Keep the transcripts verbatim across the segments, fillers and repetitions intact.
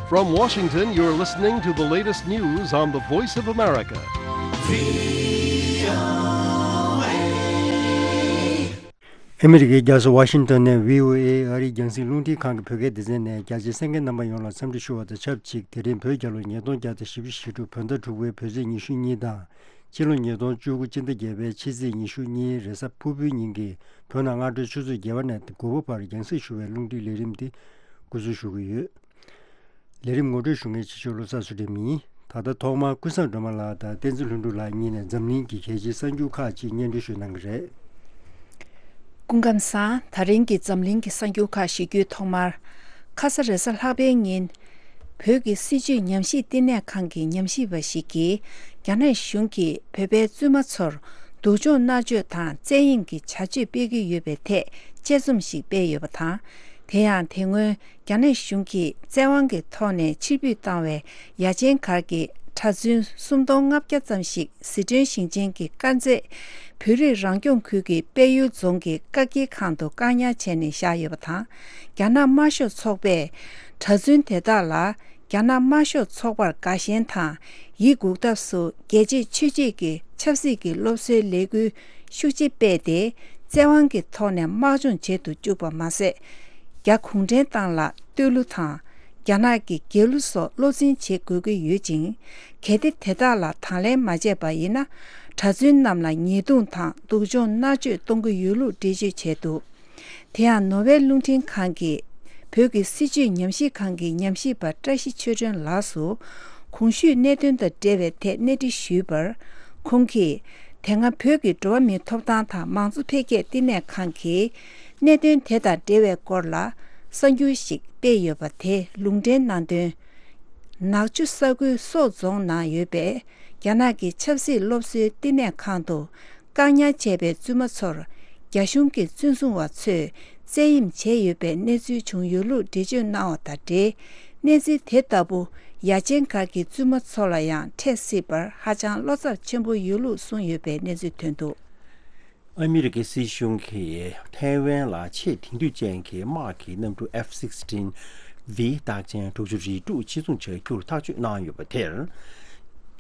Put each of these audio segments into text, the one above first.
From Washington, you're listening to the latest news on the Voice of America. ཨ་མི་རི་ཀའི་རྒྱལ་ས་ཝ་ཤིང་ཏོན་ནས་བྷི་ཨོ་ཨེ་ཨ་རིའི་རྒྱང་སྲིང་རླུང་འཕྲིན་ཁང་གི་བོད་སྐད་སྡེ་ཚན་ནས་རྒྱ་ཆེའི་གསན་མཁན་རྣམ་པ་ཡོངས་ལ་འཚམས་འདྲི་ཞུ་བ་དང་ཆབས་ཅིག་དེ་རིང་བོད་རྒྱལ་ལོ་ཉིས་སྟོང་བརྒྱ་དང་བཞི་བཅུ་ཞེ་དྲུག་བོད་ཟླ་དྲུག་པའི་བོད་ཚེས་ཉི་ཤུ་གཉིས་དང་། ཕྱི་ལོ་ཉིས་སྟོང་བཅུ་དགུ་སྤྱི་ཟླ་བརྒྱད་པའི་ཕྱི་ཚེས་ཉི་ཤུ་གཉིས་རེས་གཟའ་ཕུར་བུའི་ཉིན་གྱི་བོད་ནང་སྔ་དྲོའི་ཆུ་ཚོད་བརྒྱད་པ་ནས་དགུ་པ་བར་རྒྱང་སྲིང་ཞུ་བའི་རླུང་འཕྲིན་ལས་རིམ་འདི་འགོ་འཛུགས་ཞུ་གི་ཡོད། ལས་རིམ་ངོ་སྤྲོད་ཞུ་མཁན་ཕྱི་ཕྱོགས་བློ་བཟང་ཚུལ་ཁྲིམས་ཡིན། ད་ལྟ་ཐོག་མར་ཀུན་བཟང་སྒྲོལ་མ་ལགས་དང་བསྟན་འཛིན་ལྷུན་གྲུབ་ལགས་གཉིས་ནས་འཛམ་གླིང་གི་གལ་ཆེའི་གསར་འགྱུར་ཁག་ཅིག་སྙན་སྒྲོན་ཞུ་གནང་གི་རེད། སྐུ་ཁམས་བཟང་། ད་རིང་གི་འཛམ་གླིང་གི་གསར་འགྱུར་ཁག་ཞུ་རྒྱུའི་ཐོག་མར། ཁ་ས་རེས་གཟའ་ལྷག་པའི་ཉིན། བོད་ཀྱི་སྲིད་བྱུས་ཉམས་ཞིབ་བསྟི་གནས་ཁང་གི་ཉམས་ཞིབ་པ་ཞིག་གིས། རྒྱ་ནག་གཞུང་གིས་བོད་པའི་བཙུན་མ་ཚོར་སྡུག་སྦྱོང་མནར་གཅོད་དང་བཙན་གཡེམ་གྱི་བྱ་སྤྱོད་སྤེལ་གྱི་ཡོད་པའི་ཐད་དཔྱད་རྩོམ་ཞིག་སྤེལ་ཡོད་པ་དང་། དེ་ཡང་དེ་སྔོན། རྒྱ་ནག་གཞུང་གིས་བཙན་དབང་གི་ཐོག་ནས་ཕྱིར་འབུད་བཏང་བའི་ཡ་ཆེན་གར་གྱི་གྲྭ་བཙུན་སུམ་སྟོང་ལྔ་བརྒྱ་ཙམ་ཞིག་ཟི་ཁྲོན་ཞིང་ཆེན་གྱི་དཀར་མཛེས་བོད་རིགས་རང་སྐྱོང་ཁུལ་གྱི་དཔལ་ཡུལ་རྫོང་གི་བཀག་སྐྱིལ་ཁང་དུ་བཀག་ཉར་བྱས་ནས་བཞག་ཡོད་པ་དང་། རྒྱ་ནག་དམར་ཤོག་ཚོགས་པས་གྲྭ་བཙུན་དེ་དག་ལ་རྒྱ་ནག་དམར་ཤོག་ཚོགས་པར་དགའ་ཞེན་དང་། ཡིད་འགུག་ཐབས་སུ་རྒྱལ་གཅེས་ཆོས་གཅེས་ཀྱི་ཆབ་སྲིད་ཀྱི་སློབ་གསོའི་ལས་འགུལ་ཤུགས་ཆེ་སྤེལ་ཏེ། བཙན་དབང་གི་ཐོག་ནས་དམག་སྦྱོང་བྱེད་དུ་བཅུག་པ་མ་ཟད། རྒྱ་གུང་ཁྲན་ཏང་ལ་བསྟོད་གླུ་དང་། རྒྱ་ནག་གི་རྒྱལ་གླུ་སོགས་བློ་འཛིན་བྱེད་དགོས་ཀྱི་ཡོད་ཅིང་། གལ་ཏེ་དེ་དག་ལ་དང་ལེན་མ་བྱས་པ་ཡིན་ན། གྲྭ་བཙུན་རྣམས་ལ་ཉེས་རྡུང་དང་སྡུག་སྦྱོང་མནར་གཅོད་གཏོང་གི་ཡོད་ལུགས་འགྲེལ་བརྗོད་བྱས་འདུག་དེ་ཡང་ནོར་ཝེ་རླུང་འཕྲིན་ཁང་གི་བོད་ཀྱི་སྲིད་བྱུས་ཉམས་ཞིབ་ཁང་གི་ཉམས་ཞིབ་པ་བཀྲ་ཤིས་ཆོས་སྒྲོན་ལགས་སུ། གོང་ཞུས་གནད་དོན་དང་འབྲེལ་བའི་ཐད་གནས་འདྲི་ཞུས་པར། ཁོང་གིས། དེ་སྔ་བོད་ཀྱི་འགྲོ་བ་མིའི་ཐོབ་ཐང་དང་མང་གཙོ་འཕེལ་རྒྱས་བསྟི་གནས་ཁང་གིས། གནད་དོན་དེ་དང་འབྲེལ་བའི་སྐོར་ལ། གསར་འགྱུར་ཞིག་སྤེལ་ཡོད་པ་དེ་ལུང་འདྲེན་གནང་དོན། ནག་ཆུ་ས་ཁུལ་སོག་རྫོང་ནང་ཡོད་པའི། རྒྱ་ནག་གི་ཆབ་སྲིད་སློབ་གསོའི་བསྟི་གནས་ཁང་དུ། བཀག་ཉར་བྱས་པའི་བཙུན་མ་ཚོར། རྒྱ་གཞུང་གི་བཙོན་བཟུང་བ་ཚོས་བཙན་གཡེམ་བྱས་ཡོད་པའི་གནས་ཚུལ་བྱུང་ཡོད་ལུགས་འགྲེལ་བརྗོད་གནང་བ་དང་འབྲེལ། གནས་ཚུལ་དེ་ལྟ་བུ་ཡ་ཆེན་སྒར་གྱི་བཙུན་མ་ཚོ་ལ་ཡང་འཕྲད་སྲིད་པར་ཧ་ཅང་བློ་འཚབ་ཆེན་པོ་ཡོད་ལུགས་གསུངས་ཡོད་པའི་གནས་ཚུལ་ཐོན་འདུག་ཨ་མི་རི་ཀའི་སྲིད་གཞུང་གིས་ཐའེ་ཝན་ལ་ཆེས་དེང་དུས་ཅན་གྱི་དམག་གི་གནམ་གྲུ་ཨེཕ་སིག་སི་ཊིན་ཝི་རྟགས་ཅན་དྲུག་ཅུ་རེ་དྲུག་ཕྱིར་ཚོང་བྱ་རྒྱུར་ཐག་གཅོད་གནང་ཡོད་པ་དེར།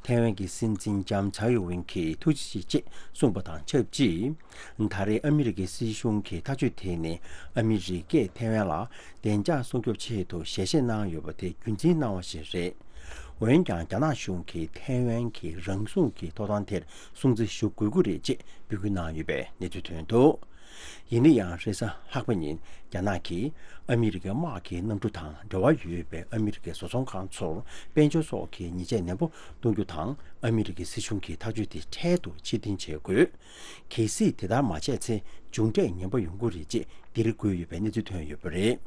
ཐའེ་ཝན་གྱི་སྲིད་འཛིན་ལྕམ་ཚའེ་ཡོ་ཝེན་གྱིས་ཐུགས་རྗེ་ཆེ་ཅེས་གསུངས་པ་དང་ཆབས་ཅིག་ད་རེས་ཨ་མི་རི་ཀའི་སྲིད་གཞུང་གི་ཐག་གཅོད་དེ་ནི་ཨ་མི་རི་ཀས་ཐའེ་ཝན་ལ་བདེ་འཇགས་སྲུང་སྐྱོབ་ཆེད་དུ་ཞལ་བཞེས་གནང་ཡོད་པ་དེ་རྒྱུན་འཛིན་གནང་བ་ཞིག་རེད། འོན་ཀྱང་རྒྱ་ནག་གཞུང་གིས་ཐའེ་ཝན་གྱི་རང་སྲུང་གི་ཐོབ་ཐང་དེར་སྲུང་བརྩི་ཞུ་དགོས་ཀྱི་རེད་ཅེས་འབོད་སྐུལ་གནང་ཡོད་པའི་གནས་ཚུལ་ཐོན་འདུག་ཡིན་ན་ཡང་རེས་གཟའ་ལྷག་པ་ཉིན་རྒྱ་ནག་གིས་ཨ་མི་རི་ཀའི་དམག་གི་གནམ་གྲུ་དང་འབྲེལ་བ་ཡོད་པའི་ཨ་མི་རི་ཀའི་བཟོ་ཚོང་ཁང་ཚོར་དཔལ་འབྱོར་སོགས་ཀྱི་ཉེས་ཆད་ནན་པོ་གཏོང་རྒྱུ་དང་ཨ་མི་རི་ཀའི་སྲིད་གཞུང་གི་ཐག་གཅོད་དེ་འཕྲལ་དུ་ཕྱིར་འཐེན་བྱེད་དགོས། གལ་སྲིད་དེ་ལྟར་མ་བྱས་ཚེ་མཇུག་འབྲས་ངན་པ་ཡོང་གི་རེད་ཅེས་འདིར་བཀོད་ཡོད་པའི་གནས་ཚུལ་ཐོན་ཡོད་པ་རེད།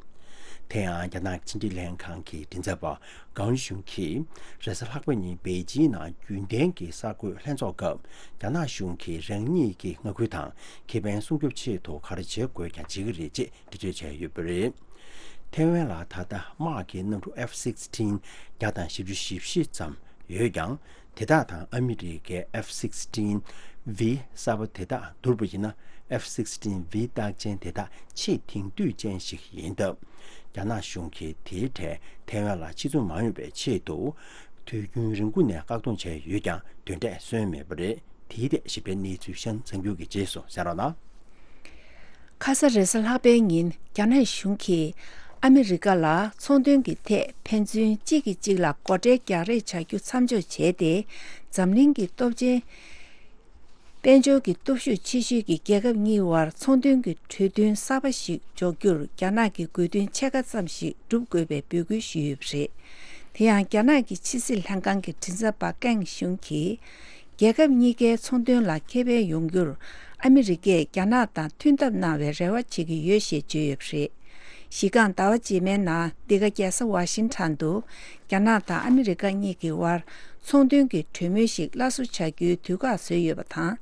དེ་ཡང་རྒྱ་ནག་ཕྱི་འབྲེལ་ལྷན་ཁང་གི་མགྲིན་ཚབ་པ་ཀའོ་ཞུན་གྱིས་རེས་གཟའ་ལྷག་པ་ཉིན་པེ་ཅིང་ནང་རྒྱུན་ལྡན་གྱི་གསར་འགོད་ལྷན་ཚོགས་སྐབས། རྒྱ་ནག་གཞུང་གིས་རང་ཉིད་ཀྱི་མངའ་ཁུལ་དང་ཁེ་ཕན་སྲུང་སྐྱོབ་ཆེད་དུ་ག་རེ་བྱེད་དགོས་ཀྱང་བྱེད་ཀྱི་རེད་ཅེས་འགྲེལ་བརྗོད་བྱས་ཡོད་པ་རེད། ཐའེ་ཝན་ལ་ད་ལྟ་དམག་གི་གནམ་གྲུ་ཨེཕ་སིག་སི་ཊིན་བརྒྱ་དང་བཞི་བཅུ་ཞེ་བཞི་ཙམ་ཡོད་ཀྱང་། དེ་དག་དང་ཨ་མི་རི་ཀའི་ཨེཕ་སིག་སི་ཊིན་ཝི་གསར་པ་དེ་དག་བསྡུར་བ་ཡིན་ན། ཨེཕ་སིག་སི་ཊིན་ཝི་རྟགས་ཅན་དེ་དག་ཆེས་དེང་དུས་ཅན་ཞིག་ཡིན་སྟབས། རྒྱ་ནག་གཞུང་གིས་དེའི་གྲས་ཐའེ་ཝན་ལ་ཕྱིར་ཚོང་མ་ཡོང་བའི་ཆེད་དུ། དུས་རྒྱུན་རིང་པོ་ནས་བཀག་སྡོམ་བྱས་ཡོད་ཀྱང་། དོན་འབྲས་སོན་མེད་པ་རེད། དེའི་ཐད་ཞིབ་ཕྲའི་གནས་ཚུལ་ཤང་གསར་འགྱུར་གྱི་རྗེས་སུ་གསན་རོགས་གནང་། ཁ་ས་རེས་གཟའ་ལྷག་པའི་ཉིན་རྒྱ་ནག་གཞུང་གིས་ཨ་མི་རི་ཀ་ལ་ཚོང་དོན་གྱི་ཐད་ཕན་ཚུན་གཅིག་གིས་གཅིག་ལ་སྒོ་ཁྲལ་རྒྱག་རེས་བྱ་རྒྱུ་མཚམས་འཇོག་བྱས་ཏེ། འཛམ་གླིང་གི་སྟོབས་ཆེན། དཔལ་འབྱོར་གྱི་སྟོབས་ཤུགས་ཆེ་ཤོས་ཀྱི་རྒྱལ་ཁབ་གཉིས་དབར་ཚོང་དོན་གྱི་གྲོས་མཐུན་གསར་པ་ཞིག་འཇོག་རྒྱུར་རྒྱ་ནག་གིས་དགོས་འདུན་ཕྱེད་ཀ་ཙམ་ཞིག་སྒྲུབ་དགོས་པའི་འབོད་སྐུལ་ཞུས་ཡོད་པ་རེད། དེ་ཡང་རྒྱ་ནག་གི་ཕྱི་སྲིད་ལྷན་ཁང་གི་མགྲིན་ཚབ་པ་ཀེང་ཞུན་གྱིས། རྒྱལ་ཁབ་གཉིས་ཀའི་ཚོང་དོན་ལ་ཁེ་ཕན་ཡོང་རྒྱུར་ཨ་མི་རི་ཀས་རྒྱ་ནག་དང་མཐུན་ཐབས་གནང་བའི་རེ་བ་བྱེད་ཀྱི་ཡོད་ཞེས་བརྗོད་ཡོད་པ་རེད། གཞི་རྐང་ཟླ་བ་རྗེས་མའི་ནང་འདི་ག་རྒྱལ་ས་ཝ་ཤིང་ཊོན་དུ་རྒྱ་ནག་དང་ཨ་མི་རི་ཀ་གཉིས་ཀྱི་དབར་ཚོང་དོན་གྱི་གྲོས་མོལ་ཞིག་སླར་གསོ་བྱ་རྒྱུའི་དུས་བཀག་བཟོས་ཡོད་པ་དང་།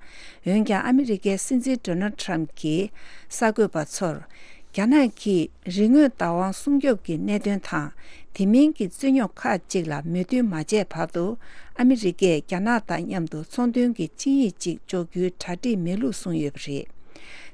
འོན་ཀྱང་ཨ་མི་རི་ཀའི་སྲིད་འཛིན་ཌོ་ནལ་ཊམ་གྱིས་གསར་འགོད་པ་ཚོར། རྒྱ་ནག་གིས་རིག་དངོས་བདག་དབང་སྲུང་སྐྱོབ་ཀྱི་གནད་དོན་དང་། དེ་མིན་གྱི་རྩོད་རྙོག་ཁག་ཅིག་ལ་མོས་མཐུན་མ་བྱས་བར་དུ། ཨ་མི་རི་ཀས་རྒྱ་ནག་དང་མཉམ་དུ་ཚོང་དོན་གྱི་ཆིངས་ཡིག་ཅིག་འཇོག་རྒྱུའི་གྲ་སྒྲིག་མེད་ལུགས་གསུངས་ཡོད་པ་རེད།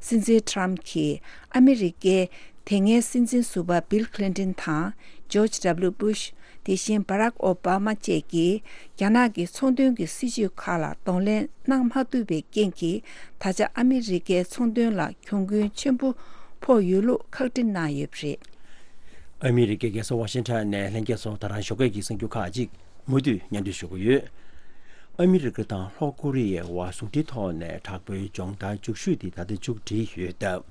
སྲིད་འཛིན་ཊམ་གྱིས་ཨ་མི་རི་ཀའི་དེ་སྔའི་སྲིད་འཛིན་ཟུར་པ་བྷིལ་ཁི་ལིན་ཏོན་དང་ཇོརྗ་ཌབ་ལུ་སྦུ་ཤ། དེ་བཞིན་བྷ་རག་ཨོ་བྷ་མ་བཅས་ཀྱིས་རྒྱ་ནག་གི་ཚོང་དོན་གྱི་སྲིད་ཇུས་ཁག་ལ་གདོང་ལེན་གནང་མ་ཐུབ་པའི་རྐྱེན་གྱིས། ད་ཆ་ཨ་མི་རི་ཀའི་ཚོང་དོན་ལ་གྱོང་གུན་ཆེན་པོ་ཕོག་ཡོད་ལུགས་ཁག་དཀྲི་གནང་ཡོད་པ་རེད། ཨ་མི་རི་ཀའི་རྒྱལ་ས་ཝ་ཤིང་ཊོན་ནས་ལྷན་རྒྱས་ཚོ་ད་རང་ཞོགས་ཀས་ཀྱི་གསར་འགྱུར་ཁག་ཅིག་མུ་མཐུད་སྙན་སྒྲོན་ཞུ་གི་ཡོད། ཨ་མི་རི་ཀ་དང་ལྷོ་ཀོ་རི་ཡའི་དབར་ཟུང་འབྲེལ་ཐོག་ནས་དྲག་པོའི་སྦྱོང་བརྡར་མཇུག་ཤོས་དེ་ད་ལྟ་མཇུག་སྒྲིལ་ཡོད་སྟབས།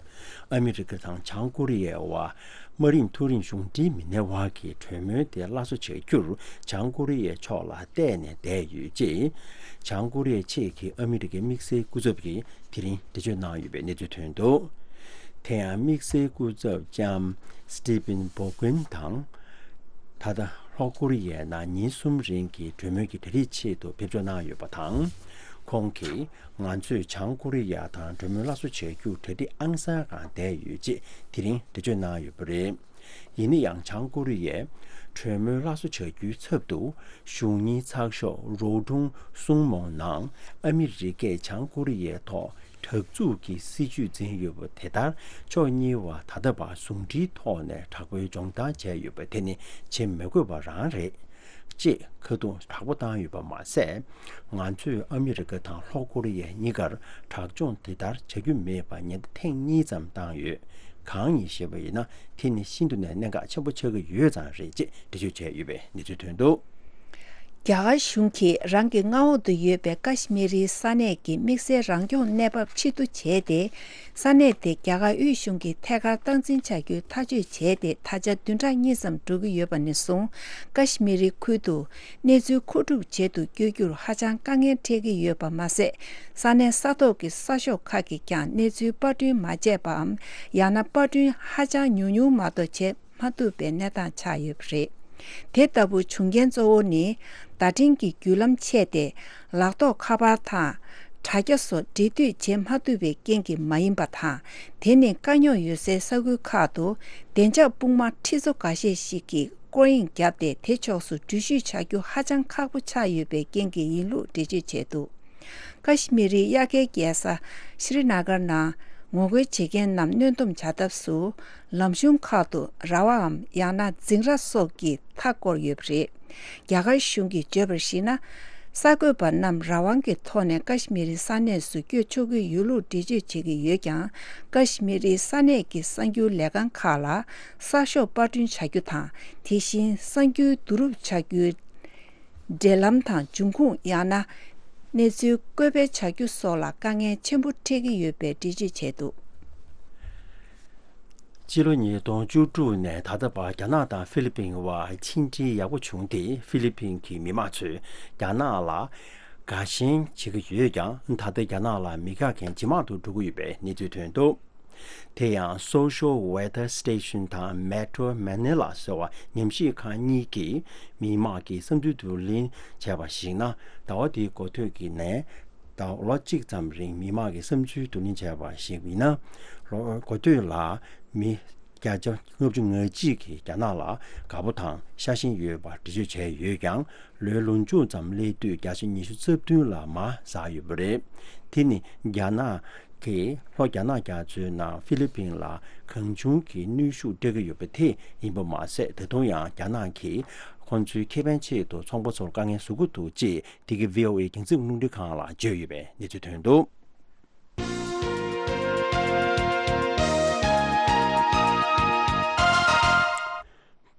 ཨ་མི་རི་ཀ་དང་བྱང་ཀོ་རི་ཡའི་དབར་དམའ་རིམ་མཐོ་རིམ་གཞུང་འབྲེལ་མི་སྣའི་དབར་གྱི་གྲོས་མོལ་དེ་སླར་གསོ་བྱ་རྒྱུར་བྱང་ཀོ་རི་ཡའི་ཕྱོགས་ལ་གཏད་ནས་བསྡད་ཡོད་ཅེས། བྱང་ཀོ་རི་ཡའི་ཆེད་ཀྱི་ཨ་མི་རི་ཀའི་དམིགས་བསལ་སྐུ་ཚབ་ཀྱིས་དེ་རིང་འགྲེལ་བརྗོད་གནང་ཡོད་པའི་གནས་ཚུལ་ཐོན་འདུག་དེ་ཡང་དམིགས་བསལ་སྐུ་ཚབ་ལྕམ་Stephen Boglen་དང་། ད་ལྟ་ལྷོ་ཀོ་རི་ཡའི་ནང་ཉིན་གསུམ་རིང་གི་གྲོས་མོལ་གྱི་གྲ་སྒྲིག་ཆེད་དུ་ཕེབས་འབྱོར་གནང་ཡོད་པ་དང་། ཁོང་གིས་ང་ཚོས་བྱང་ཀོ་རི་ཡ་དང་གྲོས་མོལ་སླར་གསོ་བྱ་རྒྱུར་གྲ་སྒྲིག་ཨང་གསར་སྒང་བསྡད་ཡོད་ཅེས་དེ་རིང་འགྲེལ་བརྗོད་གནང་ཡོད་པ་རེད། ཡིན་ན་ཡང་བྱང་ཀོ་རི་ཡས་གྲོས་མོལ་སླར་གསོ་བྱ་རྒྱུའི་ཚབ་ཏུ་གཞུང་གཉེར་ཚགས་ཤོག་རོའུ་ཀྲུང་སྲུང་མོང་ནང་ཨ་མི་རི་ཀས་བྱང་ཀོ་རི་ཡའི་ཐོག་དྲག་འཛུགས་ཀྱི་སྲིད་ཇུས་འཛིན་ཡོད་པ་དེ་ལྟར་ཕྱོགས་གཉིས་བར་ད་ལྟ་བར་ཟུང་འབྲེལ་ཐོག་ནས་དྲག་པོའི་སྦྱོང་བརྡར་བྱས་ཡོད་པ་དེ་ནི་བྱེད་མི་དགོས་པ་རང་རེད། ཅེས་ཁ་རྡུང་དྲག་པོ་བཏང་ཡོད་པ་མ་ཟད། ང་ཚོས་ཨ་མི་རི་ཀ་དང་ལྷོ་ཀོ་རི་ཡ་གཉིས་ཀར་དྲག་སྦྱོང་དེ་ལྟར་བྱ་རྒྱུ་མེད་པར་ཉེན་བརྡ་ཐེངས་གཉིས་ཙམ་བཏང་ཡོད། གང་ཡིན་ཞེས་པ་ཡིན་ན། དེ་ནི་ཤིན་ཏུ་ནས་གནད་འགག་ཆེན་པོ་ཆགས་ཀྱི་ཡོད་ཙང་རེད་ཅེས་འགྲེལ་བརྗོད་བྱས་ཡོད་པའི་གནས་ཚུལ་ཐོན་འདུག་རྒྱ་གར་གཞུང་གིས་རང་གི་མངའ་འོག་ཏུ་ཡོད་པའི་ཀ་ཤི་མི་རིའི་ས་གནས་ཀྱི་དམིགས་བསལ་རང་སྐྱོང་གནས་བབ་ཕྱིར་བསྡུ་བྱས་ཏེ། ས་གནས་དེ་རྒྱ་གར་དབུས་གཞུང་གི་ཐད་ཀར་སྟངས་འཛིན་བྱ་རྒྱུའི་ཐག་གཅོད་བྱས་ཏེ། ད་ཆ་བདུན་ཕྲག་གཉིས་ཙམ་འགྲོ་གི་ཡོད་པ་ནས་བཟུང་ཀ་ཤི་མི་རི་ཁུལ་དུ་གནས་ཚུལ་མཁོ་སྒྲུབ་བྱེད་དུ་བསྐྱོད་རྒྱུར་ཧ་ཅང་དཀའ་ངལ་འཕྲད་ཀྱི་ཡོད་པ་མ་ཟད། ས་གནས་ས་ཐོག་གི་གསར་ཤོག་ཁག་གིས་ཀྱང་གནས་ཚུལ་པར་སྐྲུན་མ་བྱས་པའམ། ཡང་ན་པར་སྐྲུན་ཧ་ཅང་ཉུང་ཉུང་མ་གཏོགས་བྱེད་མ་ཐུབ་པའི་གནས་སྟངས་ཆགས་ཡོད་པ་རེད། དེ་ལྟ་བུ་བྱུང་རྐྱེན་གཙོ་བོ་ནི། བརྡ་འཕྲིན་གྱི་བརྒྱུད་ལམ་ཆད་དེ། ལག་ཐོགས་ཁ་པར་དང་། དྲ་རྒྱ་སོགས་འབྲེལ་མཐུད་བྱེད་མ་ཐུབ་པའི་རྐྱེན་གྱིས་མ་ཡིན་པ་དང་། དེ་ནི་དཀའ་རྙོག་ཡོད་སའི་ས་ཁུལ་ཁག་ཏུ་བདེ་འཇགས་དཔུང་དམག་ཁྲི་ཚོ་འགའ་ཤས་ཤིག་གིས་སྐོར་གཡེང་བརྒྱབ་སྟེ། དེ་ཕྱོགས་སུ་འགྲུལ་བཞུད་བྱ་རྒྱུ་ཧ་ཅང་ཁག་པོ་ཆགས་ཡོད་པའི་རྐྱེན་གྱིས་ཡིན་ལུགས་འགྲེལ་བརྗོད་བྱས་འདུག་ཀ་ཤི་མི་རིའི་དབྱར་ཁའི་རྒྱལ་ས་ཤྲི་ན་གར་ནང་ངོ་རྒོལ་བྱེད་མཁན་རྣམས་གནོན་སྡོམ་བྱ་ཐབས་སུ། ལམ་གཞུང་ཁག་ཏུ་ར་བའམ་ཡང་ན་འཛིང་ར་སོགས་ཀྱིས་མཐའ་བསྐོར་ཡོད་པ་རེད། རྒྱ་གར་གཞུང་གིས་བརྗོད་པར་གཞིགས་ན། གསར་འགོད་པ་རྣམས་རང་དབང་གི་ཐོག་ནས་ཀ་ཤི་མི་རི་ས་གནས་སུ་བསྐྱོད་ཆོག་གི་ཡོད་ལུགས་འགྲེལ་བརྗོད་བྱེད་ཀྱི་ཡོད་ཀྱང་། ཀ་ཤི་མི་རིའི་ས་གནས་ཀྱི་གསར་འགྱུར་ལས་ཁང་ཁག་ལ་གསར་ཤོག་པར་སྐྲུན་བྱ་རྒྱུ་དང་། དེ་བཞིན་གསར་འགྱུར་བསྡུ་རུབ་བྱ་རྒྱུའི་འབྲེལ་ལམ་དང་། འབྱུང་ཁུངས། ཡང་ན་གནས་ཚུལ་བཀོད་སྤེལ་བྱ་རྒྱུ་སོགས་ལ་དཀའ་ངལ་ཆེན་པོ་འཕྲད་ཀྱི་ཡོད་པའི་འགྲེལ་བརྗོད་བྱས་འདུག་སྤྱི་ལོ་ཉིས་སྟོང་བཅུ་དྲུག་ནས་ད་ལྟ་བར་རྒྱ་ནག་དང་ཧྥི་ལི་པིན་དབར་ཕྱི་འབྲེལ་ཡག་པོ་བྱུང་སྟེ། ཧྥི་ལི་པིན་གྱི་མི་མང་ཚོས་རྒྱ་ནག་ལ་དགའ་ཞེན་བྱེད་ཀྱི་ཡོད་ཀྱང་། ད་ལྟ་རྒྱ་ནག་ལ་མི་དགའ་མཁན་ཇེ་མང་དུ་འགྲོ་གི་ཡོད་པའི་གནས་ཚུལ་ཐོན་འདུག་དེ་ཡང་Social Weather Station་དང་Metro Manila་ཟེར་བ་ཉམས་ཞིབ་ཁང་གཉིས་ཀྱིས་མི་མང་གི་བསམ་ཚུལ་བསྡུ་ལེན་བྱས་པར་གཞིགས་ན། ཟླ་བ་འདིའི་འགོ་སྟོད་ཀྱི་ནས་ཟླ་ལོ་གཅིག་ཙམ་རིང་མི་མང་གི་བསམ་ཚུལ་བསྡུ་ལེན་བྱས་པར་གཞིགས་ཡིན་ན། ལོ་འགོ་སྟོད་ལ་མི་བརྒྱ་ཆ་ལྔ་བཅུ་ང་གཅིག་གིས་རྒྱ་ནག་ལ་དགའ་པོ་དང་ཤ་ཞེན་ཡོད་པར་འགྲེལ་བརྗོད་བྱས་ཡོད་ཀྱང་། ལོའི་ལོ་མཇུག་ཙམ་སླེབས་དུས་བརྒྱ་ཆ་ཉི་ཤུ་རྩ་བདུན་ལ་མར་ཟགས་ཡོད་པ་རེད། དེ་ནི་རྒྱ་ནག་གིས་ལྷོ་རྒྱ་ནག་རྒྱ་མཚོའི་ནང་ཧྥི་ལི་པིན་ལ་གང་བྱུང་གི་གནོན་ཤུགས་སྤྲད་ཀྱི་ཡོད་པ་དེ་ཡིན་པ་མ་ཟད། ད་དུང་ཡང་རྒྱ་ནག་གིས་ཁོང་ཚོའི་ཁེ་ཕན་ཆེད་དུ་ཚོང་པ་ཚོར་དཀའ་ངལ་བཟོ་གི་འདུག་ཅེས་འདི་གའི་ཝི་ཨོ་ཨེ་རྒྱང་སྲིང་རླུང་འཕྲིན་ཁང་ལ་བརྗོད་ཡོད་པའི་གནས་ཚུལ་ཐོན་འདུག་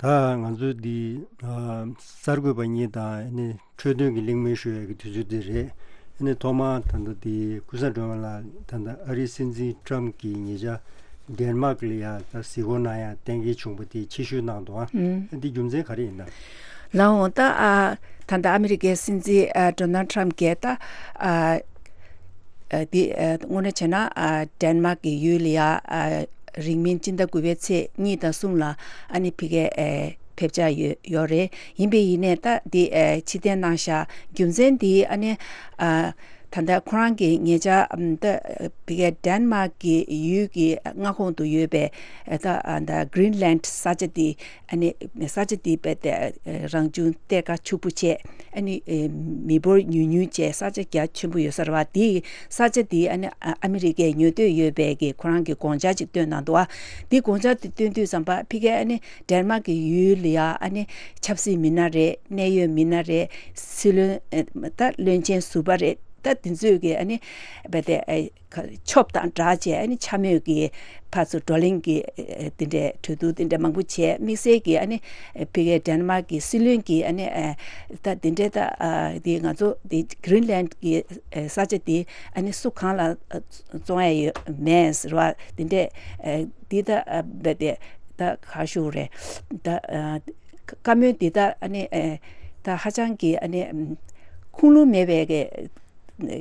ད་ང་ཚོའི་འདི་ཨ་གསར་འགོད་པ་གཉིས་དང་ཨ་ནི་འཕྲོས་དོན་གྱི་གླེང་མོལ་ཞུ་ཡག་གི་དུས་ཚོད་འདི་རེད། ཨ་ནི་ཐོག་མར་ད་ལྟ་འདི་ཀུན་བཟང་སྒྲོལ་མ་ལགས། ད་ལྟ་ཨ་རིའི་སྲིད་འཛིན་ཊམ་གྱིས་ཉེ་ཆར་ཌེན་མཱག་ལ་ཡ་ད་གཟིགས་སྐོར་གནང་ཡག་གཏན་འཁེལ་བྱུང་བ་དེ་ཕྱིར་བཤོལ་གནང་འདུག་ཨ། ཨ་འདི་རྒྱུ་མཚན་ག་རེ་ཡིན་ན། ལགས་འོང་། ད་ཨ་ད་ལྟ་ཨ་མི་རི་ཀའི་སྲིད་འཛིན་ཨ་ཌོ་ནལ་ཊམ་གྱིས་ད་ཨ་ཨ་འདི་ཨ་དངོས་གནས་བྱས་ན་ཨ་ཌེན་མཱག་གི་ཡུལ་ལ་ཡ་ཨ་རིང་མིན་སྤྱི་ཟླ་དགུ་པའི་ཚེས་གཉིས་དང་གསུམ་ལ་ཨ་ནི་ཕ་གིར་ཨ་ཕེབས་འཆར་ཡོད་ཡོད་རེད། ཡིན་པས་ཡིན་ནའི་ད་འདི་ཨ་ཕྱིར་འཐེན་གནང་ཤག་རྒྱུ་མཚན་འདི་ཨ་ནི་ཨ་ ད་ལྟ་ཁོ་རང་གི་ཉེ་ཆར་ཨམ་ད་ཕ་གིའི་ཌེན་མཱག་གི་ཡུལ་གྱི་མངའ་ཁོངས་དུ་ཡོད་པའི་ད་ད་གྷི་རིན་ལན་ས་ཆ་དེ། ཨ་ནི་ས་ཆ་དེ་རྦད་དེ་རང་བྱུང་གཏེར་ཁ་ཕྱུག་པོ་བྱས། ཨ་ནི་མི་འབོར་ཉུང་ཉུང་བྱས། ས་ཆ་རྒྱ་ཆེན་པོ་ཡོད་ས་རེད་བ། དེའི་ས་ཆ་དེ་ཨ་ནི་ཨ་མི་རི་ཀས་ཉོ་འདོད་ཡོད་པའི་གི་ཁོ་རང་གི་དགོངས་འཆར་ཅིག་བཏོན་གནང་འདུག་བ། དེ་དགོངས་འཆར་དེ་བཏོན་དུས་ཙམ་པ་ཕ་གིའི་ཨ་ནི་ཌེན་མཱག་གི་ཡུལ་ལ་ཡ་ཨ་ནི་ཆབ་སྲིད་མི་སྣ་རེད། གནད་ཡོད་མི་སྣ་རེད། སྲིད་བློན་ད་བློན་ཆེན་ཟུར་པ་རེད། ད་དེ་ཚོས་ཀྱི་ཨ་ནི་རྦད་དེ་ཨ་ཁ་ཆོབ་དང་སྦྲགས་བྱས། ཨ་ནི་འཕྱ་སྨོད་ཀྱི་ཕར་ཚུར་བགྲོ་གླེང་གི་ཨ་དེ་འདྲའི་གྲོས་བསྡུར་དེ་འདྲ་མང་པོ་བྱས། དམིགས་བསལ་གྱི་ཨ་ནི་ཕ་གིའི་ཌེན་མཱག་གི་སྲིད་བློན་གྱིས་ཨ་ནི་ཨ་ད་དེ་འདྲའི་ད་ཨ་དེ་ང་ཚོ་དེ་གྷི་རིན་ལན་གྱི་ཨ་ས་ཆ་དེ་ཨ་ནི་སུ་གང་ལ་ཨ་བཙོང་ཡ་ཡོད་མེད་ཟེར་བ་དེ་འདྲའི་ཨ་དེ་ད་ཨ་རྦད་དེ་ད་ག་ཞུ་རེད། ད་ཨ་བཀའ་མོལ་འདི་ད་ཨ་ནི་ཨེ་ད་ཧ་ཅང་གི་ཨ་ནི་ཨམ་ཁུངས་ལུང་མེད་པའི་གི་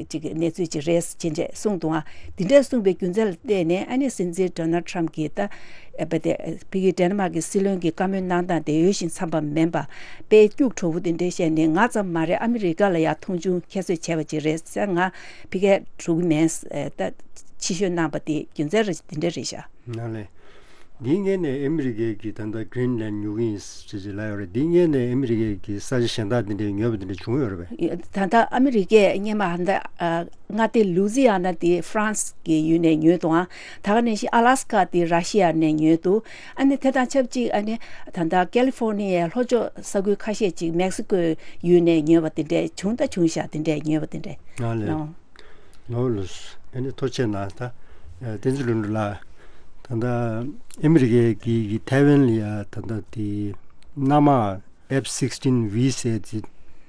ཅིག་གནས་ཚུལ་ཅིག་རེད་ཅེས་གསུངས་འདུག་ཨ། འདི་འདྲ་གསུངས་པའི་རྒྱུ་མཚན་ལ་བལྟས་ནས་ཨ་ནི་སྲིད་འཛིན་ཌོ་ནལ་ཊམ་གྱིས་ད་ཨེ་བ་དེ་ཕ་གི་ཌེན་མཱག་གི་སྲིད་བློན་གྱི་བཀའ་མོལ་གནང་སྟངས་དེ་འོས་ཤིང་འཚམས་པ་མིན་པ། དཔེ་སྐྱུག་བྲོ་བོ་དེ་འདྲ་བཤད་ནས་ང་ཙམ་མ་རེད། ཨ་མི་རི་ཀ་ལ་ཡང་མཐོང་ཆུང་ཁྱད་གསོད་བྱས་པ་ཅིག་རེད་ཟེར། ང་ཕ་གིར་འགྲོ་གི་མེད་ཟེར་ད་ཕྱིར་བཤོལ་གནང་པ་དེ་རྒྱུ་མཚན་རེད། དེ་འདྲ་རེད་ཤག་ནང་ལས། འདིའི་སྔོན་ནས་ཨ་མི་རི་ཀས་ཀྱི་ད་ལྟ་གྷི་རིན་ལན་ཉོ་གི་ཡིན་ཟེར་ཅིག་ལབ་ཡོད་རེད། འདིའི་སྔོན་ནས་ཨ་མི་རི་ཀས་ཀྱི་ས་ཆ་གཞན་དག་འདི་འདྲའི་ཉོས་པ་འདི་འདྲ་བྱུང་ཡོད་རེད་པས། ད་ལྟ་ཨ་མི་རི་ཀས་སྔོན་མ་ཧ་ད་མངའ་སྡེ་ལུའུ་ཛི་ཡ་ན་དེ་ཧྥ་རན་སི་གི་ཡུལ་ནས་ཉོས་འདུག་ཨང་། ད་ག་ནང་བཞིན་ཨ་ལ་སི་ཀ་དེ་ར་ཤི་ཡ་ནས་ཉོས་འདུག་ཨ་ནི་དེ་དང་ཆབས་ཅིག་ཨ་ནི་ད་ལྟ་ཀེ་ལི་ཧྥོར་ནི་ཡའི་ལྷོ་ཕྱོགས་ས་ཁུལ་ཁ་ཤས་ཅིག་མེག་སི་ཀོའི་ཡུལ་ནས་ཉོས་པ་དེ་འདྲ་བྱུང་ད་བྱུང་ཤག་དེ་འདྲ་ཉོས་པ་དེ་འདྲ། ནང་ལས། ཨོ། ལོ་ལོ། ཨ་ནི་ཐུགས་རྗེ་གནང་། ད་བསྟན་འཛིན་ལྷུན་གྲུབ་ལགས། ད་ལྟ་ཨ་མི་རི་ཀའི་གི་གི་ཐའེ་ཝན་ལ་ཡ་ད་ལྟ་དེ་གནམ་དམག་F sixteen V ཟེར་དེ་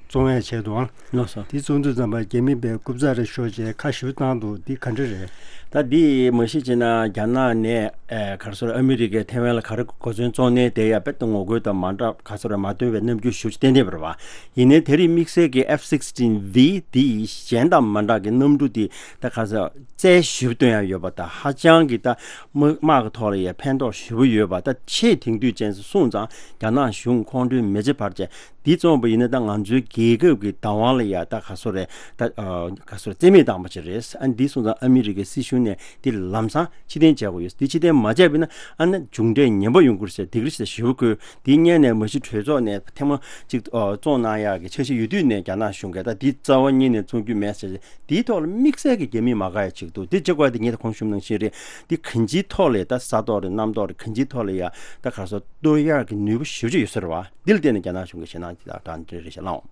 བཙོང་ཡ་བྱས་འདུག་ཨང་། ལགས་སོ། དེ་བཙོང་དུས་ཙམ་པ་རྒྱ་མི་པའི་རྐུབ་ཙག་རེ་ཤོར་བྱས་ཁ་ཞེ་པོ་བཏང་འདུག་འདི་ག་འདྲ་རེད། ད་འདི་མ་གཞི་བྱས་ན་རྒྱ་ནག་ནས་ཨེ་ག་རེ་ཟེར་ཨ་མི་རི་ཀས་ཐའེ་ཝན་ལ་ག་རེ་གོ་མཚོན་བཙོང་ནས་དེ་ཡ་དཔེ་ད་ངོ་རྒོལ་དང་མ་འདྲ་ག་རེ་ཟེར་མ་བཏོན་པའི་རྣམ་འགྱུར་ཞེ་པོ་ཅིག་བསྟན་བསྡད་པ་རེད་བ། ཡིན་ནའི་དེ་རིང་དམིགས་བསལ་གྱི་F sixteen V འདི་གཞན་དང་མ་འདྲ་གི་གནམ་གྲུ་འདི་ད་ག་ས་རྩལ་ཞིབ་སྟོན་ཡ་ཡོད་པ་དང་ཧ་ཅང་གི་ད་དམག་དམག་གི་ཐོག་ལ་ཡ་ཕན་ཐོགས་ཞེ་པོ་ཡོད་པ། ད་ཆེས་དེང་དུས་ཅན་སོང་ཙང་རྒྱ་ནག་གཞུང་ཁོང་ཁྲོའི་མེ་ལྕེ་འབར་བྱས་འདི་བཙོངས་པ་ཡིན་ན་ད་ང་ཚོའི་རྒྱལ་ཁབ་ཀྱི་བདག་དབང་ལ་ཡ་ད་ག་སོ་རེད། ད་ག་སོ་རེད། རྩིས་མེད་བཏང་པ་ཅིག་རེད། ཨ་འདི་སོང་ཙང་ཨ་མི་རི་ཀའི་སྲིད་གཞུང་ནས་འདི་ལམ་སང་ཕྱིར་འཐེན་བྱ་དགོས་ཡོད། འདི་ཕྱིར་འཐེན་མ་བྱས་པ་ཡིན་ན་ཨ་ན་མཇུག་འབྲས་ངན་པ་ཡོང་གི་རེད་ཟེར་སྡིགས་ར་ཟེར་ཞེ་པོ་བསྐུལ། དེ་སྔོན་ནས་མ་གཞི་གྲོས་ཚོགས་ནས་ཐེངས་མ་གཅིག་ཨ་བཙོང་གནང་ཡག་གི་འཆར་གཞི་ཡོད་དུས་ནས་རྒྱ་ནག་གཞུང་གིས་ད་འདི་རྩ་བ་ཉིད་ནས་བཙོང་རྒྱུ་མེད་ཟེར། འདིའི་ཐོག་ལ་དམིགས་བསལ་གྱི་རྒྱ་མིས་མ་དགའ་ཡ་ཅིག་འདུག་འདི་གཅིག་པ་དེ་ངས་ད་གོང་ཞུས་ནང་བཞིན་རེད། འདི་གང་ཅིའི་ཐོག་ལས་ད་ས་ཐོག་རེད་གནམ་ཐོག་རེད་གང་ཅིའི་ཐོག་ལས་ཡ་ད་ག་ས་གཏོར་ཡག་གི་ནུས་པ་ཞེ་པོ་ཅིག་ཡོད་ས་རེད་བ། འདི་ལ་བརྟེན་ནས་རྒྱ་ནག་གཞུང་གིས་ཞེད་སྣང་ཅིག་དང་འདྲ་རེད་ཤག་ལགས།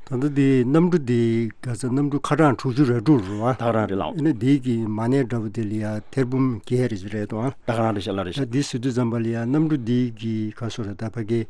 ད་ལྟ་འདི་གནམ་གྲུ་འདི་ག་ས་གནམ་གྲུ་ཁ་གྲངས་དྲུག་ཅུ་རེ་དྲུག་རེད་བ། ད་ག་རང་རེད་ལགས། ཨ་ནི་འདི་གི་མ་ཎི་འདྲ་པོ་དེ་ལ་ཡ་ཐེར་འབུམ་བརྒྱད་རེ་ཅིག་རེད་དོ། ད་ག་རང་རེད་ཤག་ལགས་རེད་ཤག། ད་འདི་ཟེར་དུས་ཙམ་པ་ལ་ཡ་གནམ་གྲུ་འདི་གི་ག་སོ་རེད་ད་ཕ་གི་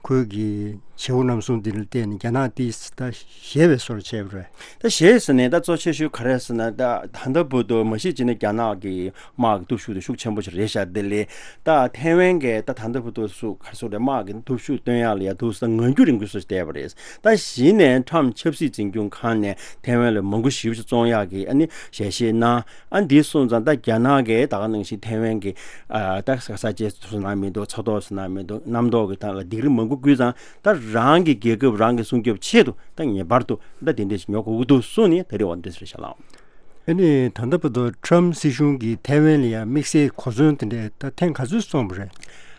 ཁོས་གི་བྱེད་པོ་རྣམ་གསུམ་འདི་ལ་བརྟེན་ནས་རྒྱ་ནག་འདི་ད་ཞེད་པའི་བཟོ་འདྲ་བྱས་པ་རེད། ད་ཞེད་ཟེར་ནས་ད་གཙོ་ཆེ་ཤོས་ག་རེ་ཟེར་ན་ད་ད་ལྟ་བར་དུ་མ་གཞི་བྱས་ན་རྒྱ་ནག་གི་དམག་གི་སྟོབས་ཤུགས་དེ་ཤུགས་ཆེན་པོ་ཞིག་རེད་ཤག། དེ་ལས་ད་ཐའེ་ཝན་གྱི་ད་ད་ལྟ་བར་དུ་སུ་ག་སུ་རེད་དམག་གི་སྟོབས་ཤུགས་སྟོན་ཡག་ལ་ཡ་དུ་ས་ངང་རྒྱུད་རིང་པོ་སུ་བལྟས་པ་རེད། ད་གཞི་ནས་ཁྲམ་ཆབ་སྲིད་འཛིན་སྐྱོང་ཁང་ནས་ཐའེ་ཝན་ལ་མང་པོ་ཞེ་པོ་ཞིག་བཙོང་ཡག་གི་ཨ་ནི་ཞལ་བཞེས་གནང་། ཨ་འདི་སོང་ཙང་ད་རྒྱ་ནག་གིས་ད་ག་ནང་བཞིན་ཐའེ་ཝན་གྱི་ཨ་ད་ས་ས་ཆའི་སུ་ན་མི་འདུག་ས་ཐོག་སུ་ན་མི་འདུག་གནམ་ཐོག་གི་ཐང་ལ་སྡིགས་ར་མང་པོ་བསྐུལ་ཙང་ད་རང་གི་རྒྱལ་ཁབ་རང་གི་སྲུང་སྐྱོབ་ཆེད་དུ་ད་ངེས་པར་དུ་ད་དེ་འདྲ་ཞིག་ཉོ་དགོས་ཀྱི་འདུག་གསུངས་ནས་ད་རེས་འོ་འདི་ཟེར་ཤག་ལགས། ཨ་ནི་ད་ལྟ་བར་དུ་ཁྲམ་སྲིད་གཞུང་གིས་ཐའེ་ཝན་ལ་ཡང་དམིགས་བསལ་གོ་མཚོན་དེ་འདྲས་ད་ཐེངས་ག་ཚོད་སོང་བ་རེད།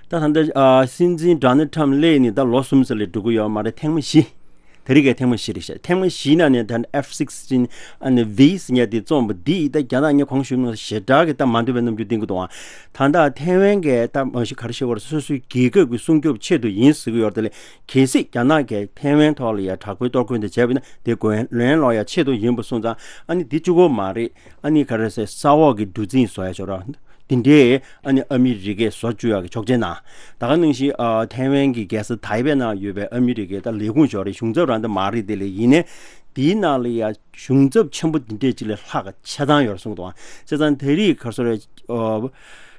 ད་ད་ལྟ་ཨ་སྲིད་འཛིན་ཌོ་ནལ་ཁྲམ་སླེབས་ནས་ད་ལོ་གསུམ་ཙམ་ལས་འགྲོ་གི་ཡོད་མ་རེད། ཐེངས་མ་བཞི། དེ་རིང་གི་ཐེངས་མ་བཞི་རེད་ཤག། ཐེངས་མ་བཞི་ནང་ནས་ད་F sixteen ཨ་ནི་V ཟེར་ཡ་དེ་བཙོངས་པ་འདི་ད་རྒྱ་ནག་ངས་གོང་ཞུས་ནང་ཞེ་དྲག་གི་ད་མ་འདོད་པའི་རྣམ་འགྱུར་བསྟན་གི་འདུག་ཨང་། ད་ལྟ་ཐའེ་ཝན་གྱི་ད་མ་གཞི་ག་རེ་ཞུ་དགོས་རེད། སོ་སོའི་རྒྱལ་ཁབ་ཀྱི་སྲུང་སྐྱོབ་ཆེད་དུ་ཡིན་ཟེར་གི་ཡོད་རེད། དེ་ལས་གལ་སྲིད་རྒྱ་ནག་གིས་ཐའེ་ཝན་ཐོག་ལ་ཡ་དྲག་པོའི་གཏོར་རྒོལ་འདི་བྱས་པ་ཡིན་ན་དེ་གོ་ལན་སློག་ཡ་ཆེད་དུ་ཡིན་པ་སོང་ཙང་ཨ་ནི་འདི་གཅིག་པོ་མ་རེད། ཨ་ནི་ག་རེ་ཟེར་ས་འོག་གི་གྲུ་གཟིངས་བཟོ་ཡ་ཆོག་ར། དེ་འདྲའི་ཨ་ནི་ཨ་མི་རི་ཀས་བཟོ་བཅུག་ཡག་གི་ཆོག་མཆན་གནང་། ད་ག་ནང་བཞིན་ཨ་ཐའེ་ཝན་གྱི་རྒྱལ་ས་ཐའེ་པེ་ནང་ཡོད་པའི་ཨ་མི་རི་ཀའི་ད་ལས་ཁུངས་ཞོག་རེད། གཞུང་ཚབ་རང་ད་མ་རེད། དེ་ལས་ཡིན་ནའི་དེའི་ནང་ལ་ཡ་གཞུང་ཚབ་ཆེན་པོ་འདི་འདྲས་ཅིག་ལས་ལྷག་ག་ཆ་ཚང་ཡོད་རེད་གསུངས་འདུག་ཨང་། བྱས་ཙང་དེ་རིང་ག་རེ་ཟེར་རེད། ཨ་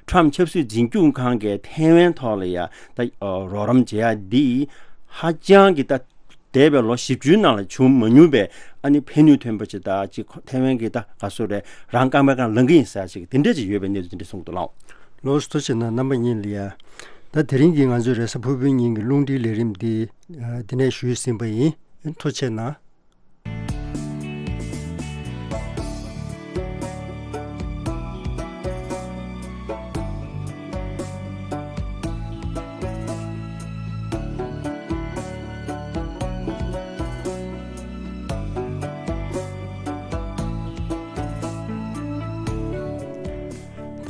ཁྲམ་ཆབ་སྲིད་འཛིན་སྐྱོང་ཁང་གིས་ཐའེ་ཝན་ཐོག་ལ་ཡ་ད་ཨ་རོགས་རམ་བྱེད་ཡ་འདི་ཧ་ཅང་གི་ད་འདས་པའི་ལོ་བཞི་བཅུའི་ནང་ལ་བྱུང་མ་མྱོང་པའི་ཨ་ནི་ཕན་ནུས་ཐོན་པ་ཅིག་དང་ཅིག་ཐའེ་ཝན་གྱི་ད་ག་སུ་རེད་རང་རྐང་པའི་སྒང་ལངས་ཀྱི་ཡིན་ཟེར་ཅིག་དེ་འདྲ་ཅིག་ཡོད་པའི་གནས་ཚུལ་དེ་འདྲ་གསུངས་འདུག་ལགས། ལགས་སོ། ཐུགས་རྗེ་གནང་རྣམ་པ་གཉིས་ལ་ཡ། ད་དེ་རིང་གི་ང་ཚོའི་རེས་གཟའ་ཕུར་བུའི་ཉིན་གྱི་རླུང་འཕྲིན་ལས་རིམ་འདི་འདི་ནས་ཞུས་ཟིན་པ་ཡིན། ཐུགས་རྗེ་གནང་།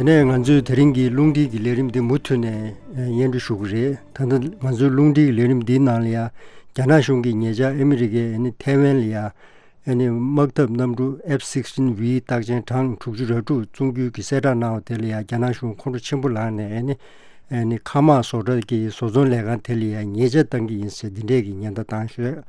ནས་ང་ཚོས་དེ་རིང་གི་རླུང་འཕྲིན་གྱི་ལས་རིམ་འདི་མུ་མཐུད་ནས་ཨེ་སྙན་སྒྲོན་ཞུ་གི་རེད། ད་ལྟ་ང་ཚོའི་རླུང་འཕྲིན་གྱི་ལས་རིམ་འདིའི་ནང་ལ་ཡང་རྒྱ་ནག་གཞུང་གིས་ཉེ་ཆར་ཨ་མི་རི་ཀའི་ཨ་ནི་ཐའེ་ཝན་ལ་ཡང་ཨ་ནི་དམག་འཐབ་གནམ་གྲུ་F sixteen V རྟགས་ཅན་གྲངས་དྲུག་ཅུ་རེ་དྲུག་བཙོང་རྒྱུ་གི་གསལ་བསྒྲགས་གནང་བ་དེ་ལ་ཡང་རྒྱ་ནག་གཞུང་ཁོང་ཁྲོ་ཆེན་པོ་ལངས་ནས་ཨ་ནི་ཨ་ནི་མཁའ་དམག་བཟོ་གྲྭ་གི་བཟོ་ཚོང་ལས་ཁང་དེ་ལ་ཡང་ཉེས་ཆད་བཏང་གི་ཡིན་ཟེར་འདི་འདྲས་ཀྱི་ཉེན་བརྡ་བཏང་ཤོད་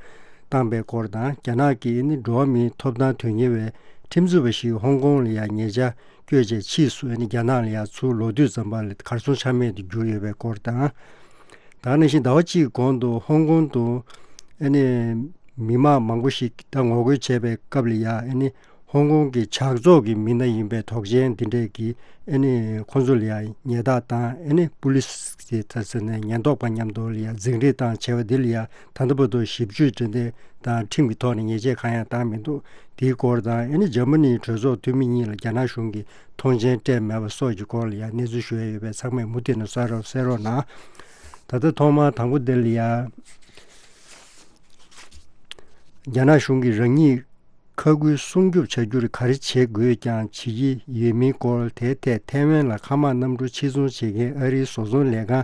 བཏང་པའི་སྐོར་དང་། རྒྱ་ནག་གི་ཨ་ནི་འགྲོ་བ་མིའི་ཐོབ་ཐང་དོན་གཉེར་བའི་ཁྲིམས་རྩོད་པ་ཞིག་ཧོང་ཀོང་ལ་ཡང་ཉེ་ཆར་བསྐྱོད་བྱས་ཕྱིས་སུ་ཨ་ནི་རྒྱ་ནག་ལ་ཡང་ཚུར་ལོག་དུས་ཙམ་པ་ལ་གར་སོང་ཆ་མེད་དུ་གྱུར་ཡོད་པའི་སྐོར་དང་། ད་ག་ནང་བཞིན་ཟླ་བ་གཅིག་གོང་དུ་ཧོང་ཀོང་དུ་ཨ་ནི་མི་མང་མང་པོ་ཞིག་ད་ངོ་རྒོལ་བྱས་པའི་སྐབས་ལ་ཡང་ཨ་ནི་ཧོང་ཀོང་གི་ཇག་ཚོགས་ཀྱི་མི་སྣ་ཡིན་པའི་དོགས་ཅན་འདི་འདྲས་ཀྱིས་ཨ་ནི་ཁོང་ཚོ་ལ་ཡང་ཉེས་རྡུང་དང་ཨ་ནི་པུ་ལི་སི་ཟེར་ད་ཟེར་ནས་ཉེན་རྟོག་པ་མཉམ་དུ་ལ་ཡང་འཛིང་རེས་བཏང་བྱས་པ་འདི་ལ་ཡང་ད་ལྟ་བར་དུ་ཞིབ་དཔྱོད་འབྲེལ་མཐུད་དང་ཁྲིམས་ཀྱི་ཐོག་ནས་ཉེས་ཆད་གང་ཡང་བཏང་མི་འདུག་དེའི་སྐོར་དང་ཨ་ནི་འཇར་མ་ནིའི་གྲོས་ཚོགས་འཐུས་མི་གཉིས་ལ་རྒྱ་ནག་གཞུང་གིས་མཐོང་མཆན་སྤྲད་མེད་པ་སོགས་ཀྱི་སྐོར་ལ་ཡང་གནས་ཚུལ་ཞུ་ཡ་ཡོད་པས་ཚང་མས་མུ་མཐུད་ནས་གསན་རོགས་གསན་རོགས་གནང་། ད་ལྟ་ཐོག་མར་དང་པོ་འདི་ལ་ཡང་རྒྱ་ནག་གཞུང་གིས་རང་ཉིད་མཁའ་ཁུལ་སྲུང་སྐྱོབ་བྱ་རྒྱུར་ག་རེ་བྱེད་དགོས་ཀྱང་བྱེད་ཀྱི་ཡོད་མིན་སྐོར། དེའི་ཐད་ཐའེ་ཝན་ལ་མཁའ་དམག་གནམ་གྲུ་ཕྱིར་ཚོང་བྱེད་མཁན་ཨ་རིའི་བཟོ་ཚོང་ལས་ཁང་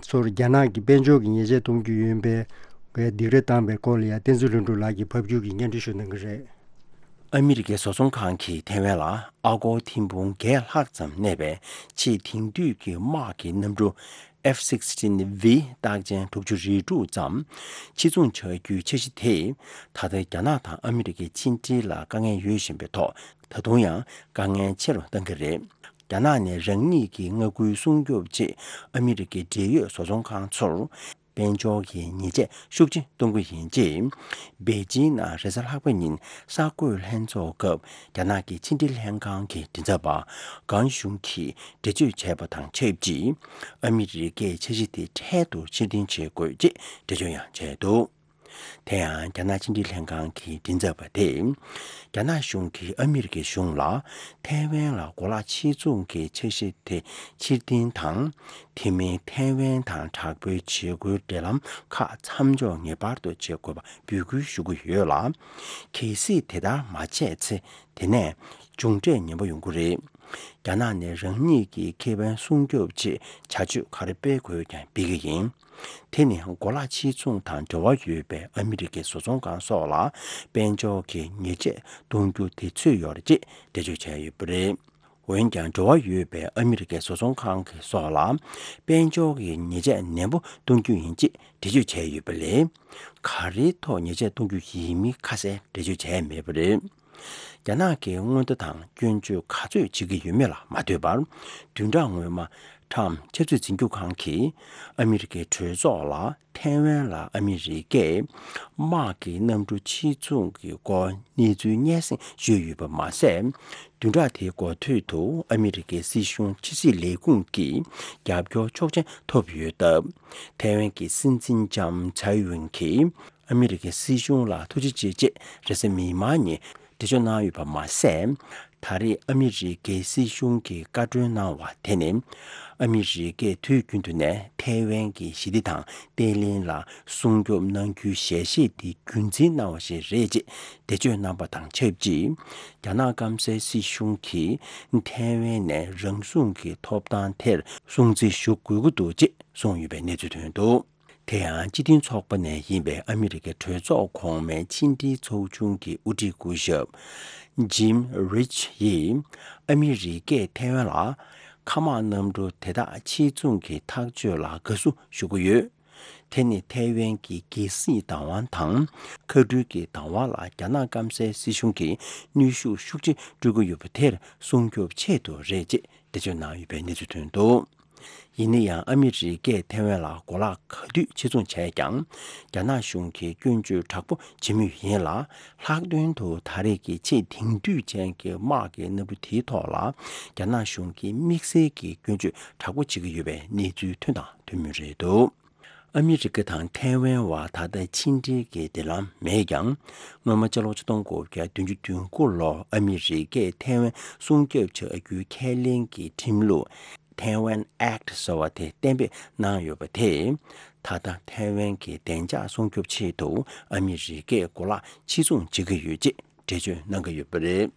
ཚོར་རྒྱ་ནག་གི་དཔལ་འབྱོར་གྱི་ཉེས་ཆད་གཏོང་རྒྱུ་ཡིན་པའི་སྡིགས་ར་བཏང་པའི་སྐོར་ལ་ཡང་བསྟན་འཛིན་ལྷུན་གྲུབ་ལགས་ཀྱིས་ཕབ་སྒྱུར་གྱིས་སྙན་སྒྲོན་ཞུ་གནང་གི་རེད། ཨ་མི་རི་ཀའི་བཟོ་ཚོང་ཁང་གིས་ཐའེ་ཝན་ལ་ཨ་སྒོར་ཐེར་འབུམ་བརྒྱད་ལྷག་ཙམ་གནས་པའི་ཆེས་དེང་དུས་ཀྱི་དམག་གི་གནམ་གྲུ་F sixteen V རྟགས་ཅན་དྲུག་ཅུ་རེ་དྲུག་ཙམ་ཕྱིར་ཚོང་བྱ་རྒྱུའི་འཆར་གཞི་དེ་ད་ལྟ་རྒྱ་ནག་དང་ཨ་མི་རི་ཀའི་ཕྱི་འབྲེལ་ལ་དཀའ་ངལ་ཡོད་བཞིན་པའི་ཐོག་ད་དུང་ཡང་དཀའ་ངལ་ཆེ་རུ་བཏང་གི་རེད། རྒྱ་ནག་ནས་རང་ཉིད་ཀྱི་མངའ་ཁུལ་སྲུང་སྐྱོབ་ཆེད་ཨ་མི་རི་ཀའི་འབྲེལ་ཡོད་བཟོ་ཚོང་ཁང་ཚོར་དཔལ་འབྱོར་གྱི་ཉེས་ཆད་ཤུགས་ཆེ་གཏོང་གི་ཡིན་ཅེས། པེ་ཅིང་ནང་རེས་གཟའ་ལྷག་པ་ཉིན་གསར་འགོད་ལྷན་ཚོགས་སྐབས་རྒྱ་ནག་གི་ཕྱི་འབྲེལ་ལྷན་ཁང་གི་མགྲིན་ཚབ་པ་གང་ཞུང་གིས་འགྲེལ་བརྗོད་བྱས་པ་དང་ཆབས་ཅིག་ཨ་མི་རི་ཀས་འཆར་གཞི་དེ་འཕྲལ་དུ་ཕྱིར་འཐེན་བྱེད་དགོས་ཅེས་འགྲེལ་བརྗོད་ཡང་བྱས་འདུག་དེ་ཡང་རྒྱ་ནག་ཕྱི་འབྲེལ་ལྷན་ཁང་གི་མགྲིན་ཚབ་པ་དེས། རྒྱ་ནག་གཞུང་གིས་ཨ་མི་རི་ཀའི་གཞུང་ལ་ཐའེ་ཝན་ལ་གོ་ལག་ཕྱིར་ཚོང་གི་འཆར་གཞི་དེ་ཕྱིར་འཐེན་དང་། དེ་མིན་ཐའེ་ཝན་དང་དྲག་པོའི་བྱེད་སྒོའི་འབྲེལ་ལམ་ཁག་མཚམས་འཇོག་ངེས་པར་དུ་བྱེད་དགོས་པ་འབོད་སྐུལ་ཞུ་གི་ཡོད་ལ། གལ་སྲིད་དེ་ལྟར་མ་བྱས་ཚེ་དེ་ནས་མཇུག་འབྲས་ངན་པ་ཡོང་གི་རེད། རྒྱ་ནག་ནས་རང་ཉིད་ཀྱི་ཁེ་ཕན་སྲུང་སྐྱོབ་ཆེད་བྱ་སྤྱོད་ག་རེ་སྤེལ་དགོས་ཀྱང་སྤེལ་གྱི་ཡིན། དེ་ནི་གོ་ལག་ཕྱིར་ཚོང་དང་འབྲེལ་བ་ཡོད་པའི་ཨ་མི་རི་ཀའི་བཟོ་ཚོང་ཁང་སོགས་ལ་དཔལ་འབྱོར་གྱི་ཉེས་ཆད་གཏོང་རྒྱུ་དེ་ཚུད་ཡོད་རེད་ཅེས་འགྲེལ་བརྗོད་བྱས་ཡོད་པ་རེད། འོན་ཀྱང་འབྲེལ་བ་ཡོད་པའི་ཨ་མི་རི་ཀའི་བཟོ་ཚོང་ཁང་གི་སོགས་ལ་དཔལ་འབྱོར་གྱི་ཉེས་ཆད་ནན་པོ་གཏོང་རྒྱུ་ཡིན་ཅེས་འགྲེལ་བརྗོད་བྱས་ཡོད་པ་ལས། ག་རེའི་ཐོག་ཉེས་ཆད་གཏོང་རྒྱུ་ཡིན་མིན་ཁ་གསལ་འགྲེལ་བརྗོད་བྱས་མེད་པ་རེད། རྒྱ་ནག་གིས་སྔོན་བརྡ་དང་སྐྱོན་བརྗོད་ག་ཚོད་བྱེད་ཀྱི་ཡོད་མེད་ལ་མ་ལྟོས་པར། བདུན་ཕྲག་སྔོན་མ་ཁྲམ་ཆབ་སྲིད་འཛིན་སྐྱོང་ཁང་གིས་ཨ་མི་རི་ཀའི་གྲོས་ཚོགས་ལ་ཐའེ་ཝན་ལ་ཨ་མི་རི་ཀས་དམག་གི་གནམ་གྲུ་ཕྱིར་ཚོང་གི་སྐོར་གནས་ཚུལ་སྙན་སེང་ཞུས་ཡོད་པ་མ་ཟད། བདུན་ཕྲག་དེའི་འགོ་སྟོད་དུ་ཨ་མི་རི་ཀའི་སྲིད་གཞུང་ཕྱི་སྲིད་ལས་ཁུངས་ཀྱི་རྒྱབ་སྐྱོར་ཆོག་མཆན་ཐོབ་ཡོད་སྟབས། ཐའེ་ཝན་གྱི་སྲིད་འཛིན་ལྕམ་ཚའེ་ཝེན་གྱིས་ཨ་མི་རི་ཀའི་སྲིད་གཞུང་ལ་ཐུགས་རྗེ་ཆེ་ཅེས་རེས་གཟའ་མིག་དམར་ཉིན་འགྲེལ་བརྗོད་གནང་ཡོད་པ་མ་ཟད། ད་རེས་ཨ་མི་རི་ཀའི་སྲིད་གཞུང་གིས་བཀའ་འཁྲོལ་གནང་བ་དེ་ནི། ཨ་མི་རི་ཀས་དུས་རྒྱུན་དུ་ནས་ཐའེ་ཝན་གྱི་ཞི་བདེ་དང་བརྟན་ལྷིང་ལ་སྲུང་སྐྱོབ་གནང་རྒྱུའི་ཞལ་བཞེས་དེ་རྒྱུན་འཛིན་གནང་བ་ཞིག་རེད་ཅེས་འགྲེལ་བརྗོད་གནང་པ་དང་ཆབས་ཅིག་རྒྱ་ནག་སྐམ་སའི་སྲིད་གཞུང་གིས་ཐའེ་ཝན་ནས་རང་སྲུང་གི་ཐོབ་ཐང་དེར་སྲུང་བརྩི་ཞུ་དགོས་ཀྱི་འདུག་ཅེས་གསུངས་ཡོད་པའི་གནས་ཚུལ་ཐོན་འདུག་དེ་ཡང་སྤྱི་མཐུན་ཚོགས་པ་ནས་ཡིན་པའི་ཨ་མི་རི་ཀའི་གྲོས་ཚོགས་གོང་མའི་ཕྱི་འབྲེལ་ཚོགས་ཆུང་གི་དབུ་ཁྲིད་སྐུ་ཞབས་Jim Risch ཡིས་ཨ་མི་རི་ཀས་ཐའེ་ཝན་ལ་མཁའ་དམག་གནམ་གྲུ་དེ་དག་ཕྱིར་ཚོང་གི་ཐག་གཅོད་ལ་དགའ་བསུ་ཞུ་གི་ཡོད། དེ་ནི་ཐའེ་ཝན་གྱི་རྒྱལ་སྲིད་བདག་དབང་དང་མཁའ་འགྲུལ་གྱི་བདག་དབང་ལ་རྒྱ་ནག་སྐམ་སའི་སྲིད་གཞུང་གིས་གནོན་ཤུགས་ཤུགས་ཆེ་སྤྲོད་ཀྱི་ཡོད་པ་དེར་སྲུང་སྐྱོབ་ཆེད་དུ་རེད་ཅེས་འགྲེལ་བརྗོད་གནང་ཡོད་པའི་གནས་ཚུལ་ཐོན་འདུག་ཡིན་ན་ཡང་ཨ་མི་རི་ཀས་ཐའེ་ཝན་ལ་གོ་ལག་ག་དུས་ཕྱིར་ཚོང་བྱས་ཀྱང་། རྒྱ་ནག་གཞུང་གིས་སྐྱོན་བརྗོད་དྲག་པོ་བྱེད་མུས་ཡིན་ལ། ལྷག་དོན་དུ་ད་རེས་ཀྱི་ཆེས་དེང་དུས་ཅན་གྱི་དམག་གི་གནམ་གྲུ་དེའི་ཐོག་ལ་རྒྱ་ནག་གཞུང་གིས་དམིགས་བསལ་གྱི་སྐྱོན་བརྗོད་དྲག་པོ་བྱེད་ཀྱི་ཡོད་པའི་གནས་ཚུལ་ཐོན་དང་ཐོན་མུས་རེད་འདུག་ཨ་མི་རི་ཀ་དང་ཐའེ་ཝན་བར་ད་ལྟ་ཕྱི་འབྲེལ་གྱི་འབྲེལ་ལམ་མེད་ཀྱང་། སྔོན་མ་ཕྱི་ལོ་ཆིག་སྟོང་དགུ་བརྒྱ་བདུན་ཅུ་དོན་དགུ་ལོར་ཨ་མི་རི་ཀས་ཐའེ་ཝན་སྲུང་སྐྱོབ་བྱ་རྒྱུའི་ཁས་ལེན་གྱི་ཁྲིམས་ལུགས། Taiwan Act ཟེར་བ་དེ་གཏན་འབེབས་གནང་ཡོད་པ་དེས། ད་ལྟ་ཐའེ་ཝན་གྱི་བདེ་འཇགས་སྲུང་སྐྱོབ་ཆེད་དུ་ཨ་མི་རི་ཀས་གོ་ལག་ཕྱིར་ཚོང་བྱེད་ཀྱི་ཡོད་ཅེས་འགྲེལ་བརྗོད་གནང་གི་ཡོད་པ་རེད།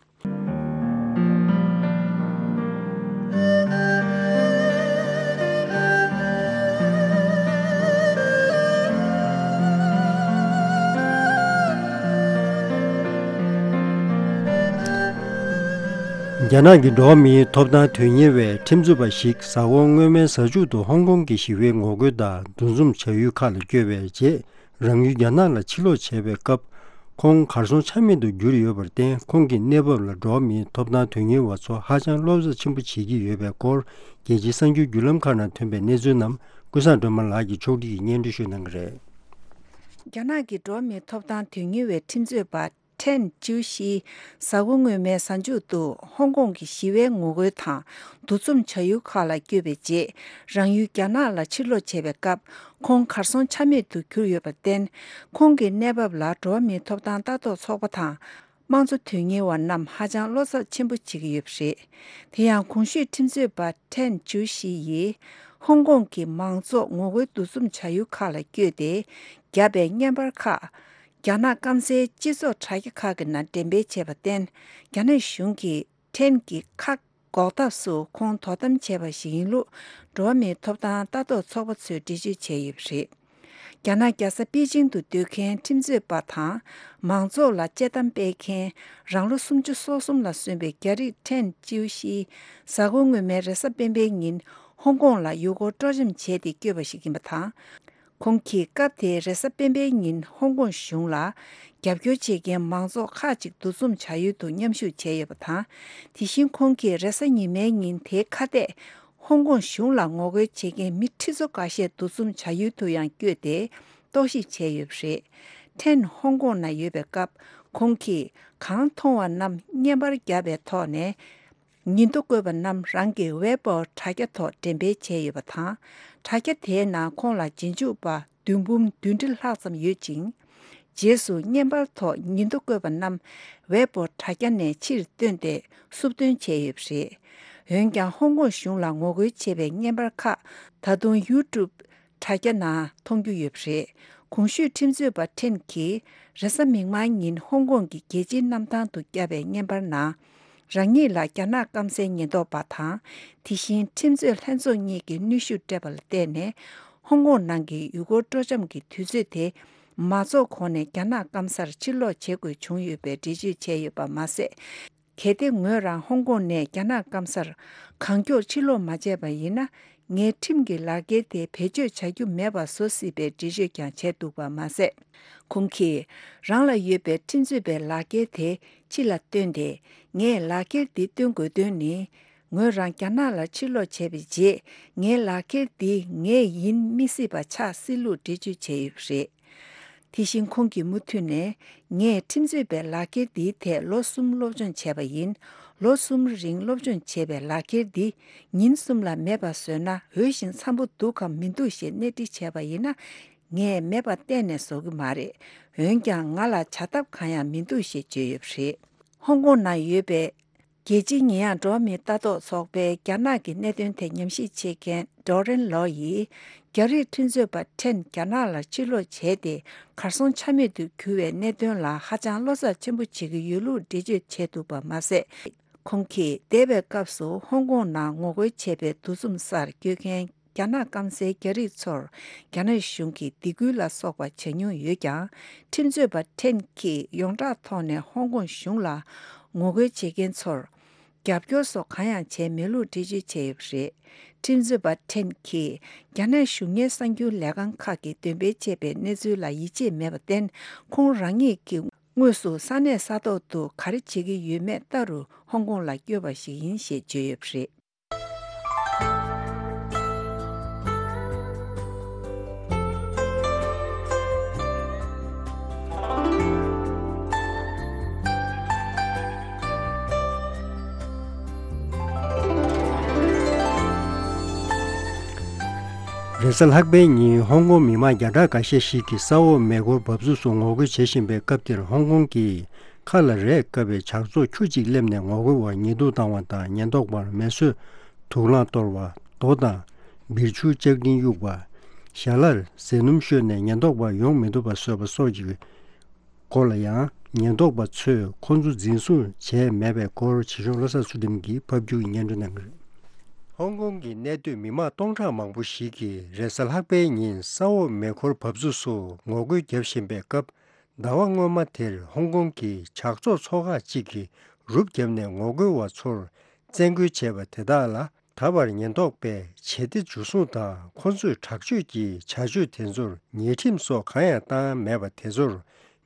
རྒྱ་ནག་གི་འགྲོ་བ་མིའི་ཐོབ་ཐང་དོན་གཉེར་བའི་ཁྲིམས་རྩོད་པ་ཞིག་གཟའ་འཁོར་སྔོན་མའི་གཟའ་མཇུག་ཏུ་ཧོང་ཀོང་གི་ཞི་བའི་ངོ་རྒོལ་དང་འདུ་འཛོམས་བྱ་ཡུལ་ཁག་ལ་བསྐྱོད་པའི་རྗེས། རང་ཡུལ་རྒྱ་ནག་ལ་ཕྱིར་ལོག་བྱས་པའི་སྐབས། ཁོང་གར་སོང་ཆ་མེད་དུ་གྱུར་ཡོད་པར་བརྟེན། ཁོང་གི་གནས་བབ་ལ་འགྲོ་བ་མིའི་ཐོབ་ཐང་དོན་གཉེར་བ་ཚོ་ཧ་ཅང་བློ་འཚབ་ཆེན་པོ་བྱེད་ཀྱི་ཡོད་པའི་སྐོར། རྒྱལ་སྤྱིའི་གསར་འགྱུར་བརྒྱུད་ལམ་ཁག་ནང་ཐོན་པའི་གནས་ཚུལ་རྣམས་ཀུན་བཟང་སྒྲོལ་མ་ལགས་ཀྱིས་ཕྱོགས་སྒྲིག་གིས་སྙན་སྒྲོན་ཞུ་གནང་གི་རེད། རྒྱ་ནག་གི་འགྲོ་བ་མིའི་ཐོབ་ཐང་དོན་གཉེར་བའི་ཁྲིམས་རྩོད་པ་ཁྲེན་ཅིའུ་ཤི། གཟའ་འཁོར་སྔོན་མའི་གཟའ་མཇུག་ཏུ་ཧོང་ཀོང་གི་ཞི་བའི་ངོ་རྒོལ་དང་འདུ་འཛོམས་བྱ་ཡུལ་ཁག་ལ་བསྐྱོད་པའི་རྗེས། རང་ཡུལ་རྒྱ་ནག་ལ་ཕྱིར་ལོག་བྱས་པའི་སྐབས། ཁོང་གར་སོང་ཆ་མེད་དུ་གྱུར་ཡོད་པར་བརྟེན། ཁོང་གི་གནས་བབ་ལ་འགྲོ་བ་མིའི་ཐོབ་ཐང་ལྟ་རྟོག་ཚོགས་པ་དང་། དམངས་གཙོ་དོན་གཉེར་བ་རྣམས་ཧ་ཅང་བློ་འཚབ་ཆེན་པོ་བྱེད་ཀྱི་ཡོད་པ་རེད། དེ་ཡང་གོང་ཞུས་ཁྲིམས་རྩོད་པ་ཁྲེན་ཅུའུ་ཤི་ཡིས། ཧོང་ཀོང་གི་མང་ཚོགས་ངོ་རྒོལ་འདུ་འཛོམས་བྱ་ཡུལ་ཁག་ལ་བསྐྱོད་དེ། བརྒྱབ་པའི་བརྙན་པར་ཁག་རྒྱ་ནག་སྐམ་སའི་སྤྱི་ཚོགས་དྲ་རྒྱ་ཁག་གི་ནང་འགྲེམས་སྤེལ་བྱས་པར་བརྟེན། རྒྱ་ནག་གཞུང་གིས་ཁྲེན་གྱི་ཁ་འགོག་ཐབས་སུ་ཁོང་དོ་དམ་བྱས་པ་ཞིག་ཡིན་ལུགས། འགྲོ་བ་མིའི་ཐོབ་ཐང་ལྟ་རྟོག་ཚོགས་པ་ཚོས་འགྲེལ་བརྗོད་བྱས་ཡོད་པ་རེད། རྒྱ་ནག་རྒྱལ་ས་པེ་ཅིང་དུ་སྡོད་མཁན་ཁྲིམས་རྩོད་པ་དང་། མང་ཚོགས་ལ་དཔྱད་གཏམ་སྤེལ་མཁན། རང་ལོ་སུམ་ཅུ་སོ་གསུམ་ལ་སོན་པའི་རྒྱ་རིགས་ཁྲེན་ཅིའུ་ཤི། གཟའ་འཁོར་སྔོན་མའི་རེས་གཟའ་སྤེན་པའི་ཉིན་ཧོང་ཀོང་ལ་ཡུལ་སྐོར་སྤྲོ་འཆམ་བྱས་ཏེ་བསྐྱོད་པ་ཞིག་ཡིན་པ་དང་། ཁོང་གིས་སྐབས་དེའི་རེས་གཟའ་སྤེན་པའི་ཉིན་ཧོང་ཀོང་གཞུང་ལ་རྒྱབ་སྐྱོར་བྱེད་མཁན་མང་ཚོགས་ཁག་ཅིག་འདུ་འཛོམས་བྱ་ཡུལ་དུ་མཉམ་ཞུགས་བྱས་ཡོད་པ་དང་། དེ་བཞིན་ཁོང་གིས་རེས་གཟའ་ཉི་མའི་ཉིན་དེའི་ཁ་གཏད། ཧོང་ཀོང་གཞུང་ལ་ངོ་རྒོལ་བྱེད་མཁན་མི་ཁྲི་ཚོ་འགའ་ཤས་འདུ་འཛོམས་བྱ་ཡུལ་དུ་ཡང་བསྐྱོད་དེ་རྟོག་ཞིབ་བྱས་ཡོད་པ་རེད། ཁྲེན་ཧོང་ཀོང་ན་ཡོད་པའི་སྐབས། ཁོང་གིས་གང་མཐོང་བ་རྣམས་བརྙན་པར་བརྒྱབ་པའི་ཐོག་ནས། ཉིན་ཐོ་བཀོད་པ་རྣམས་རང་གི་ཝེ་པོ་དྲ་རྒྱ་ཐོག་འགྲེམས་སྤེལ་བྱས་ཡོད་པ་དང་། དྲ་རྒྱ་དེའི་ནང་ཁོང་ལ་རྗེས་འཇུག་པ་བདུན་འབུམ་བདུན་ཁྲི་ལྷག་ཙམ་ཡོད་ཅིང་། རྗེས་སུ་བརྙན་པར་ཐོག་ཉིན་ཐོ་བཀོད་པ་རྣམས་ཝེ་པོ་དྲ་རྒྱ་ནས་ཕྱིར་བཏོན་ཏེ་སུབ་བཏོན་བྱས་ཡོད་པ་རེད། འོན་ཀྱང་ཧོང་ཀོང་གཞུང་ལ་ངོ་རྒོལ་བྱས་པའི་བརྙན་པར་ཁག་ད་དུང་ཡུ་ཊུབ་དྲ་རྒྱ་ནང་མཐོང་རྒྱུ་ཡོད་པ་རེད། གོང་ཞུས་ཁྲིམས་རྩོད་པ་ཁྲེན་གྱིས་རེས་གཟའ་མིག་དམར་ཉིན་ཧོང་ཀོང་གི་རྒྱལ་སྤྱིའི་གནམ་ཐང་དུ་བརྒྱབ་པའི་བརྙན་པར་ནང་། རང་ཉིད་ལ་རྒྱ་ནག་སྐམ་སའི་ཉེན་རྟོག་པ་དང་། དེ་བཞིན་ཁྲིམས་རྩོད་ལྷན་ཚོགས་གཉིས་ཀྱིས་གནོན་ཤུགས་སྤྲད་པ་ལ་བརྟེན་ནས། ཧོང་ཀོང་ནང་གི་ཡུལ་སྐོར་སྤྲོ་འཆམ་གྱི་དུས་ཚོད་དེ་མ་རྫོགས་གོང་ནས་རྒྱ་ནག་སྐམ་སར་ཕྱིར་ལོག་བྱེད་དགོས་བྱུང་ཡོད་པའི་འགྲེལ་བརྗོད་བྱས་ཡོད་པ་མ་ཟད། གལ་ཏེ་ངོས་རང་ཧོང་ཀོང་ནས་རྒྱ་ནག་སྐམ་སར་གང་མགྱོགས་ཕྱིར་ལོག་མ་བྱས་པ་ཡིན་ན། ངས་ཁྲིམས་ཀྱི་ལག་འཁྱེར་དེ་བེད་སྤྱོད་བྱ་རྒྱུ་མེད་པ་བཟོ་སྲིད་པའི་འགྲེལ་བརྗོད་ཀྱང་བྱས་འདུག་པ་མ་ཟད། ཁོང་གིས་རང་ལ་ཡོད་པའི་ཁྲིམས་རྩོད་པའི་ལག་འཁྱེར་དེ་ཕྱི་ལ་བཏོན་ཏེ། ངས་ལག་འཁྱེར་འདི་སྟོན་དགོས་དོན་ནི། ངོས་རང་རྒྱ་ནག་ལ་ཕྱིར་ལོག་བྱས་པའི་རྗེས། ངའི་ལག་འཁྱེར་འདི་ངའི་ཡིན་མི་སྲིད་པ་ཆགས་སྲིད་ལུགས་འགྲེལ་བརྗོད་བྱས་ཡོད་པ་རེད། དེ་བཞིན་ཁོང་གིས་མུ་མཐུད་ནས། ངས་ཁྲིམས་རྩོད་པའི་ལག་འཁྱེར་འདིའི་ཐད་ལོ་གསུམ་སློབ་སྦྱོང་བྱས་པ་ཡིན། ལོ་གསུམ་རིང་སློབ་སྦྱོང་བྱས་པའི་ལག་འཁྱེར་འདི་ཉིན་གསུམ་ལ་མེད་པ་བཟོས་ན་འོས་ཤིང་འཚམ་པོ་འདུག་གམ་མི་འདུག་ཞེས་གནས་འདྲི་བྱས་པ་ཡིན་ན། ངས་མེད་པ་གཏན་ནས་བཟོ་གི་མ་རེད། འོན་ཀྱང་ང་ལ་བྱ་ཐབས་གང་ཡང་མི་འདུག་ཞེས་བརྗོད་ཡོད་པ་རེད། ཧོང་ཀོང་ནང་ཡོད་པའི། རྒྱལ་སྤྱིའི་ཉེས་ཡངས་འགྲོ་བ་མིའི་ལྟ་རྟོག་ཚོགས་པའི་རྒྱ་ནག་གི་གནད་དོན་ཐད་ཉམས་ཞིབ་བྱེད་མཁན་ཌོ་རེན་ལོ་ཡིས། རྒྱ་རིགས་ཁྲིམས་རྩོད་པ་ཁྲེན་རྒྱ་ནག་ལ་ཕྱིར་ལོག་བྱས་ཏེ། གར་སོང་ཆ་མེད་དུ་གྱུར་བའི་གནད་དོན་ལ་ཧ་ཅང་བློ་འཚབ་ཆེན་པོ་བྱེད་ཀྱི་ཡོད་ལུགས་འགྲེལ་བརྗོད་བྱས་འདུག་པ་མ་ཟད། ཁོང་གིས་འདས་པའི་སྐབས་སུ་ཧོང་ཀོང་ནང་ངོ་རྒོལ་བྱས་པའི་འདུ་འཛོམས་སར་བསྐྱོད་མཁན། རྒྱ་ནག་སྐམ་སའི་རྒྱ་རིགས་ཚོར་རྒྱ་ནག་གཞུང་གིས་སྡིགས་སྐུལ་ལ་སོགས་པ་བྱ་མྱོང་ཡོད་ཀྱང་། ཁྲིམས་རྩོད་པ་ཁྲེན་གྱིས་ཡོངས་གྲགས་ཐོག་ནས་ཧོང་ཀོང་གཞུང་ལ་ངོ་རྒོལ་བྱེད་མཁན་ཚོར་རྒྱབ་སྐྱོར་སོགས་གང་ཡང་བྱས་མེད་ལུགས་འགྲེལ་བརྗོད་བྱས་ཡོད་པ་རེད། ཁྲིམས་རྩོད་པ་ཁྲེན་གྱིས་རྒྱ་ནག་གཞུང་གཉེར་གསར་འགྱུར་ལས་ཁང་ཁག་གིས་འདོན་སྤེལ་བྱས་པའི་གནས་ཚུལ་ལ་ཡིད་ཆེས་མེད་པར་བརྟེན། ཁོང་རང་ཉིད་ཀྱིས་དངོས་སུ་ས་གནས་ས་ཐོག་ཏུ་ག་རེ་བྱེད་ཀྱི་ཡོད་མེད་ལྟ་རུ་ཧོང་ཀོང་ལ་བསྐྱོད་པ་ཞིག་ཡིན་ཞེས་བརྗོད་ཡོད་པ་རེད། རེས་གཟའ་ལྷག་པའི་ཉིན་ཧོང་ཀོང་མི་མང་བརྒྱ་ཕྲག་འགའ་ཤས་ཤིག་གིས་ས་འོག་མེ་འཁོར་འབབ་ཚུགས་སུ་ངོ་རྒོལ་བྱེད་བཞིན་པའི་སྐབས་དེར། ཧོང་ཀོང་གི་ཁ་ལ་རས་བཀབ་པའི་ཇག་ཚོགས་ཁྱུ་གཅིག་སླེབས་ནས་ངོ་རྒོལ་བར་ཉེས་འཛུགས་བཏང་བ་དང་། ཉེན་རྟོག་པར་མེ་གསོད་དུག་རླངས་གཏོར་བ། རྡོ་དང་བིར་ཆུ་ལྕགས་ཀྲིན་གཡུགས་པ། ཞལ་ལར་ཟས་སྣུམ་བཤོས་ནས་ཉེན་རྟོག་པ་ཡོང་མི་ཐུབ་པ་བཟོས་པ་སོགས་ཀྱི་སྐོར་ལ་ཡང་། ཉེན་རྟོག་པ་ཚོས་ཁོ་ཚོ་འཛིན་བཟུང་བྱས་མེད་པའི་སྐོར་བྱེད་ཤོག་བློ་བཟང་ཚུལ་ཁྲིམས་ཀྱིས་ཕབ་སྒྱུར་སྙན་སྒྲོན་གནང་གི་རེད། ཧོང་ཀོང་གི་གནས་སྡོད་མི་མང་སྟོང་ཕྲག་མང་པོ་ཞིག་གིས་རེས་གཟའ་ལྷག་པའི་ཉིན་ས་འོག་མེ་འཁོར་འབབ་ཚུགས་སུ་ངོ་རྒོལ་བརྒྱབ་བཞིན་པའི་སྐབས། ཟླ་བ་སྔོན་མ་དེར་ཧོང་ཀོང་གི་ཇག་ཚོགས་ཚོ་ཁག་ཅིག་གིས་ རུབ་བརྒྱབ་ནས་ངོ་རྒོལ་བ་ཚོར་བཙན་རྒོལ་བྱས་པ་དེ་དག་ལ། ད་བར་ཉེན་རྟོག་པས་བྱེད་གཏེ་འཇུ་བཟུང་དང་ཁོ་ཚོས་དྲག་སྤྱོད་ཀྱི་བྱ་སྤྱོད་དེ་ཚོར་ཉེས་ཁྲིམས་སོགས་གང་ཡང་བཏང་མེད་པ་དེ་ཚོར་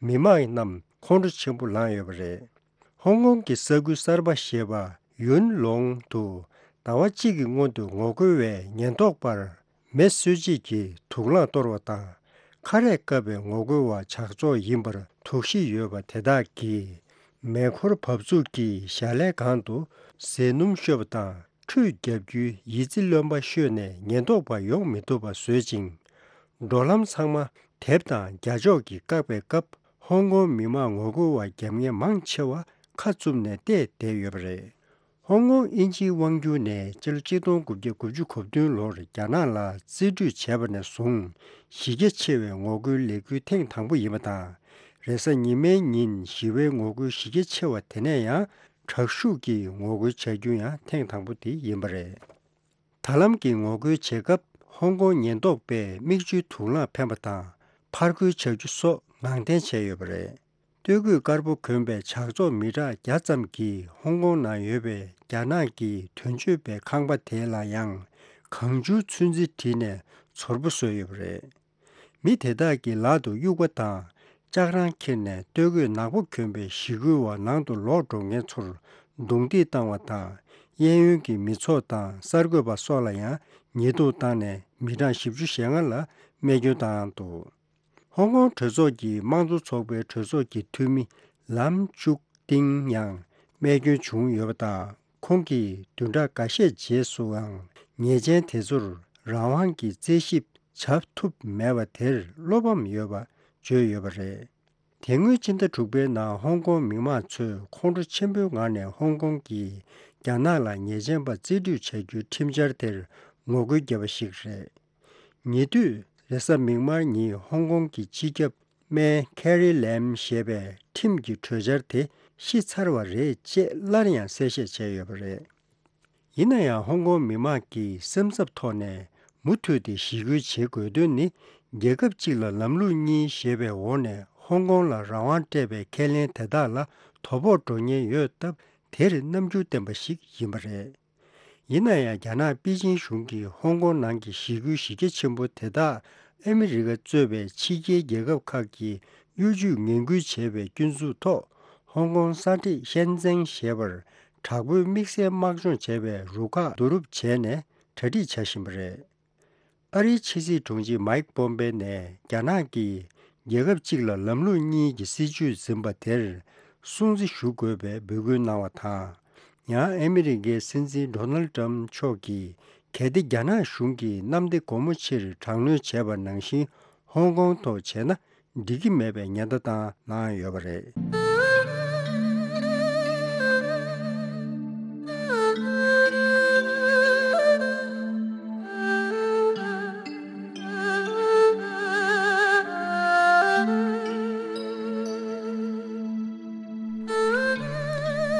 མི་མང་རྣམས་ཁོང་ཁྲོ་ཆེན་པོ་ལངས་ཡོད་པ་རེད། ཧོང་ཀོང་གི་ས་ཁུལ་གསར་པ་ཞེས་པ་ཡུན་ལོང་དུ་ཟླ་བ་གཅིག་གི་སྔོན་དུ་ངོ་རྒོལ་བས་ཉེན་རྟོག་པར་མེ་གསོད་བྱེད་ཀྱི་དུག་རླངས་གཏོར་བ་དང་། ཁ་རས་བཀབ་པའི་ངོ་རྒོལ་བ་ཇག་ཚོགས་ཡིན་པར་དོགས་གཞི་ཡོད་པ་དེ་དག་གིས་མེ་འཁོར་བབས་ཚུགས་ཀྱི་ཞལ་ལས་སྒང་དུ་ཟས་སྣུམ་བཤོས་པ་དང་། ཁྲུས་བརྒྱབ་རྒྱུའི་ཡི་ཙི་རློན་པ་བཤོས་ནས་ཉེན་རྟོག་པ་ཡོང་མི་ཐུབ་པ་བཟོས་ཅིང་། འགྲོ་ལམ་ཚང་མ་དེབ་དང་རྒྱ་ཤོག་གིས་བཀག་པའི་སྐབས། ཧོང་ཀོང་མི་མང་ངོ་རྒོལ་བ་རྒྱབ་གཉེར་མང་ཆེ་བ་ཁ་བཙུམ་ནས་བལྟས་བསྡད་ཡོད་པ་རེད། ཧོང་ཀོང་དབྱིན་ཇིའི་དབང་སྒྱུར་ནས་སྤྱི་ལོ་གཅིག་སྟོང་དགུ་བརྒྱ་དགུ་བཅུ་གོ་བདུན་ལོར་རྒྱ་ནག་ལ་རྩིས་སྤྲོད་བྱས་པ་ནས་བཟུང་། གཞི་རྒྱ་ཆེ་བའི་ངོ་རྒོལ་ལས་འགུལ་ཐེངས་དང་པོ་ཡིན་པ་དང་། རེས་གཟའ་ཉི་མའི་ཉིན་ཞི་བའི་ངོ་རྒོལ་གཞི་རྒྱ་ཆེ་བ་དེ་ནས་ཡང་དྲག་ཤུགས་ཀྱིས་ངོ་རྒོལ་བྱ་རྒྱུ་ཡང་ཐེངས་དང་པོ་དེ་ཡིན་པ་རེད། ད་ལམ་གྱི་ངོ་རྒོལ་བྱེད་སྐབས་ཧོང་ཀོང་ཉེན་རྟོག་པས་མིག་ཆུའི་དུག་རླངས་འཕེན་པ་དང་། ཕར་རྒོལ་བྱ་རྒྱུ་སོགས་ངང་འཐེན་བྱས་ཡོད་པ་རེད། སྟོད་གོས་དཀར་པོ་གོན་པའི་ཇག་ཚོགས་མི་གྲངས་བརྒྱ་ཙམ་གྱིས་ཧོང་ཀོང་ནང་ཡོད་པའི་རྒྱ་ནག་གི་དོན་གཅོད་པའི་ཁང་པ་དེ་ལ་ཡང་གང་བྱུང་ཚོན་རྩི་བྲིས་ནས་ཚོར་པོ་བཟོས་ཡོད་པ་རེད། མི་དེ་དག་གི་ལག་ཏུ་དབྱུག་པ་དང་ལྕགས་རང་འཁྱེར་ནས། སྟོད་གོས་ནག་པོ་གྱོན་པའི་ཞི་རྒོལ་བ་ནང་དུ་ལོག་འགྲོ་མཁན་ཚོར་རྡུང་རྡེག་བཏང་བ་དང་། གཡས་གཡོན་གྱི་མི་ཚོགས་དང་གསར་འགོད་པ་སོགས་ལ་ཡང་ཉེས་རྡུང་བཏང་ནས། མི་གྲངས་བཞི་བཅུ་ཞེ་ལྔ་ལ་རྨས་སྐྱོན་བཏང་འདུག་ཧོང་ཀོང་གྲོས་ཚོགས་ཀྱི་དམངས་གཙོ་ཚོགས་པའི་གྲོས་ཚོགས་ཀྱི་འཐུས་མི་ལམ་ཅུག་ཏིང་ཡང་རྨས་སྐྱོན་བྱུང་ཡོད་པ་དང་། ཁོང་གིས་བདུན་ཕྲག་འགའ་ཤས་རྗེས་སུའང་ཉེས་ཅན་དེ་ཚོར་རང་དབང་གི་རྩད་ཞིབ་བྱ་ཐུབ་མེད་པ་དེར་བློ་ཕམ་ཡོད་པ་བརྗོད་ཡོད་པ་རེད། དེ་སྔོན་ཕྱི་ཟླ་དྲུག་པའི་ནང་ཧོང་ཀོང་མི་མང་ཚོས་ཁོང་ཁྲོ་ཆེན་པོའི་ངང་ནས་ཧོང་ཀོང་གིས་རྒྱ་ནག་ལ་ཉེས་ཅན་པ་རྩིས་སྤྲོད་བྱ་རྒྱུའི་ཁྲིམས་འཆར་དེར་ངོ་རྒོལ་བརྒྱབ་པ་ཞིག་རེད། ཉེ་དུས་རེས་གཟའ་མིག་དམར་ཉིན་ཧོང་ཀོང་གི་སྤྱི་ཁྱབ་སྨན་ཁེ་རི་ལེམ་ཞེས་པས་ཁྲིམས་ཀྱི་གྲོས་འཆར་དེ་ཤི་ཚར་བ་རེད་ཅེས་སླར་ཡང་གསལ་བཤད་བྱས་ཡོད་པ་རེད། ཡིན་ན་ཡང་ཧོང་ཀོང་མི་མང་གི་སེམས་འཚབ་ཐོག་ནས་མུ་མཐུད་དེ་ཞི་རྒོལ་བྱེད་དགོས་དོན་ནི། རྒྱལ་ཁབ་གཅིག་ལ་ལམ་ལུགས་གཉིས་ཞེས་པའི་འོག་ནས་ཧོང་ཀོང་ལ་རང་དབང་སྤྲད་པའི་ཁས་ལེན་དེ་དག་ལ་དོ་ཕོག་འགྲོ་ཉེན་ཡོད་སྟབས། དེར་རྣམ་འགྱུར་བསྟན་པ་ཞིག་ཡིན་པ་རེད། ཡིན་ན་ཡང་། རྒྱ་ནག་པེ་ཅིན་གཞུང་གིས་ཧོང་ཀོང་ནང་གི་ཞི་རྒོལ་གཞི་རྒྱ་ཆེན་པོ་དེ་དག་ཨ་མི་རི་ཀ་གཙོས་པའི་ཕྱི་རྒྱལ་རྒྱལ་ཁབ་ཁག་གིས་གཡོ་ཇུས་ངན་སྐུལ་བྱས་པའི་སྐྱོན་འཛུགས་ཐོག་ཧོང་ཀོང་ས་ཁྲི་ཤན་ཙེང་ཞེས་པར་དྲག་པོའི་དམིགས་བསལ་དམག་སྦྱོང་བྱས་པའི་རུ་ཁག་བསྡུ་རུབ་བྱས་ནས་གྲ་སྒྲིག་བྱ་བཞིན་པ་རེད། ཨ་རིའི་ཕྱི་སྲིད་དྲུང་ཆེ་མཱིག་པོམ་པེ་ནས་རྒྱ་ནག་གིས་རྒྱལ་ཁབ་གཅིག་ལ་ལམ་ལུགས་གཉིས་ཀྱི་སྲིད་བྱུས་འཛིན་པ་དེར་སྲུང་བརྩི་ཞུ་དགོས་པའི་འབོད་སྐུལ་གནང་བ་དང་། ཡང་ཨ་མི་རི་ཀའི་སྲིད་འཛིན་ཌོ་ནལ་ཏྲམ་མཆོག་གིས། གལ་ཏེ་རྒྱ་ནག་གཞུང་གིས་གནམ་བདེ་སྒོ་མོ་ཆེར་དྲག་གནོན་བྱས་པ་ནང་བཞིན་ཧོང་ཀོང་ཐོག་བྱས་ན། འགྲིག་གི་མེད་པའི་ཉེན་བརྡ་བཏང་གནང་ཡོད་པ་རེད།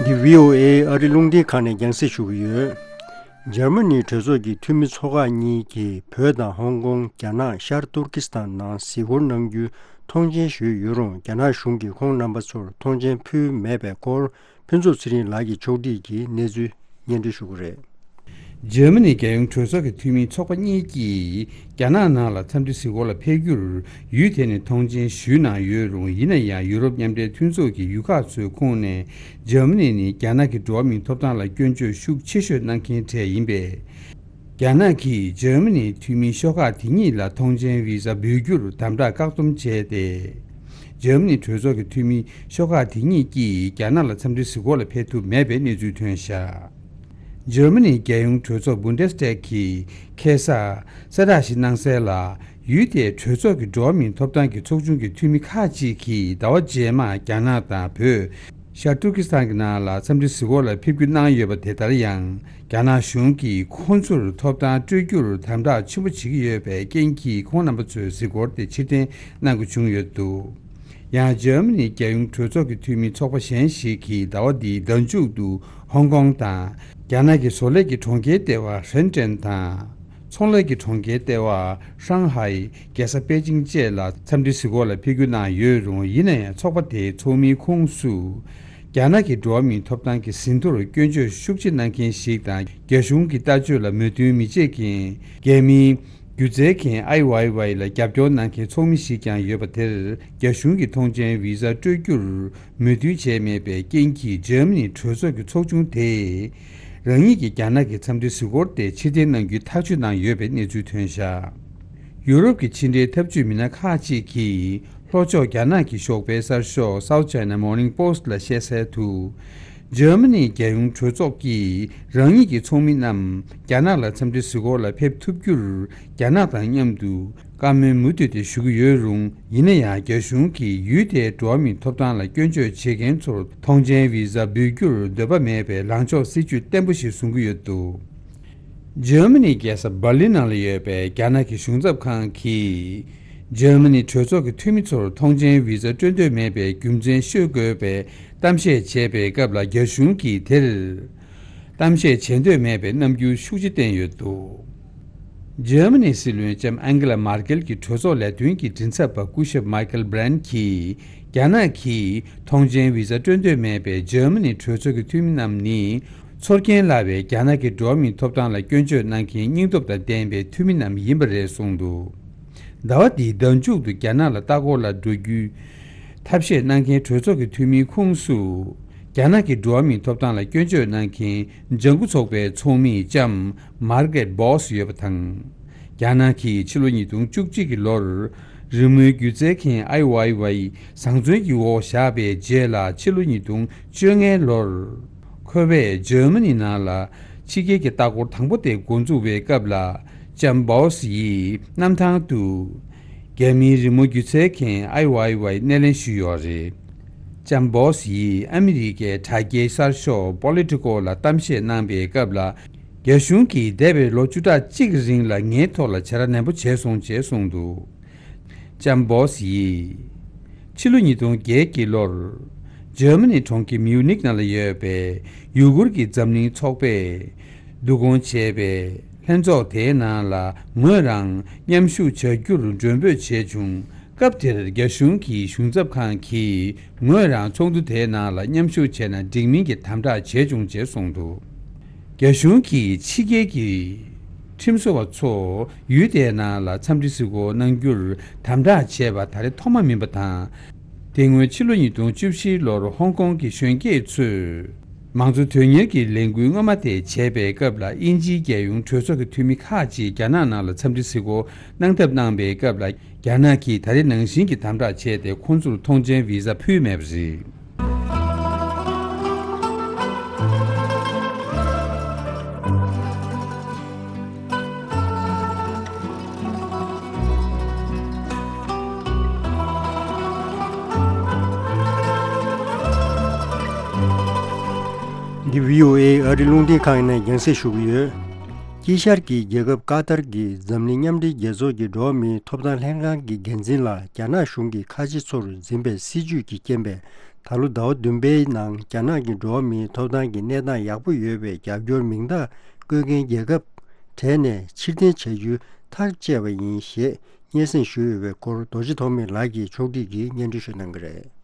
འདི་བྷི་ཨོ་ཨེ་ཨ་རི་རླུང་འཕྲིན་ཁང་ནས་རྒྱང་སྲིང་ཞུ་གི་ཡོད། འཇར་མ་ནིའི་གྲོས་ཚོགས་ཀྱི་འཐུས་མི་ཚོ་ཁག་གཉིས་ཀྱིས་བོད་དང་ཧོང་ཀོང་། རྒྱ་ནག་ཤར་ཏུར་ཀི་སི་ཐན་ནང་གཟིགས་སྐོར་གནང་རྒྱུའི་ཐོངས་མཆན་ཞུས་ཡོད་རུང་། རྒྱ་ནག་གཞུང་གིས་ཁོང་རྣམ་པ་ཚོར་ཐོངས་མཆན་ཕུལ་མེད་པའི་སྐོར། ཕུན་ཚོགས་ཚེ་རིང་ལགས་ཀྱིས་ཕྱོགས་སྒྲིག་གིས་གནས་ཚུལ་སྙན་སྒྲོན་ཞུ་གི་རེད། འཇར་མ་ནིའི་རྒྱལ་ཡོངས་གྲོས་ཚོགས་ཀྱི་འཐུས་མིའི་ཚོགས་པ་གཉིས་ཀྱིས་རྒྱ་ནག་ནང་ལ་འཚམས་འདྲི་གཟིགས་སྐོར་ལ་ཕེབས་རྒྱུར་ཡུལ་དེ་ནས་ཐོངས་མཆན་ཞུས་གནང་ཡོད་རུང་། ཡིན་ན་ཡང་ཡུ་རོབ་མཉམ་འབྲེལ་མཐུན་ཚོགས་ཀྱི་ཡུལ་ཁག་ཚོའི་ཁོངས་ནས་འཇར་མ་ནི་ནི་རྒྱ་ནག་གི་འགྲོ་བ་མིའི་ཐོབ་ཐང་ལ་སྐྱོན་བརྗོད་ཤུགས་ཆེ་ཤོས་གནང་མཁན་གྲས་ཡིན་པས། རྒྱ་ནག་གིས་འཇར་མ་ནིའི་འཐུས་མི་ཤོག་ཁག་དེ་གཉིས་ལ་ཐོངས་མཆན་བི་ཟ་འབུལ་རྒྱུར་དམ་དྲག་བཀག་སྡོམ་བྱས་ཏེ། འཇར་མ་ནིའི་གྲོས་ཚོགས་ཀྱི་འཐུས་མི་ཤོག་ཁག་དེ་གཉིས་ཀྱིས་རྒྱ་ནག་ལ་འཚམས་འདྲི་གཟིགས་སྐོར་ལ་ཕེབས་ཐུབ་མེད་པའི་གནས་ཚུལ་ཐོན་བཞག་འཇར་མ་ནིའི་རྒྱལ་ཡོངས་གྲོས་ཚོགས་བུན་ཌེ་སི་ཊེག་གིས་ཁ་སང་གསལ་བསྒྲགས་ཤིག་གནང་གསལ་ལ། ཡུལ་དེའི་གྲོས་ཚོགས་ཀྱི་འགྲོ་བ་མིའི་ཐོབ་ཐང་གི་ཚོགས་ཆུང་གི་འཐུས་མི་ཁག་ཅིག་གིས་ཟླ་བ་རྗེས་མར་རྒྱ་ནག་དང་བོད། ཤར་ཏུར་ཀི་སི་ཐན་གྱི་ནང་ལ་འཚམས་འདྲི་གཟིགས་སྐོར་ལ་ཕེབས་སྐུལ་གནང་ཡོད་པ་དེ་ལྟར་ཡང་། རྒྱ་ནག་གཞུང་གིས་ཁོང་ཚོར་ཐོབ་ཐང་སྤྲོད་རྒྱུར་དམ་དྲག་ཆེན་པོ་བྱེད་ཀྱི་ཡོད་པའི་རྐྱེན་གྱིས། ཁོང་རྣམ་པ་ཚོའི་གཟིགས་སྐོར་དེ་ཕྱིར་འཐེན་གནང་དགོས་བྱུང་ཡོད་འདུག་ཡང་འཇར་མ་ནིའི་རྒྱལ་ཡོངས་གྲོས་ཚོགས་ཀྱི་འཐུས་མི་ཚོགས་པ་གཞན་ཞིག་གིས་ཟླ་བ་འདིའི་ཟླ་མཇུག་ཏུ་ཧོང་ཀོང་དང་། རྒྱ་ནག་གི་བཟོ་ལས་ཀྱི་གྲོང་ཁྱེར་ལྟེ་བ་ཧྲེན་ཀྲེན་དང་། ཚོང་ལས་ཀྱི་གྲོང་ཁྱེར་ལྟེ་བ་ཧྲང་ཧའེ། རྒྱལ་ས་པེ་ཅིང་བཅས་ལ་འཚམས་འདྲི་གཟིགས་སྐོར་ལ་ཕེབས་སྐུལ་གནང་ཡོད་རུང་། ཡིན་ན་ཡང་ཚོགས་པ་དེའི་ཚོགས་མིའི་ཁོངས་སུ། རྒྱ་ནག་གི་འགྲོ་བ་མིའི་ཐོབ་ཐང་གི་ཟིན་ཐོར་སྐྱོན་བརྗོད་ཤུགས་ཆེ་གནང་མཁན་ཞིག་དང་། རྒྱ་གཞུང་གི་ལྟ་སྤྱོད་ལ་མོས་མཐུན་མི་བྱེད་མཁན་རྒྱ་མིའི་སྒྱུ་རྩལ་མཁན་ཨའི་ཝའི་ཝའི་ལ་རྒྱབ་སྐྱོར་གནང་མཁན་ཚོགས་མི་ཞིག་ཀྱང་ཡོད་པ་དེར། རྒྱ་གཞུང་གིས་ཐོངས་མཆན་བི་ཟ་སྤྲོད་རྒྱུར་མོས་མཐུན་བྱས་མེད་པའི་རྐྱེན་གྱིས། འཇར་མ་ནི་གྲོས་ཚོགས་ཀྱི་ཚོགས་ཆུང་དེས་རང་ཉིད་ཀྱི་རྒྱ་ནག་གི་འཚམས་འདྲི་གཟིགས་སྐོར་དེ་ཕྱིར་འཐེན་གནང་རྒྱུའི་ཐག་གཅོད་གནང་ཡོད་པའི་གནས་ཚུལ་ཐོན་བཞག་ཡུ་རོབ་ཀྱི་ཕྱི་འབྲེལ་འཐབ་ཇུས་མི་སྣ་ཁག་ཅིག་གིས། ལྷོ་ཕྱོགས་རྒྱ་ནག་གི་ཞོགས་པའི་གསར་ཤོག་South China Morning Post ལ་བཤད་གསལ་དུ། འཇར་མ་ནིའི་རྒྱལ་ཡོངས་གྲོས་ཚོགས་ཀྱིས་རང་ཉིད་ཀྱི་ཚོགས་མི་རྣམས་རྒྱ་ནག་ལ་འཚམས་འདྲི་གཟིགས་སྐོར་ལ་ཕེབས་ཐུབ་རྒྱུར། རྒྱ་ནག་དང་མཉམ་དུ་བཀའ་མོལ་མུ་མཐུད་དེ་ཞུ་གི་ཡོད་རུང་། ཡིན་ན་ཡང་། རྒྱ་གཞུང་གིས་ཡུལ་དེའི་འགྲོ་བ་མིའི་ཐོབ་ཐང་ལ་སྐྱོན་བརྗོད་བྱེད་མཁན་ཚོར་ཐོངས་མཆན་བི་ཟ་འབུལ་རྒྱུར་འདོད་པ་མེད་པའི་ལངས་ཕྱོགས་སྲིད་ཇུས་བརྟན་པོ་ཞིག་བཟུང་གི་ཡོད་འདུག་འཇར་མ་ནིའི་རྒྱལ་ས་འབར་ལིན་ནང་ལ་ཡོད་པའི་རྒྱ་ནག་གི་གཞུང་ཚབ་ཁང་གིས། འཇར་མ་ནི་གྲོས་ཚོགས་ཀྱི་འཐུས་མི་ཚོར་ཐོངས་མཆན་བི་ཟ་སྤྲོད་འདོད་མེད་པའི་རྒྱུ་མཚན་ཤོད་དགོས་པའི་གཏམ་བཤད་བྱས་པའི་སྐབས་ལ། རྒྱ་གཞུང་གིས་དེར་གཏམ་བཤད་བྱེད་འདོད་མེད་པའི་རྣམ་འགྱུར་ཤུགས་ཆེ་བསྟན་ཡོད་འདུག་འཇར་མ་ནིའི་སྲིད་བློན་ལྕམ་ཨན་གེ་ལ་མར་ཀེལ་གྱི་གྲོས་ཚོགས་ལས་དོན་གྱི་མགྲིན་ཚབ་པ་སྐུ་ཞབས་མའི་ཀལ་བྷི་རན་གྱིས། རྒྱ་ནག་གིས་ཐོངས་མཆན་བི་ཟ་སྤྲོད་འདོད་མེད་པའི་འཇར་མ་ནིའི་གྲོས་ཚོགས་ཀྱི་འཐུས་མི་རྣམས་ནི། ཚོར་སྐྱེན་སླ་བའི་རྒྱ་ནག་གི་འགྲོ་བ་མིའི་ཐོབ་ཐང་ལ་སྐྱོན་བརྗོད་གནང་མཁན་སྙིང་སྟོབས་དང་ལྡན་པའི་འཐུས་མི་རྣམས་ཡིན་པ་རེད་གསུངས་འདུག་ཟླ་བ་འདིའི་ཟླ་མཇུག་ཏུ་རྒྱ་ནག་ལ་ལྟ་སྐོར་ལ་འགྲོ་རྒྱུའི་ཐབས་ཤེས་གནང་མཁན་གྲོས་ཚོགས་ཀྱི་འཐུས་མིའི་ཁོངས་སུ། རྒྱ་ནག་གི་འགྲོ་བ་མིའི་ཐོབ་ཐང་ལ་སྐྱོན་བརྗོད་གནང་མཁན་ལྗང་ཁུ་ཚོགས་པའི་ཚོགས་མི་ལྕམ་མར་གེ་རེད་བྷོ་སི་ཡོད་པ་དང་། རྒྱ་ནག་གིས་ཕྱི་ལོ་ཉིས་སྟོང་བཅུ་གཅིག་གི་ལོར། རི་མོའི་སྒྱུ་རྩལ་མཁན་ཨའི་ཝའི་ཝའི་བཟང་བཙོན་གྱི་འོག་བཞག་པའི་རྗེས་ལ། ཕྱི་ལོ་ཉིས་སྟོང་བཅོ་ལྔའི་ལོར། ཁོ་པས་འཇར་མ་ནི་ནང་ལ་ཕྱི་རྒྱལ་གྱི་ལྟ་སྐོར་དང་པོ་དེ་འགོ་འཛུགས་པའི་སྐབས་ལ། ལྕམ་བྷོ་སི་ཡིས་གནམ་ཐང་དུ། རྒྱ་མིའི་རི་མོ་སྒྱུ་རྩལ་མཁན་ཨའི་ཝའི་ཝའི་སྣེ་ལེན་ཞུས་ཡོད་རེད། ལྕམ་བྷོ་སི་ཡིས་ཨ་མི་རི་ཀའི་དྲ་རྒྱའི་གསར་ཤོག་Politico ལ་གཏམ་བཤད་གནང་པའི་སྐབས་ལ། རྒྱ་གཞུང་གིས་འདས་པའི་ལོ་བཅུ་ཕྲག་གཅིག་གི་རིང་ལ་ངའི་ཐོག་ལ་བྱ་ར་ནན་པོ་བྱས་སོང་ཅེས་གསུངས་འདུག་ལྕམ་བྷོ་སི་ཡིས། ཕྱི་ལོ་ཉིས་སྟོང་བརྒྱད་ཀྱི་ལོར། འཇར་མ་ནི་གྲོང་ཁྱེར་མིའུ་ནིག་ནང་ལ་ཡོད་པའི་ཡུ་གུར་གྱི་འཛམ་གླིང་ཚོགས་པས་བསྡུ་སྐོང་བྱས་པའི་ལྷན་ཚོགས་དེའི་ནང་ལ་ངོས་རང་མཉམ་ཞུགས་བྱ་རྒྱུར་མགྲོན་འབོད་བྱས་བྱུང་། སྐབས་དེར་རྒྱ་གཞུང་གི་གཞུང་ཚབ་ཁང་གིས་ངོས་རང་ཚོགས་འདུ་དེའི་ནང་ལ་མཉམ་ཞུགས་བྱས་ན་འགྲིག་མིན་གྱི་དམ་དྲག་བྱས་བྱུང་ཅེས་གསུངས་འདུག་རྒྱ་གཞུང་གིས་ཕྱི་རྒྱལ་གྱི་ཁྲིམས་བཟོ་བ་ཚོ་ཡུལ་དེའི་ནང་ལ་འཚམས་འདྲི་གཟིགས་སྐོར་གནང་རྒྱུར་དམ་དྲག་བྱས་པ་ད་རེས་ཐོག་མ་མིན་པ་དང་། དེ་སྔོན་ཕྱི་ལོ་ཉིས་སྟོང་བཅུ་བཞི་ལོར་ཧོང་ཀོང་གི་གཞོན་སྐྱེས་ཚོས་མང་གཙོ་དོན་གཉེར་གྱི་ལས་འགུལ་སྔོན་མ་དེ་བྱས་པའི་སྐབས་ལ། དབྱིན་ཇིའི་རྒྱལ་ཡོངས་གྲོས་ཚོགས་ཀྱི་འཐུས་མི་ཁག་ཅིག་རྒྱ་ནག་ནང་ལ་འཚམས་འདྲི་གཟིགས་སྐོར་གནང་ཐབས་གནང་པའི་སྐབས་ལ། རྒྱ་ནག་གིས་ད་རེས་ནང་བཞིན་གྱི་དམ་དྲག་བྱས་ཏེ། ཁོང་ཚོར་ཐོངས་མཆན་བི་ཟ་ཕུལ་མེད་པ་རེད། འདི་བྷི་ཨོ་ཨེ་ཨ་རི་རླུང་འཕྲིན་ཁང་ནས་རྒྱང་སྲིང་ཞུ་གི་ཡོད། དཀྱིལ་ཤར་གྱི་རྒྱལ་ཁབ་ཀ་ཏར་གྱི་འཛམ་གླིང་མཉམ་འབྲེལ་རྒྱལ་ཚོགས་ཀྱི་འགྲོ་བ་མིའི་ཐོབ་ཐང་ལྷན་ཁང་གི་འགན་འཛིན་ལ་རྒྱ་ནག་གཞུང་གིས་ཁ་ཆེ་ཚོར་འཛིན་པའི་སྲིད་ཇུས་ཀྱི་རྐྱེན་པས། ད་ལོ་ཟླ་བ་བདུན་པའི་ནང་རྒྱ་ནག་གི་འགྲོ་བ་མིའི་ཐོབ་ཐང་གི་གནས་སྟངས་ཡག་པོ་ཡོད་པའི་རྒྱབ་སྐྱོར་མིང་རྟགས་བཀོད་མཁན་རྒྱལ་ཁབ་གྲས་ནས་ཕྱིར་འཐེན་བྱ་རྒྱུའི་ཐག་བཅད་པ་ཡིན་ཞེས་སྙན་སེང་ཞུས་ཡོད་པའི་སྐོར་རྡོ་རྗེ་ཐོགས་མེད་ལགས་ཀྱིས་ཕྱོགས་སྒྲིག་གིས་སྙན་སྒྲོན་ཞུ་གནང་གི་རེད།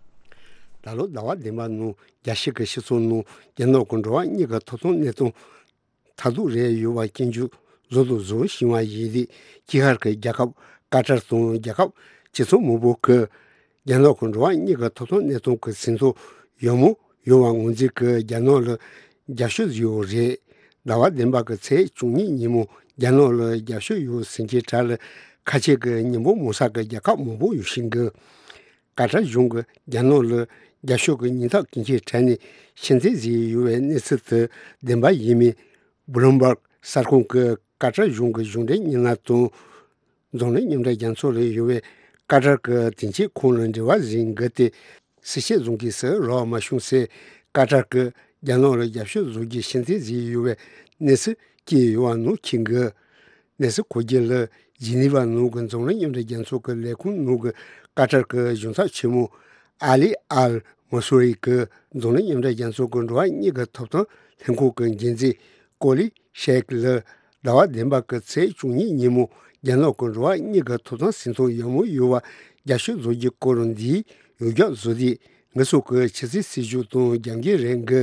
ད་ལོ་ཟླ་བ་བདུན་པ་ནང་རྒྱལ་སྤྱི་གི་སྤྱི་ཚོགས་ནང་རྒྱ་ནག་གི་འགྲོ་བ་མིའི་ཐོབ་ཐང་གནས་སྟངས་མཐར་ཐུག་རེད་ཡོད་པ་སྐྱོན་བརྗོད་བཟོ་དང་བཟོ་བཞིན་པ་ཡིན་དུས། དཀྱིལ་ཤར་གྱི་རྒྱལ་ཁབ་ཀ་ཏར་དང་རྒྱལ་ཁབ་སྤྱི་ཚོགས་མང་པོ་གིས་རྒྱ་ནག་གི་འགྲོ་བ་མིའི་ཐོབ་ཐང་གནས་སྟངས་ཀྱི་ཟིན་ཐོ་ཡག་མོ་ཡོད་པ་ངོས་འཛིན་གྱིས་རྒྱ་ནག་ལ་རྒྱབ་སྐྱོར་བཟོས་ཡོད་རེད། ཟླ་བ་བདུན་པ་གི་ཚེས་བཅུ་གཉིས་ཉིན་མོ་རྒྱ་ནག་ལ་རྒྱབ་སྐྱོར་ཡོད་ཟེར་མཁན་གྲས་ལ་ཁ་ཆེ་གི་མི་འབོར་མང་ས་གི་རྒྱལ་ཁབ་མང་པོ་ཡོད་བཞིན་གི། ཀ་ཏར་གཞུང་གིས་རྒྱ་ནག་ལ་རྒྱབ་སྐྱོར་གྱི་སྙན་ཐོ་སྐྱོན་ཆའི་གྲས་ནས་ཕྱིར་འཐེན་བཟོས་ཡོད་པའི་གནས་ཚུལ་དེ་བདེན་པ་ཡིན་མིན། བྷུ་ལུམ་བྷག་གསར་ཁང་གིས་ཀ་ཏར་གཞུང་གི་གཞུང་འབྲེལ་བརྙན་ལམ་དང་། འཛམ་གླིང་མཉམ་འབྲེལ་རྒྱལ་ཚོགས་ལ་ཡོད་པའི་ཀ་ཏར་གྱི་དོན་གཅོད་ཁང་ལ་འབྲེལ་བ་བཟོས་འགོ་དེ་གསལ་བཤད་བཟོ་མཁན་ཞིག་རག་མ་བྱུང་ཟེར། ཀ་ཏར་གྱིས་རྒྱ་ནག་ལ་རྒྱབ་སྐྱོར་བཟོ་རྒྱུ་ཕྱིར་འཐེན་བཟོས་ཡོད་པའི་གནས་ཚུལ་སྐྱེས་ཡོད་པ་ནང་འཁོད་འདུག་གནས་ཚུལ་གོ་རྒྱུ་ལ། ཇི་ནི་ཝ་ནང་གི་འཛམ་གླིང་མཉམ་འབྲེལ་རྒྱལ་ཚོགས་ཀྱི་ལས་ཁུངས་ནང་གི་ཀ་ཏར་གྱི་གཞུང་ཚབ་ཆེན་མོ་ཨ་ལི་ཨལ་མ་སུ་རི་གིས་འཛམ་གླིང་མཉམ་འབྲེལ་རྒྱལ་ཚོགས་ཀྱི་འགྲོ་བ་མིའི་ཐོབ་ཐང་ལྷན་ཁང་གི་འགན་འཛིན་ཀོ་ལི་ཤེག་ལ་ཟླ་བ་བདུན་པ་གི་ཚེས་བཅུ་གཉིས་ཉིན་མོ་རྒྱ་ནག་གི་འགྲོ་བ་མིའི་ཐོབ་ཐང་ཟིན་ཐོ་ཡག་མོ་ཡོད་པ་རྒྱབ་སྐྱོར་བཟོ་རྒྱུའི་སྐོར་འདིའི་ཡོངས་ཁྱབ་བཟོ་དེ་ ངེད་ཚོ་གི་ཆུ་ཚོད་སྲིད་ཇུས་དང་རྒྱབ་འགལ་རེད་གི།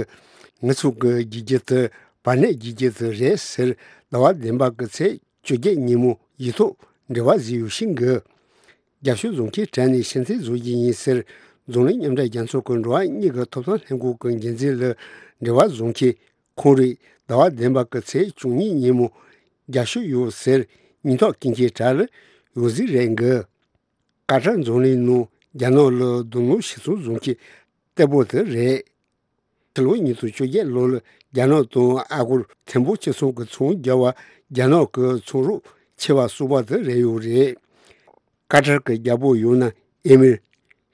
ངེད་ཚོ་གི་རྒྱུ་རྒྱུ་དེ་བར་གནས་རྒྱུ་རྒྱུ་དེ་རེད་ཟེར། ཟླ་བ་བདུན་པ་གི་ཚེས་བཅོ་བརྒྱད་ཉིན་མོ་ཡིག་ཐོག་འབྲེལ་བ་བཟོས་ཡོད་ཤིང་གི། རྒྱབ་ཤོག་བཟོ་མཁན་དྲ་ནས་ཕྱིར་འཐེན་བཟོ་རྒྱུ་ཡིན་ཟེར། འཛམ་གླིང་མཉམ་འབྲེལ་རྒྱལ་ཚོགས་ཀྱི་འགྲོ་བ་མིའི་ཐོབ་ཐང་ལྷན་ཁང་གི་འགན་འཛིན་ལ་འབྲེལ་བ་བཟོ་མཁན་ཁོང་རེད། ཟླ་བ་བདུན་པ་གི་ཚེས་བཅུ་གཉིས་ཉིན་མོ་རྒྱབ་ཤོག་ཡོད་ཟེར། སྙན་ཐོ་སྐྱེལ་མཁན་དྲ་ལ་ཡོད་ཟིག་རེད་གི། ཀ་ཏར་འཛམ་གླིང་ནང་རྒྱ་ནག་ལ་རྡུང་རྡེག་ཞིག་ཚོང་བཟོ་མཁན་གཏེ་པོ་དེ་རེད། ཕྱི་ལོ་ཉིས་སྟོང་བཅོ་བརྒྱད་ལོ་ལ་རྒྱ་ནག་དང་ཨ་སྒོར་ཐེར་འབུམ་གཅིག་ཚོང་གི་ཚོང་རྒྱག་པ་རྒྱ་ནག་གི་ཚོང་རོགས་ཆེ་བ་གསུམ་པ་དེ་རེད་ཡོད་རེད། ཀ་ཏར་གྱི་རྒྱལ་པོ་ཡང་ན་ཨེ་མིར་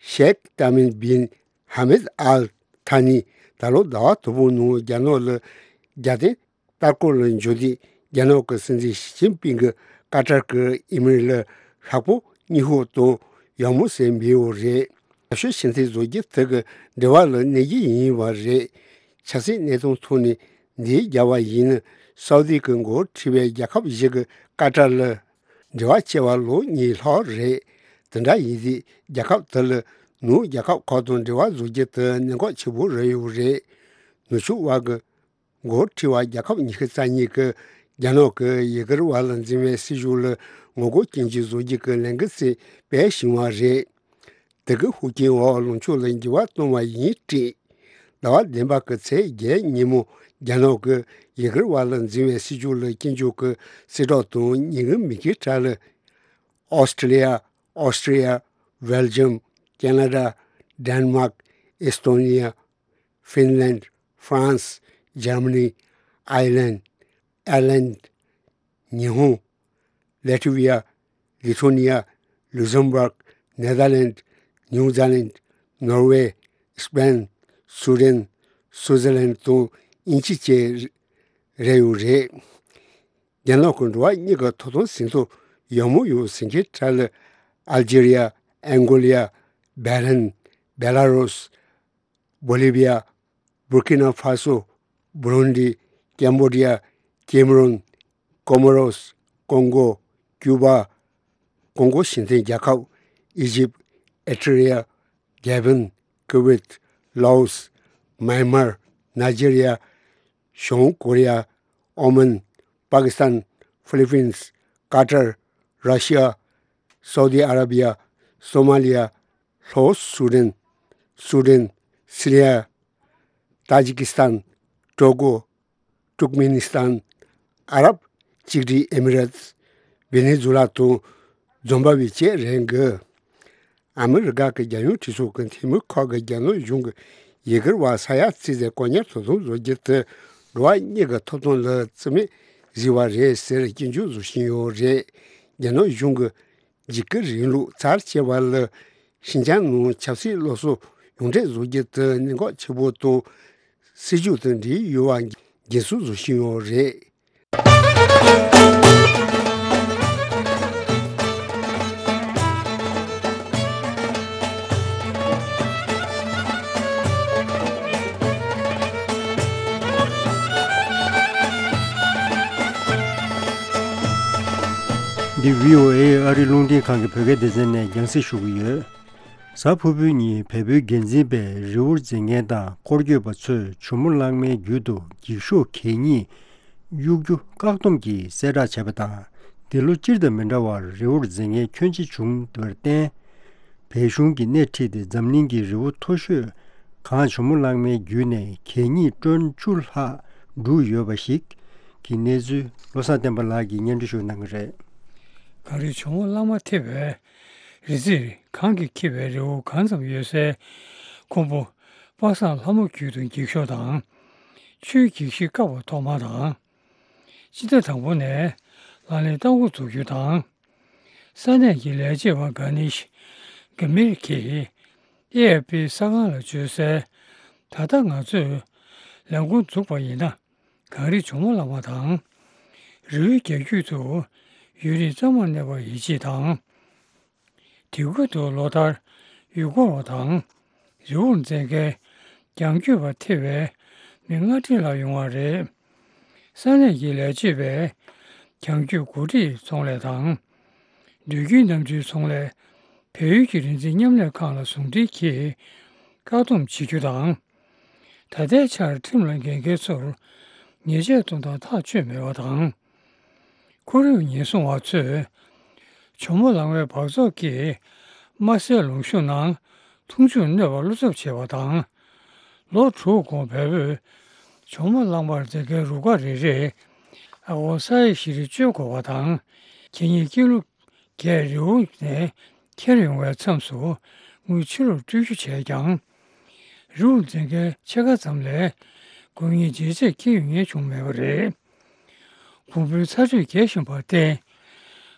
ཤེག་ཏཱ་མིམ་བིན་ཧ་མེད་ཨལ་ཐ་ནི་ད་ལོ་ཟླ་བ་དང་པོའི་ནང་རྒྱ་ནག་ལ་རྒྱལ་བསྟན་ལྟར་སྐོར་ལ་འབྱོར་དུས་རྒྱ་ནག་གི་སྲིད་འཛིན་ཞི་ཅིན་ཕིང་གིས་ཀ་ཏར་གྱི་ཨེ་མིར་ལ་ཤག་པོ་སྙིང་ཤོས་དང་ཡག་མོ་ཟེར་འབོད་ཡོད་རེད། རྒྱབ་ཤོག་ཕྱིར་འཐེན་བཟོ་རྒྱུ་དེ་གི་འབྲེལ་བ་ལ་གནོད་རྒྱུ་ཡིན་པ་རེད། ཆབ་སྲིད་གནས་སྟངས་ཐོག་ནས་འདི་རྒྱབ་པ་ཡིན་ན་སའུ་དི་གི་མགོ་ཁྲིད་པའི་རྒྱལ་ཁབ་བཞི་གི་ཀ་ཏར་ལ་འབྲེལ་བ་བྱས་པ་ལོ་གཉིས་ལྷག་རེད། དེ་འདྲ་ཡིན་དུས་རྒྱལ་ཁབ་དེ་ལ་ནུབ་རྒྱལ་ཁབ་ཁག་དང་འབྲེལ་བ་བཟོ་རྒྱུ་དེ་གནད་འགག་ཆེ་པོ་རེད་ཡོད་རེད། ནུབ་ཕྱོགས་དབར་གྱི་འགོ་ཁྲིད་པ་རྒྱལ་ཁབ་ཉི་ཤུ་རྩ་གཉིས་ཀྱིས་རྒྱ་ནག་གིས་ཡུ་གུར་བ་ལ་འཛིན་པའི་སྲིད་བྱུས་ལ་ངོ་རྒོལ་སྐྱོན་བརྗོད་བཟོ་རྒྱུ་གི་ལས་འགུལ་ཞིག་སྤེལ་བཞིན་པ་རེད། དེ་གི་ཤུགས་རྐྱེན་འོག་ལངས་ཕྱོགས་ལ་འགྱུར་བ་གཏོང་བ་ཡིན་དྲིས། ཟླ་བ་བདུན་པ་གི་ཚེས་བརྒྱད་ཉིན་མོ་རྒྱ་ནག་གིས་ཡུ་གུར་བ་ལ་འཛིན་པའི་སྲིད་བྱུས་ལ་སྐྱོན་བརྗོད་ཀྱི་གསལ་བསྒྲགས་དང་ཉིན་གུང་མི་ཁའི་གྲས་ལ་ཨོ་སི་ཀྲི་ལི་ཡ། Austria, Belgium, Canada, Denmark, Estonia, Finland, France, Germany, Ireland, Ireland, ཉི་ཧོང་། Latvia, Lithuania, Luxembourg, Netherlands, New Zealand, Norway, Spain, Sweden, Switzerland དང་དབྱིན་ཇི་བཅས་རེད་ཡོད་རེད། རྒྱ་ནག་གི་འགྲོ་བ་མིའི་ཐོབ་ཐང་ཟིན་ཐོ་ཡག་མོ་ཡོད་ཟེར་མཁན་གྲས་ལ་ཨལ་ཇི་རི་ཡ། ཨན་གོ་ལི་ཡ། བྷེ་རན། བེ་ལ་རུས། བོ་ལི་བི་ཡ། བུར་ཀི་ན་ཧྥ་སོ། བུ་རུན་ཌི། ཀེམ་བོ་ཌི་ཡ། ཀེམ་རོན། ཀོ་མོ་རོས། ཀོང་གོ། ཀྱུ་པ། ཀོང་གོ་ཞི་མཐུན་རྒྱལ་ཁབ། ཨི་ཇིབ། ཨེ་ཐི་རི་ཡ། གྷ་བན། ཀུ་ཝེད། ལའོ་སི། མཱན་མར། ནཱི་ཇེ་རི་ཡ། བྱང་ཀོ་རི་ཡ། ཨོ་མན། པ་ཀི་སི་ཐན། ཧྥི་ལི་པིན། ཀ་ཏར། ར་ཤི་ཡ། སའུ་དི་ཨ་ར་བི་ཡ། སོ་མ་ལི་ཡ། ལྷོ་སུ་དན། སུ་དན། སི་རི་ཡ། ཏཱ་ཇི་ཀི་སི་ཐན། ཀྲོ་ཀོ། ཏུར་ཀ་མེ་ནི་སི་ཐན། ཨ་རབ་གཅིག་སྒྲིལ་ཨེ་མི་རེ་ཏི། ཝེ་ནེ་ཛུ་ལ་དང་ཛིམ་བྷ་ཝེ་བཅས་རེད་འདུག་ཨ་མི་རི་ཀ་གི་རྒྱལ་ཡོངས་གྲོས་ཚོགས་ཀྱི་འཐུས་མི་ཁག་གིས་རྒྱ་ནག་གཞུང་གིས་ཡུ་གུར་བ་ས་ཡ་བརྩིས་ཏེ་བཀག་ཉར་དོ་དམ་བཟོ་རྒྱུ་དེ་འགྲོ་བ་མིའི་ཐོབ་ཐང་ལ་བརྩི་མེད་བཟོས་པ་རེད་ཟེར་སྐྱོན་བརྗོད་བཟོ་བཞིན་ཡོད་རེད། རྒྱ་ནག་གཞུང་གིས་འཇིགས་སྐུལ་རིང་ལུགས་ཚར་བཅད་པ་ལ་ཤིན་ཅང་ནང་ཆབ་སྲིད་སླར་གསོ་ཡོངས་བསྒྲགས་བཟོ་རྒྱུ་དེ་གནད་འགག་ཆེ་པོ་དང་སྲིད་བྱུས་དང་འབྲེལ་ཡོད་པ་འགན་སྲུང་བཟོ་བཞིན་ཡོད་རེད། འདི་བྷི་ཨོ་ཨེ་ཨ་རིའི་རླུང་འཕྲིན་ཁང་གི་བོད་སྐད་སྡེ་ཚན་ནས་རྒྱང་སྲིང་ཞུ་གི་ཡོད། གཟའ་ཕུར་བུའི་ཉིན་བལ་པོའི་འགན་འཛིན་པས་རི་བོར་འཛེག་མཁན་དང་སྐོར་སྐྱོད་པ་ཚོས་ཇོ་མོ་གླང་མའི་རྒྱུད་དུ་འགྱིག་ཤོག་གད་སྙིགས་གཡུག་རྒྱུ་བཀག་སྡོམ་གྱིས་གསལ་བསྒྲགས་བྱས་པ་དང་། འདི་ལོ་སྤྱིར་དང་མི་འདྲ་བར་རི་བོར་འཛེག་མཁན་ཁྱོན་ཆེ་བྱུང་བར་བརྟེན། བལ་གཞུང་གིས་སྣེ་ཁྲིད་དེ་འཛམ་གླིང་གི་རི་བོ་མཐོ་ཤོས་གངས་ཇོ་མོ་གླང་མའི་རྒྱུད་ནས་གད་སྙིགས་ཊོན་བཅུ་ལྷག་བསྒྲུགས་ཡོད་པ་ཞིག་གི་གནས་ཚུལ་བློ་བཟང་བསྟན་པ་ལགས་ཀྱིས་སྙན་སྒྲོན་ཞུ་གནང་གི་རེད། གངས་རི་ཇོ་མོ་གླང་མ་ཐེ་བའི་རི་རྩེར་གངས་ཀྱིས་འཁྱིལ་བའི་རི་བོ་གང་ཙམ་ཡོད་སའི་ཁུམ་བུ་པ་སངས་ལྷ་མོ་རྒྱུད་དུ་འགྱིག་ཤོག་དང་། ཆུའི་འགྱིག་ཤིང་བཀབ་པ་ཐོག་མ་དང་། སྤྱི་ཟླ་དང་པོ་ནས་ལག་ལེན་བསྟར་འགོ་འཛུགས་རྒྱུ་དང་། ས་གནས་ཀྱི་ལས་བྱེད་པ་གྷ་ནེ་ཤི་གྷ་མིར་གྱིས་ཨེ་ཨེཕ་པི་གསར་ཁང་ལ་བརྗོད་གསལ། ད་ལྟ་ང་ཚོས་ལས་འགོ་འཛུགས་པ་ཡིན་ན། གངས་རི་ཇོ་མོ་གླང་མ་དང་། རི་བོའི་རྒྱ་རྒྱུད་དུ་ཡུན་རིང་གཙང་མར་གནས་པར་ཡིད་ཆེས་དང་། དེ་ཁུལ་དུ་ལོ་ལྟར་ཡུལ་སྐོར་བ་དང་། རི་བོར་འཛེག་མཁན་རྒྱང་སྐྱོད་པ་ཐེ་བའི་མི་ལྔ་ཁྲི་ལྷག་ཡོང་བ་རེད། ས་གནས་ཀྱི་ལས་བྱེད་པས་རྒྱང་སྐྱོད་འགོ་ཁྲིད་ཚོང་ལས་དང་། སྡོད་ཁྱིམ་གནམ་གྲུའི་ཚོང་ལས། བལ་ཡུལ་གྱི་རི་འཛེག་མཉམ་ལས་ཁང་ལ་ཟུང་འབྲེལ་གྱིས། བཀག་སྡོམ་བྱེད་རྒྱུ་དང་། ད་ལྟའི་ཆར་ཁྲིམས་ལ་འགལ་མཁན་ཚོར་ཉེས་ཆད་གཏོང་སྟངས་ཐག་ཆོད་མེད་པ་དང་། ཁོར་ཡུག་ཉེན་སྲུང་བ་ཚོས་ཇོ་མོ་གླང་མའི་འབག་བཙོག་གིས་དམར་ཟས་ལུང་གཤོང་ནང་འཐུང་ཆུར་གནོད་པ་བློ་འཚབ་བྱས་པ་དང་། ལོ་དྲུག་གོང་བལ་པོས་ཇོ་མོ་གླང་མར་འཛེག་མཁན་རུ་ཁག་རེ་རེས་ཨ་སྒོར་ས་ཡ་བཞི་རེ་སྤྱོད་དགོས་པ་དང་། ཁེ་ཉིན་ཀི་ལོ་བརྒྱད་རི་བོ་ནས་ཁྱེར་ཡོང་བའི་མཚམས་སུ་དངུལ་ཕྱི་ལོགས་སྤྲོད་རྒྱུ་བྱས་ཀྱང་། རི་བོ་འཛེག་མཁན་ཕྱེད་ཀ་ཙམ་ལས་དགོས་ངེས་འཇལ་ཆས་འཁྱེར་ཡོང་མཁན་བྱུང་མེད་པ་རེད། གོང་བུའི་ཚ་དྲོད་རྒྱས་བཞིན་པར་བརྟེན།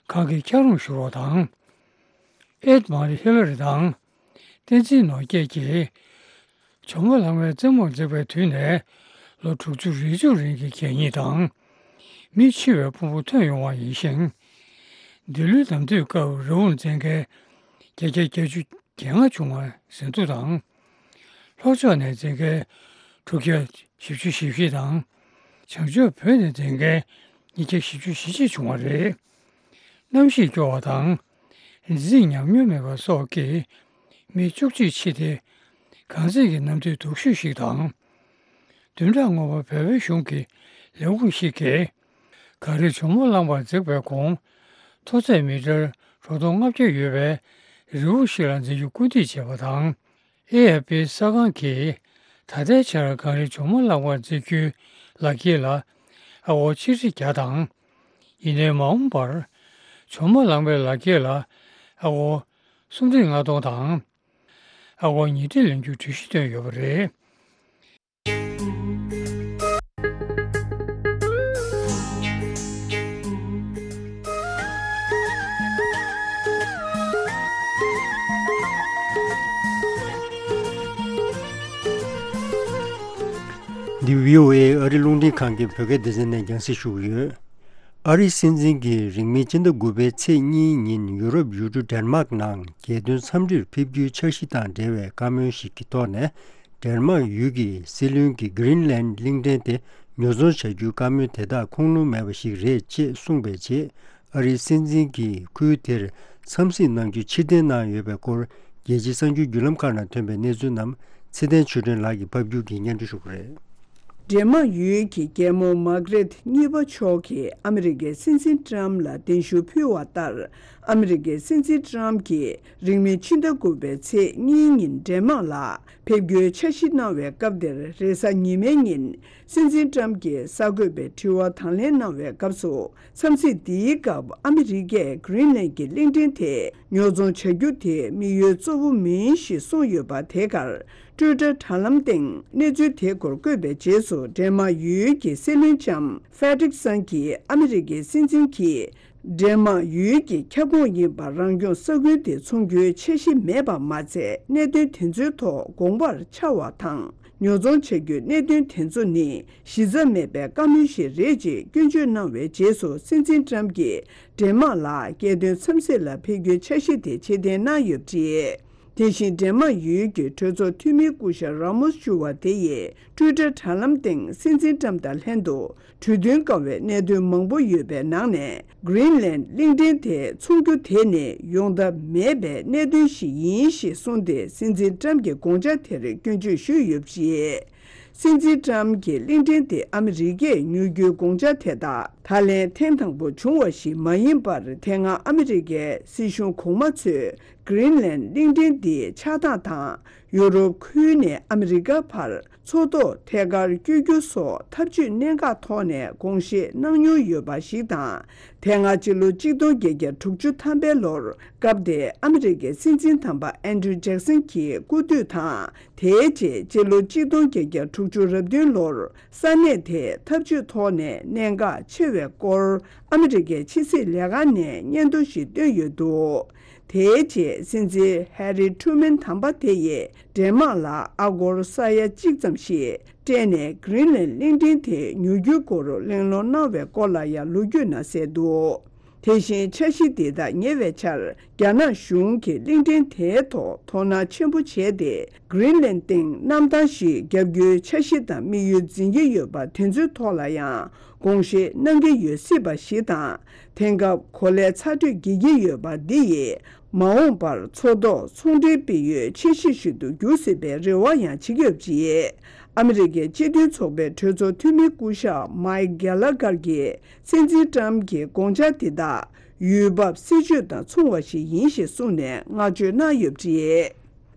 གངས་ཀྱི་འཁྱགས་རོམ་ཤོར་བ་དང་། ཨེད་མ་རི་ཧི་ལ་རི་དང་། བསྟན་འཛིན་ནོར་རྒྱས་ཀྱིས། ཇོ་མོ་གླང་མའི་རྩེ་མོར་འཛེགས་པའི་དུས་ནས་ལོ་དྲུག་ཅུ་རེ་བཅུ་རིང་གི་གད་སྙིགས་དང་། མི་འཆི་བའི་ཕུང་པོ་ཐོན་ཡོང་བ་ཡིན་ཞིང་། འདི་ལོའི་ནམ་དུས་སྐབས་རི་བོ་འཛེག་མཁན་བརྒྱ་ཆ་བརྒྱད་ཅུ་གྱ་ལྔ་བྱུང་བ་ཟིན་ཐོ་དང་། ལྷོ་ཕྱོགས་ནས་འཛེག་མཁན་དྲུག་བརྒྱ་བཞི་བཅུ་ཞེ་བཞི་དང་། བྱང་ཕྱོགས་བོད་ནས་འཛེག་མཁན་ཉིས་བརྒྱ་བཞི་བཅུ་ཞེ་གཅིག་བྱུང་བ་རེད། གནམ་གཤིས་སྐྱོ་བ་དང་། རི་འཛེག་ཉམས་མྱོང་མེད་པ་སོགས་ཀྱིས་མི་བཅུ་གཅིག་འཆི་སྟེ། གངས་འཛེག་གི་གནམ་དུས་སྡུག་ཤོས་ཤིག་དང་། བདུན་ཕྲག་སྔོན་མ་བལ་པོའི་གཞུང་གིས་ལས་ཁུངས་ཤིག་གིས། གངས་རི་ཇོ་མོ་གླང་མར་འཛེགས་པའི་གོང་། མཐོ་ཚད་མི་ཊར་དྲུག་སྟོང་ལྔ་བརྒྱ་ཡོད་པའི་རི་བོ་ཞིག་ལ་འཛེག་རྒྱུ་སྐུལ་འདེད་བྱས་པ་དང་། ཨེ་ཨེཕ་པི་གསར་ཁང་གིས་ད་ལྟའི་ཆར་གངས་རི་ཇོ་མོ་གླང་མར་འཛེག་རྒྱུའི་ལག་འཁྱེར་ལ་ཨ་སྒོར་ཆིག་ཁྲི་བརྒྱ་དང་། ཡིན་ནའི་མ་འོངས་པར་ཇོ་མོ་གླང་མའི་ལག་འཁྱེར་ལ་ཨ་སྒོར་སུམ་ཁྲི་ལྔ་སྟོང་དང་། ཨ་སྒོར་ཉིས་ཁྲི་ལེན་རྒྱུའི་གྲོས་གཞི་བཏོན་ཡོད་པ་རེད། འདི་བྷི་ཨོ་ཨེ་ཨ་རི་རླུང་འཕྲིན་ཁང་གི་བོད་སྐད་སྡེ་ཚན་ནས་རྒྱང་སྲིང་ཞུ་གི་ཡོད། ཨ་རིའི་སྲིད་འཛིན་གྱིས་རིང་མིན་ཕྱི་ཟླ་དགུ་པའི་ཚེས་གཉིས་ཉིན་ཡུ་རོབ་ཡུལ་གྲུ་ཌེན་མཱག་ནང་རྒྱལ་དོན་འཚམས་འདྲིར་ཕེབས་རྒྱུའི་འཆར་གཞི་དང་འབྲེལ་བའི་བཀའ་མོལ་ཞིག་གི་ཐོག་ནས། ཌེན་མཱག་ཡུལ་གྱི་སྲིད་བློན་གྱིས་གྷི་རིན་ལན་གླིང་ཕྲན་དེ་ཉོ་ཚོང་བྱ་རྒྱུའི་བཀའ་མོལ་དེ་དག་ཁུངས་ལུང་མེད་པ་ཞིག་རེད་ཅེས་གསུངས་པའི་རྗེས། ཨ་རིའི་སྲིད་འཛིན་གྱིས་ཁུལ་དེར་འཚམས་གཟིགས་གནང་རྒྱུ་ཕྱིར་འཐེན་གནང་ཡོད་པའི་སྐོར། རྒྱལ་སྤྱིའི་གསར་འགྱུར་བརྒྱུད་ལམ་ཁག་ནང་ཐོན་པའི་གནས་ཚུལ་རྣམས་ཚེ་བརྟན་ཆོས་སྒྲོན་ལགས་ཀྱིས་ཕབ་སྒྱུར་གྱིས་སྙན་སྒྲོན་ཞུ་གི་རེད། ཌེན་མཱག་ཡུལ་གྱི་རྒྱལ་མོ་མཱ་གྷི་རེད་གཉིས་པ་མཆོག་གིས་ཨ་མི་རི་ཀའི་སྲིད་འཛིན་ཏྲམ་ལ་གདན་ཞུ་ཕུལ་བ་ལྟར། ཨ་མི་རི་ཀའི་སྲིད་འཛིན་ཏྲམ་གྱིས་རིང་མིན་ཕྱི་ཟླ་དགུ་པའི་ཚེས་གཉིས་ཉིན་ཌེན་མཱག་ལ་ཕེབས་རྒྱུའི་འཆར་གཞི་གནང་བའི་སྐབས་དེར། རེས་གཟའ་ཉི་མའི་ཉིན་སྲིད་འཛིན་ཏྲམ་གྱིས་གསར་འགོད་པའི་དྲི་བ་དང་ལེན་གནང་བའི་སྐབས་སུ། འཚམས་གཟིགས་འདིའི་སྐབས་ཨ་མི་རི་ཀས་གྷི་རིན་ལན་གྱི་གླིང་ཕྲན་དེ་ཉོ་ཚོང་བྱ་རྒྱུ་དེ་དམིགས་ཡུལ་གཙོ་བོ་མིན་ཞེས་གསུངས་ཡོད་པ། དེ་གར་ཊུའི་ཊར་དྲ་ལམ་སྟེང་གནས་ཚུལ་དེ་སྐོར་བཀོད་པའི་རྗེས་སུ། ཌེན་མཱག་ཡུལ་གྱི་སྲིད་བློན་ལྕམ་ཧྥེ་ཌི་རིག་སན་གྱིས་ཨ་མི་རི་ཀའི་སྲིད་འཛིན་གྱིས་ཌེན་མཱག་ཡུལ་གྱི་ཁྱབ་ཁོངས་ཡིན་པ་རང་སྐྱོང་ས་ཁུལ་དེ་འཚོང་རྒྱུའི་འཆར་གཞི་མེད་པ་མ་ཚད། གནད་དོན་དེ་ཚོའི་ཐོག་དགོངས་པར་འཆར་བ་དང་། ཉོ་ཚོང་བྱ་རྒྱུའི་གནད་དོན་དེ་ཚོ་ནི་གཞི་རྩ་མེད་པའི་བཀའ་མོལ་ཞིག་རེད་ཅེས་སྐྱོན་བརྗོད་གནང་བའི་རྗེས་སུ། སྲིད་འཛིན་ཏྲམ་གྱིས་ཌེན་མཱག་ལ་རྒྱལ་དོན་འཚམས་གཟིགས་ལ་ཕེབས་རྒྱུའི་འཆར་གཞི་དེ་ཕྱིར་འཐེན་གནང་ཡོད་པ་རེད། དེ་བཞིན་ཌེན་མཱག་ཡུལ་གྱི་གྲོས་ཚོགས་འཐུས་མི་སྐུ་ཞབས་ར་མོས་ཞུ་བ་དེ་ཡིས་ཊུའི་ཊར་དྲ་ལམ་སྟེང་སྲིད་འཛིན་ཊམ་དང་ལྷན་དུ་གྲོས་མཐུན་དཀའ་བའི་གནད་དོན་མང་པོ་ཡོད་པའི་ནང་ནས། གྷི་རིན་ལན་གླིང་ཕྲན་དེ་འཚོང་རྒྱུ་དེ་ནི་ཡོང་ཐབས་མེད་པའི་གནད་དོན་ཞིག་ཡིན་ཞེས་གསུངས་ཏེ། སྲིད་འཛིན་ཊམ་གྱི་དགོངས་འཆར་དེར་སྐྱོན་བརྗོད་ཞུས་ཡོད་པ་རེད། སྲིད་འཛིན་ཊམ་གྱིས་གླིང་ཕྲན་དེ་ཨ་མི་རི་ཀས་ཉོ་རྒྱུའི་དགོངས་འཆར་དེ་དག་ད་ལན་ཐེངས་དང་པོ་བྱུང་བ་ཞིག་མ་ཡིན་པར། དེ་སྔ་ཨ་མི་རི་ཀའི་སྲིད་གཞུང་གོང་མ་ཚོས་གྷི་རིན་ལན་གླིང་ཕྲན་འདིའི་ཆགས་སྟངས་དང་། ཡུ་རོབ་ཁུལ་ནས་ཨ་མི་རི་ཀ་བར་མཚོ་ཐོག་ཐད་ཀར་བསྐྱོད་རྒྱུ་སོགས་ཐབས་ཇུས་གནད་འགག་ཐོག་ནས་དགོངས་བཞེས་གནང་མྱོང་ཡོད་པ་ཞིག་དང་། དེ་སྔ་སྤྱི་ལོ་གཅིག་སྟོང་བརྒྱད་བརྒྱ་དྲུག་ཅུ་ཐམ་པའི་ལོར། སྐབས་དེའི་ཨ་མི་རི་ཀའི་སྲིད་འཛིན་དམ་པ་ཨན་ཌྲུ་ཇེག་སན་གྱི་སྐུ་དུས་དང་། དེའི་རྗེས་སྤྱི་ལོ་གཅིག་སྟོང་བརྒྱད་བརྒྱ་དྲུག་ཅུ་རེ་བདུན་ལོར་ས་གནས་དེའི་འཐབ་ཇུས་ཐོག་ནས་གནད་འགག་ཆེ་བའི་སྐོར་ཨ་མི་རི་ཀའི་ཕྱི་སྲིད་ལས་ཁང་ནས་སྙན་ཐོ་ཞིག་བཏོན་ཡོད་འདུག་དེའི་རྗེས་སྲིད་འཛིན་ཧེ་རི་ཁྲུ་མན་དམ་པ་དེ་ཡིས་ཌེན་མཱག་ལ་ཨ་སྒོར་ས་ཡ་གཅིག་ཙམ་ཞིག་སྤྲད་ནས་གྷི་རིན་ལན་གླིང་ཕྲན་དེ་ཉོ་རྒྱུའི་སྐོར་གླེང་སློང་གནང་བའི་སྐོར་ལ་ཡང་ལོ་རྒྱུས་ནང་གསལ་འདུག་དེ་བཞིན་འཆར་གཞི་འདི་དག་ཉེ་བའི་ཆར་རྒྱ་ནག་གཞུང་གིས་གླིང་ཕྲན་དེའི་ཐོག་དོ་སྣང་ཆེན་པོ་བྱས་ཏེ། གྷི་རིན་ལན་སྟེང་གནམ་ཐང་ཞིག་བརྒྱབ་རྒྱུའི་འཆར་གཞི་དང་དམིགས་ཡུལ་འཛིན་གྱི་ཡོད་པ་དེ་ཚོའི་ཐོག་ལ་ཡང་དགོངས་བཞེས་གནང་གི་ཡོད་སྲིད་པ་ཞིག་དང་། དེང་སྐབས་གོ་ལའི་ཚ་དྲོད་རྒྱས་ཀྱི་ཡོད་པ་འདི་ཡིས། མ་འོངས་པར་མཚོ་ཐོག་ཚོང་འབྲེལ་སྤེལ་ཡུལ་ཆེ་ཤོས་ཤིག་ཏུ་འགྱུར་སྲིད་པའི་རེ་བ་ཡང་བྱེད་ཀྱི་ཡོད་པ་རེད། ཨ་མི་རི་ཀའི་སྤྱི་མཐུན་ཚོགས་པའི་གྲོས་ཚོགས་འཐུས་མི་སྐུ་ཞབས་མའེ་ཀེལ་ལ་གྷར་གྱིས་སྲིད་འཛིན་ཀྲམ་གྱི་དགོངས་འཆར་དེ་དག་ཡུལ་བབ་སྲིད་ཇུས་དང་མཚུངས་པ་ཞིག་ཡིན་ཞེས་གསུངས་ནས་བསྔགས་བརྗོད་གནང་ཡོད་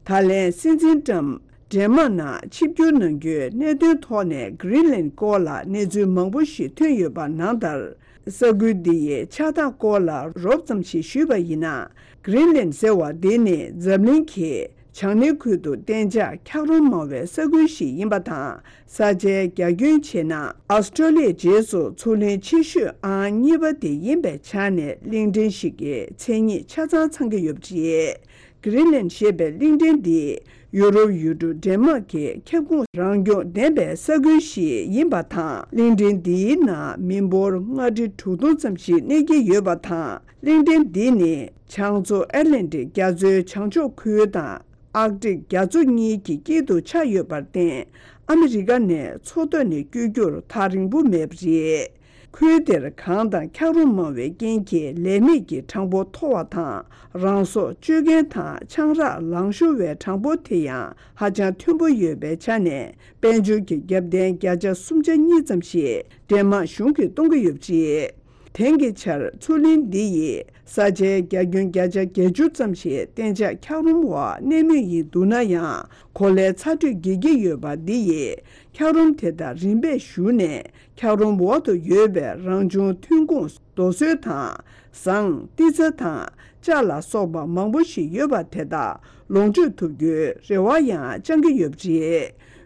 པ་རེད། ད་ལན་སྲིད་འཛིན་ཀྲམ་ཌེན་མག་ནང་ཆིབས་བསྒྱུར་གནང་རྒྱུའི་གནད་དོན་ཐོག་ནས་གྷི་རིན་ལན་སྐོར་ལ་གནས་ཚུལ་མང་པོ་ཞིག་ཐོན་ཡོད་པ་ནང་ལྟར། ས་ཁུལ་འདི་ཡི་ཆགས་སྟངས་སྐོར་ལ་རོབ་ཙམ་ཞིག་ཞུས་པ་ཡིན་ན། གྷི་རིན་ལན་ཟེར་བ་འདི་ནི་འཛམ་གླིང་གི་བྱང་སྣེ་ཁུལ་དུ་གཏན་འཇགས་འཁྱགས་རོམ་མང་བའི་ས་ཁུལ་ཞིག་ཡིན་པ་དང་། ས་ཆའི་རྒྱ་ཁྱོན་བྱས་ན་ཨོ་སི་ཀྲོ་ལི་ཡའི་རྗེས་སུ་མཚོ་གླིང་ཆེ་ཤོས་ཨང་གཉིས་པ་དེ་ཡིན་པའི་ཆ་ནས་གླིང་ཕྲན་ཞིག་གི་མཚན་ཉིད་ཆ་ཚང་ཚང་གི་ཡོད་པ་རེད། གྷི་རིན་ལན་ཞེས་པའི་གླིང་ཕྲན་འདི་ཡུ་རོབ་ཡུལ་གྲུ་ཌེན་མག་གི་ཁྱབ་ཁོངས་རང་སྐྱོང་ལྡན་པའི་ས་ཁུལ་ཞིག་ཡིན་པ་དང་། གླིང་ཕྲན་འདིའི་ནང་མི་འབོར་ལྔ་ཁྲི་དྲུག་སྟོང་ཙམ་ཞིག་གནས་ཀྱི་ཡོད་པ་དང་། གླིང་ཕྲན་འདི་ནི་བྱང་མཚོ་ཨེཊ་ལན་ཊིག་རྒྱ་མཚོའི་བྱང་ཕྱོགས་ཁུལ་དང་ཨར་ཀ་ཊིག་རྒྱ་མཚོ་གཉིས་ཀྱི་དཀྱིལ་དུ་ཆགས་ཡོད་པར་བརྟེན། ཨ་མི་རི་ཀ་ནས་མཚོ་ཐོག་ནས་བསྐྱོད་རྒྱུར་ཐག་རིང་པོ་མེད་པ་རེད། ཁུལ་དེར་གངས་དང་འཁྱགས་རོམ་མང་བའི་རྐྱེན་གྱིས་ལས་མེད་ཀྱི་གྲངས་འབོར་མཐོ་བ་དང་། རང་སྲོག་གཅོད་མཁན་དང་ཆང་རག་ལང་ཤོར་བའི་གྲངས་འབོར་དེ་ཡང་ཧ་ཅང་མཐོན་པོ་ཡོད་པའི་ཆ་ནས། དཔལ་འབྱོར་གྱི་རྒྱབ་རྟེན་བརྒྱ་ཆ་སུམ་ཆ་གཉིས་ཙམ་ཞིག་ཌེན་མག་གཞུང་གིས་གཏོང་གི་ཡོད་པ་རེད། དེང་གི་ཆར་མཚོ་གླིང་འདི་ཡི་ས་ཆའི་རྒྱ་ཁྱོན་བརྒྱ་ཆ་བརྒྱད་ཅུ་ཙམ་ཞིག་གཏན་འཇགས་འཁྱགས་རོམ་འོག་གནས་མུས་ཡིན་འདུག་ན་ཡང་། གོ་ལའི་ཚ་དྲོད་རྒྱས་ཀྱི་ཡོད་པ་འདི་ཡིས་འཁྱགས་རོམ་དེ་དག་རིམ་པས་ཞུ་ནས། འཁྱགས་རོམ་འོག་ཏུ་ཡོད་པའི་རང་བྱུང་ཐོན་ཁུངས་རྡོ་སོལ་དང་། ཟངས། ཏི་ཚ་དང་། ལྕགས་ལ་སོགས་པ་མང་པོ་ཞིག་ཡོད་པ་དེ་དག་ལོངས་སྤྱོད་ཐུབ་རྒྱུའི་རེ་བ་ཡང་བཅང་གི་ཡོད་པ་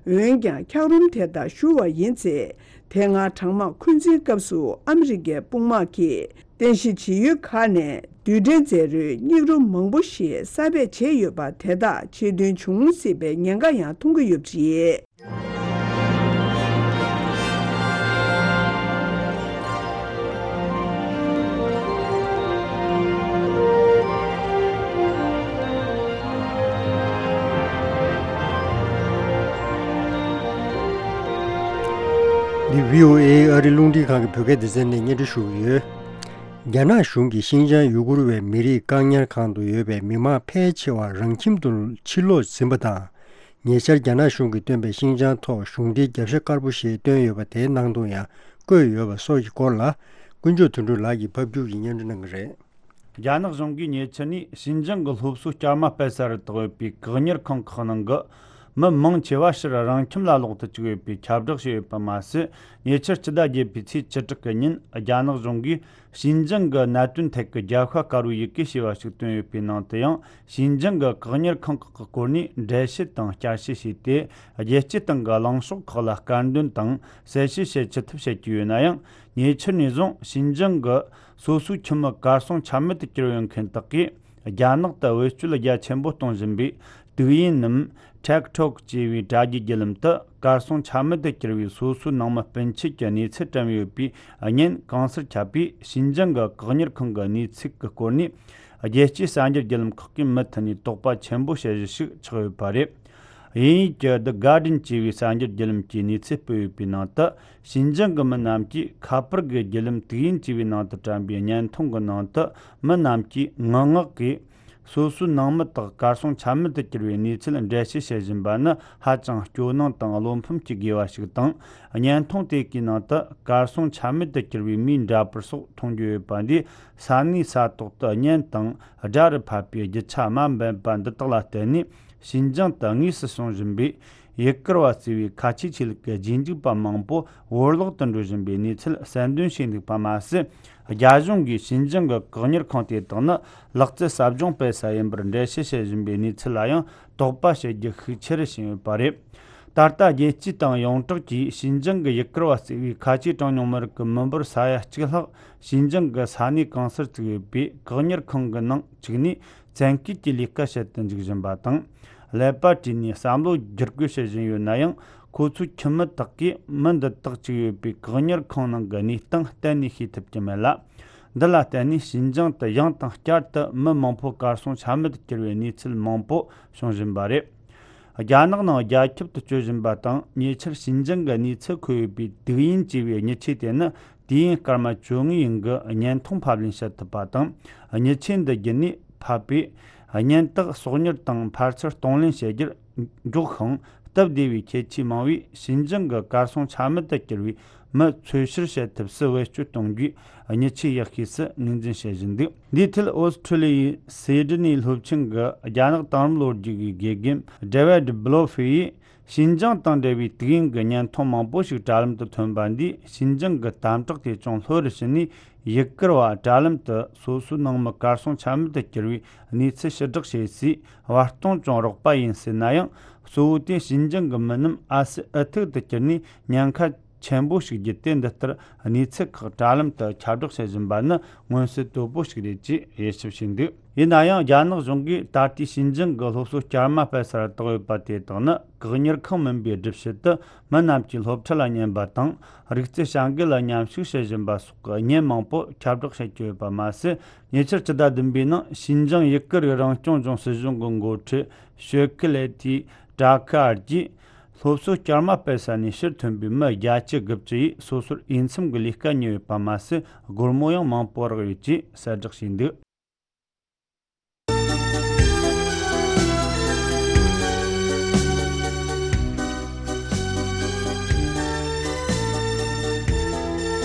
རེད། འོན་ཀྱང་། འཁྱགས་རོམ་དེ་དག་བཞུ་བ་ཡིན་ཚེ། དེ་སྔ་གྲང་དམག་འཁོན་འཛིན་སྐབས་སུ་ཨ་མི་རི་ཀའི་དཔུང་དམག་གིས་རྟེན་གཞི་བྱེད་ཡུལ་ཁག་ནས་རྡུལ་ཕྲན་རྫས་རུལ་སྙིགས་རོ་མང་པོ་ཞིག་གསར་སྤེལ་བྱས་ཡོད་པ་དེ་དག་ཆེད་དོན་འབྱུང་སྲིད་པའི་ཉེན་ཁ་ཡང་མཐོང་གི་ཡོད་པ་རེད། འདི་བྷི་ཨོ་ཨེ་ཨ་རི་རླུང་འཕྲིན་ཁང་གི་བོད་སྐད་སྡེ་ཚན་ནས་སྙན་སྒྲོན་ཞུ་གི་ཡོད། རྒྱ་ནག་གཞུང་གིས་ཤིན་ཅང་ཡུ་གུར་བའི་མི་རིགས་བཀག་ཉར་ཁང་དུ་ཡོད་པའི་མི་མང་ཕལ་ཆེ་བ་རང་ཁྱིམ་དུ་ཕྱིར་ལོག་ཟིན་པ་དང་། ཉེ་ཆར་རྒྱ་ནག་གཞུང་གིས་བཏོན་པའི་ཤིན་ཅང་ཐོག་གཞུང་འབྲེལ་རྒྱབ་ཤ་དཀར་པོ་ཞེས་བཏོན་ཡོད་པ་དེའི་ནང་དུ་ཡང་བཀོད་ཡོད་པ་སོགས་ཀྱི་སྐོར་ལ། ཀུན་མཆོག་དོན་གྲུབ་ལགས་ཀྱིས་ཕབ་སྒྱུར་གྱིས་སྙན་སྒྲོན་གནང་གི་རེད། རྒྱ་ནག་གཞུང་གིས་ཉེ་ཆར་ནས་ཤིན་ཅང་གི་སློབ་གསོའི་སྐྱར་མ་སྤེལ་ས་རུ་བཏགས་ཡོད་པའི་བཀག་ཉར་ཁང་ཁག་ནང་གི་མི་མང་ཆེ་བ་ཕྱིར་རང་ཁྱིམ་ལ་ལོག་ཏུ་བཅུག་ཡོད་པའི་ཁྱབ་བསྒྲགས་བྱས་ཡོད་པ་མ་ཟད། ཉེ་ཆར་སྤྱི་ཟླ་བརྒྱད་པའི་ཚེས་བཅུ་དྲུག་གི་ཉིན་རྒྱ་ནག་གཞུང་གིས་ཤིན་ཅང་གི་གནད་དོན་ཐད་ཀྱི་རྒྱལ་ཁ་དཀར་པོའི་ཡི་གེ་ཞེས་པ་ཞིག་བཏོན་ཡོད་པའི་ནང་དུ་ཡང་། ཤིན་ཅང་གི་བཀག་ཉར་ཁང་ཁག་གི་སྐོར་ནས་འགྲེལ་བཤད་དང་བསྐྱར་ཞིབ་བྱས་ཏེ། རྒྱལ་སྤྱིའི་སྟེང་གི་གླེང་ཕྱོགས་ཁག་ལ་སྐར་འདོན་དང་གསལ་བཤད་བྱེད་ཅི་ཐུབ་བྱེད་ཀྱི་ཡོད་ན་ཡང་། ཉེ་ཆར་ནས་བཟུང་ཤིན་ཅང་གི་སོ་སོའི་ཁྱིམ་མི་གར་སོང་ཆ་མེད་དུ་གྱུར་ཡོད་མཁན་དག་གིས། རྒྱ་ནག་ཏུ་བེད་སྤྱོད་རྒྱ་ཆེན་པོ་གཏོང་བཞིན་པའི་དུག་ཡིན་ནམ། ཊིག་ཊོག་ཅེས་པའི་དྲ་རྒྱའི་བརྒྱུད་ལམ་དུ་གར་སོང་ཆ་མེད་དུ་གྱུར་བའི་སོ་སོའི་ནང་མི་སྤུན་མཆེད་ཀྱི་གནས་ཚུལ་བཀྲམ་ཡོད་པའི་བརྙན་གང་སར་ཁྱབ་པས། ཤིན་ཅང་གི་བཀག་ཉར་ཁང་གི་གནས་ཚུལ་གྱི་སྐོར་ནས་རྒྱལ་སྤྱིའི་གསར་འགྱུར་བརྒྱུད་ལམ་ཁག་གིས་མུ་མཐུད་ནས་དོགས་པ་ཆེན་པོ་བྱེད་གཞི་ཞིག་ཆགས་ཡོད་པ་རེད། དབྱིན་ཡིག་གི་The Guardian་ཅེས་པའི་གསར་འགྱུར་བརྒྱུད་ལམ་གྱིས་གནས་ཚུལ་སྤེལ་ཡོད་པའི་ནང་དུ། ཤིན་ཅང་གི་མི་རྣམས་ཀྱིས་ཁ་པར་གྱི་བརྒྱུད་ལམ་དུག་ཡིན་ཅེས་པའི་ནང་དུ་བཀྲམ་པའི་བརྙན་ཐུང་གི་ནང་དུ། མི་རྣམས་ཀྱིས་ངུ་ངག་གིས། སོ་སོའི་ནང་མི་དག་གར་སོང་ཆ་མེད་དུ་གྱུར་བའི་གནས་ཚུལ་འགྲེལ་བཤད་བྱེད་བཞིན་པ་ནི་ཧ་ཅང་སྐྱོ་སྣང་དང་བློ་ཕམ་སྐྱེ་དགོས་པ་ཞིག་དང་། བརྙན་ཐུང་དེ་གའི་ནང་དུ་གར་སོང་ཆ་མེད་དུ་གྱུར་བའི་མིའི་འདྲ་པར་སོགས་མཐོང་རྒྱུ་ཡོད་པ་འདིས། ས་གནས་ས་ཐོག་ཏུ་བརྙན་དང་སྒྲ་རུ་ཕབ་པའི་རྒྱུ་ཆ་དམའ་འབེབས་པ་འདི་དག་ལ་བརྟེན་ནས། ཤིན་ཅང་དུ་དངོས་སུ་བྱུང་བཞིན་པའི་ཡུ་གུར་བ་ཟེར་བའི་ཁ་ཆེའི་ཆོས་ལུགས་ཀྱི་རྗེས་འཇུག་པ་མང་པོ་བོར་བརླག་ཏུ་འགྲོ་བཞིན་པའི་གནས་ཚུལ་གསལ་འདོན་བྱས་འདུག་པ་མ་ཟད། རྒྱ་གཞུང་གིས་ཤིན་ཅང་གི་བཀག་ཉར་ཁང་དེ་དག་ནི་ལག་རྩལ་ཟབ་སྦྱོང་སྤེལ་ས་ཡིན་པར་འགྲེལ་བཤད་བྱེད་བཞིན་པའི་གནས་ཚུལ་ལ་ཡང་དོགས་པ་བྱེད་རྒྱུ་ཤུགས་ཆེ་རུ་ཕྱིན་ཡོད་པ་རེད། ད་ལྟ་རྒྱལ་སྤྱིའི་སྟེང་ཡོངས་གྲགས་ཀྱིས་ཤིན་ཅང་གི་ཡུ་གུར་བ་ཟེར་བའི་ཁ་ཆེའི་གྲངས་ཉུང་མི་རིགས་ཀྱི་མི་འབོར་ས་ཡ་གཅིག་ལྷག་ཤིན་ཅང་གི་ས་གནས་གང་སར་བཙུགས་ཡོད་པའི་བཀག་ཉར་ཁང་གི་ནང་བཅུག་ནས། བཙན་སྐུལ་གྱི་ལས་ཀ་བྱེད་དུ་འཇུག་བཞིན་པ་དང་། ཀླད་པ་བཀྲུས་ནས་བསམ་བློ་བསྒྱུར་བཀོད་བྱེད་བཞིན་ཡོད་ན་ཡང་། ཁོ་ཚོའི་ཁྱིམ་མི་དག་གིས་མི་འདི་དག་བཅུག་ཡོད་པའི་བཀག་ཉར་ཁང་ནང་གི་གནས་སྟངས་གཏན་ནས་ཤེས་ཐུབ་ཀྱི་མེད་ལ། འདི་ལ་བརྟེན་ནས་ཞིན་ཅང་དུ་ཡང་དང་བསྐྱར་དུ་མི་མང་པོ་གར་སོང་ཆ་མེད་དུ་གྱུར་བའི་གནས་ཚུལ་མང་པོ་བྱུང་བཞིན་པ་རེད། རྒྱ་ནག་ནང་རྒྱ་ཁྱབ་ཏུ་སྤྱོད་བཞིན་པ་དང་ཉེ་ཆར་ཞིན་ཅང་གི་གནས་ཚུལ་འཁོད་ཡོད་པའི་དུག་ཡིན་ཅེས་པའི་མྱི་ཆས་དེ་ནི་དུས་ཡུན་སྐར་མ་བཅོ་ལྔའི་རིང་གི་བརྙན་ཐུང་ཕབ་ལེན་བྱེད་ཐུབ་པ་དང་། མྱི་ཆས་འདི་བརྒྱུད་ནས་ཕབ་པའི་བརྙན་དག་སོག་ཉར་དང་ཕལ་ཆེར་གཏོང་ལེན་བྱེད་རྒྱུར་འཇོག་ཤིང་། སྟབས་བདེ་བའི་ཁྱད་ཆོས་མང་བས་ཞིན་ཅང་གི་གར་སོང་ཆ་མེད་དུ་གྱུར་བའི་མི་འཚོལ་བཤེར་བྱེད་ཐབས་སུ་བེད་སྤྱོད་གཏོང་རྒྱུའི་མྱི་ཆས་ཡག་ཤོས་སུ་ངོས་འཛིན་བྱེད་བཞིན་འདུག་འདིའི་ཐད་ཨོ་སི་ཁྲུ་ལི་ཡའི་སེ་ཌི་ནི་སློབ་ཆེན་གྱི་རྒྱ་ནག་དེང་རབས་ལོ་རྒྱུས་ཀྱི་དགེ་རྒན་ཌེ་ཝིཌ་བྷི་ལོ་ཧྥི་ཡིས། ཞིན་ཅང་དང་འབྲེལ་བའི་དུག་ཡིན་གྱི་བརྙན་ཐུང་མང་པོ་ཞིག་དྲ་ལམ་དུ་ཐོན་པ་འདིས་ཞིན་ཅང་གི་དམ་དྲག་དེ་ཅུང་ལྷོད་རུ་ཕྱིན་ནས། ཡུ་གུར་བ་དྲ་ལམ་དུ་སོ་སོའི་ནང་མི་གར་སོང་ཆ་མེད་དུ་གྱུར་བའི་གནས་ཚུལ་ཕྱིར་བསྒྲགས་བྱེད་སའི་བར་སྟོང་ཅུང་རགས་པ་ཡིན་སྲིད་ན་ཡང་། གཙོ་བོ་དེ་ཞིན་ཅང་གི་མི་རྣམས་ཨ་སི་ཨུ་ཐུག་ཏུ་གྱུར་ནས་ཉེན་ཁ་ཆེན་པོ་ཞིག་བརྒྱུད་དེ། འདི་ལྟར་གནས་ཚུལ་ཁག་དྲ་ལམ་དུ་ཁྱབ་བསྒྲགས་བྱེད་བཞིན་པ་ནི་མངོན་གསལ་དོད་པོ་ཞིག་རེད་ཅེས་དབྱེ་ཞིབ་བྱས་འདུག་ཡིན་ན་ཡང་། རྒྱ་ནག་གཞུང་གིས་ད་ལྟའི་ཞིན་ཅང་གི་སློབ་གསོ་བསྐྱར་མ་སྤེལ་སར་བཏང་ཡོད་པ་དེ་དག་ནི་བཀག་ཉར་ཁང་མིན་པའི་སྒྲུབ་བྱེད་དུ། མི་རྣམས་ཀྱིས་སློབ་ཁྲིད་ལ་ཉན་པ་དང་། རིག་རྩལ་བྱ་འགུལ་ལ་མཉམ་ཞུགས་བྱེད་བཞིན་པ་སོགས་ཀྱི་བརྙན་མང་པོ་ཁྱབ་བསྒྲགས་བྱེད་ཀྱི་ཡོད་པ་མ་ཟད། ཉེ་ཆར་སྤྱི་ཟླ་བདུན་པའི་ནང་ཞིན་ཅང་ཡུ་གུར་རང་སྐྱོང་ལྗོངས་སྲིད་གཞུང་གི་འགོ་ཁྲིད་ཞོ་ཁི་ལེ་ཐི་ཀྲ་ཁི་ཨར་གྱིས། སློབ་གསོ་བསྐྱར་མ་སྤེལ་ས་ནས་ཕྱིར་ཐོན་པའི་མི་བརྒྱད་ཅུ་དགུ་བཅུ་ཡིས་སོ་སོར་འོས་འཚམ་གྱི་ལས་ཀ་རྙེད་ཡོད་པ་མ་ཟད། སྒོར་མོ་ཡང་མང་པོ་རག་ཡོད་ཅེས་གསལ་བསྒྲགས་བྱས་འདུག་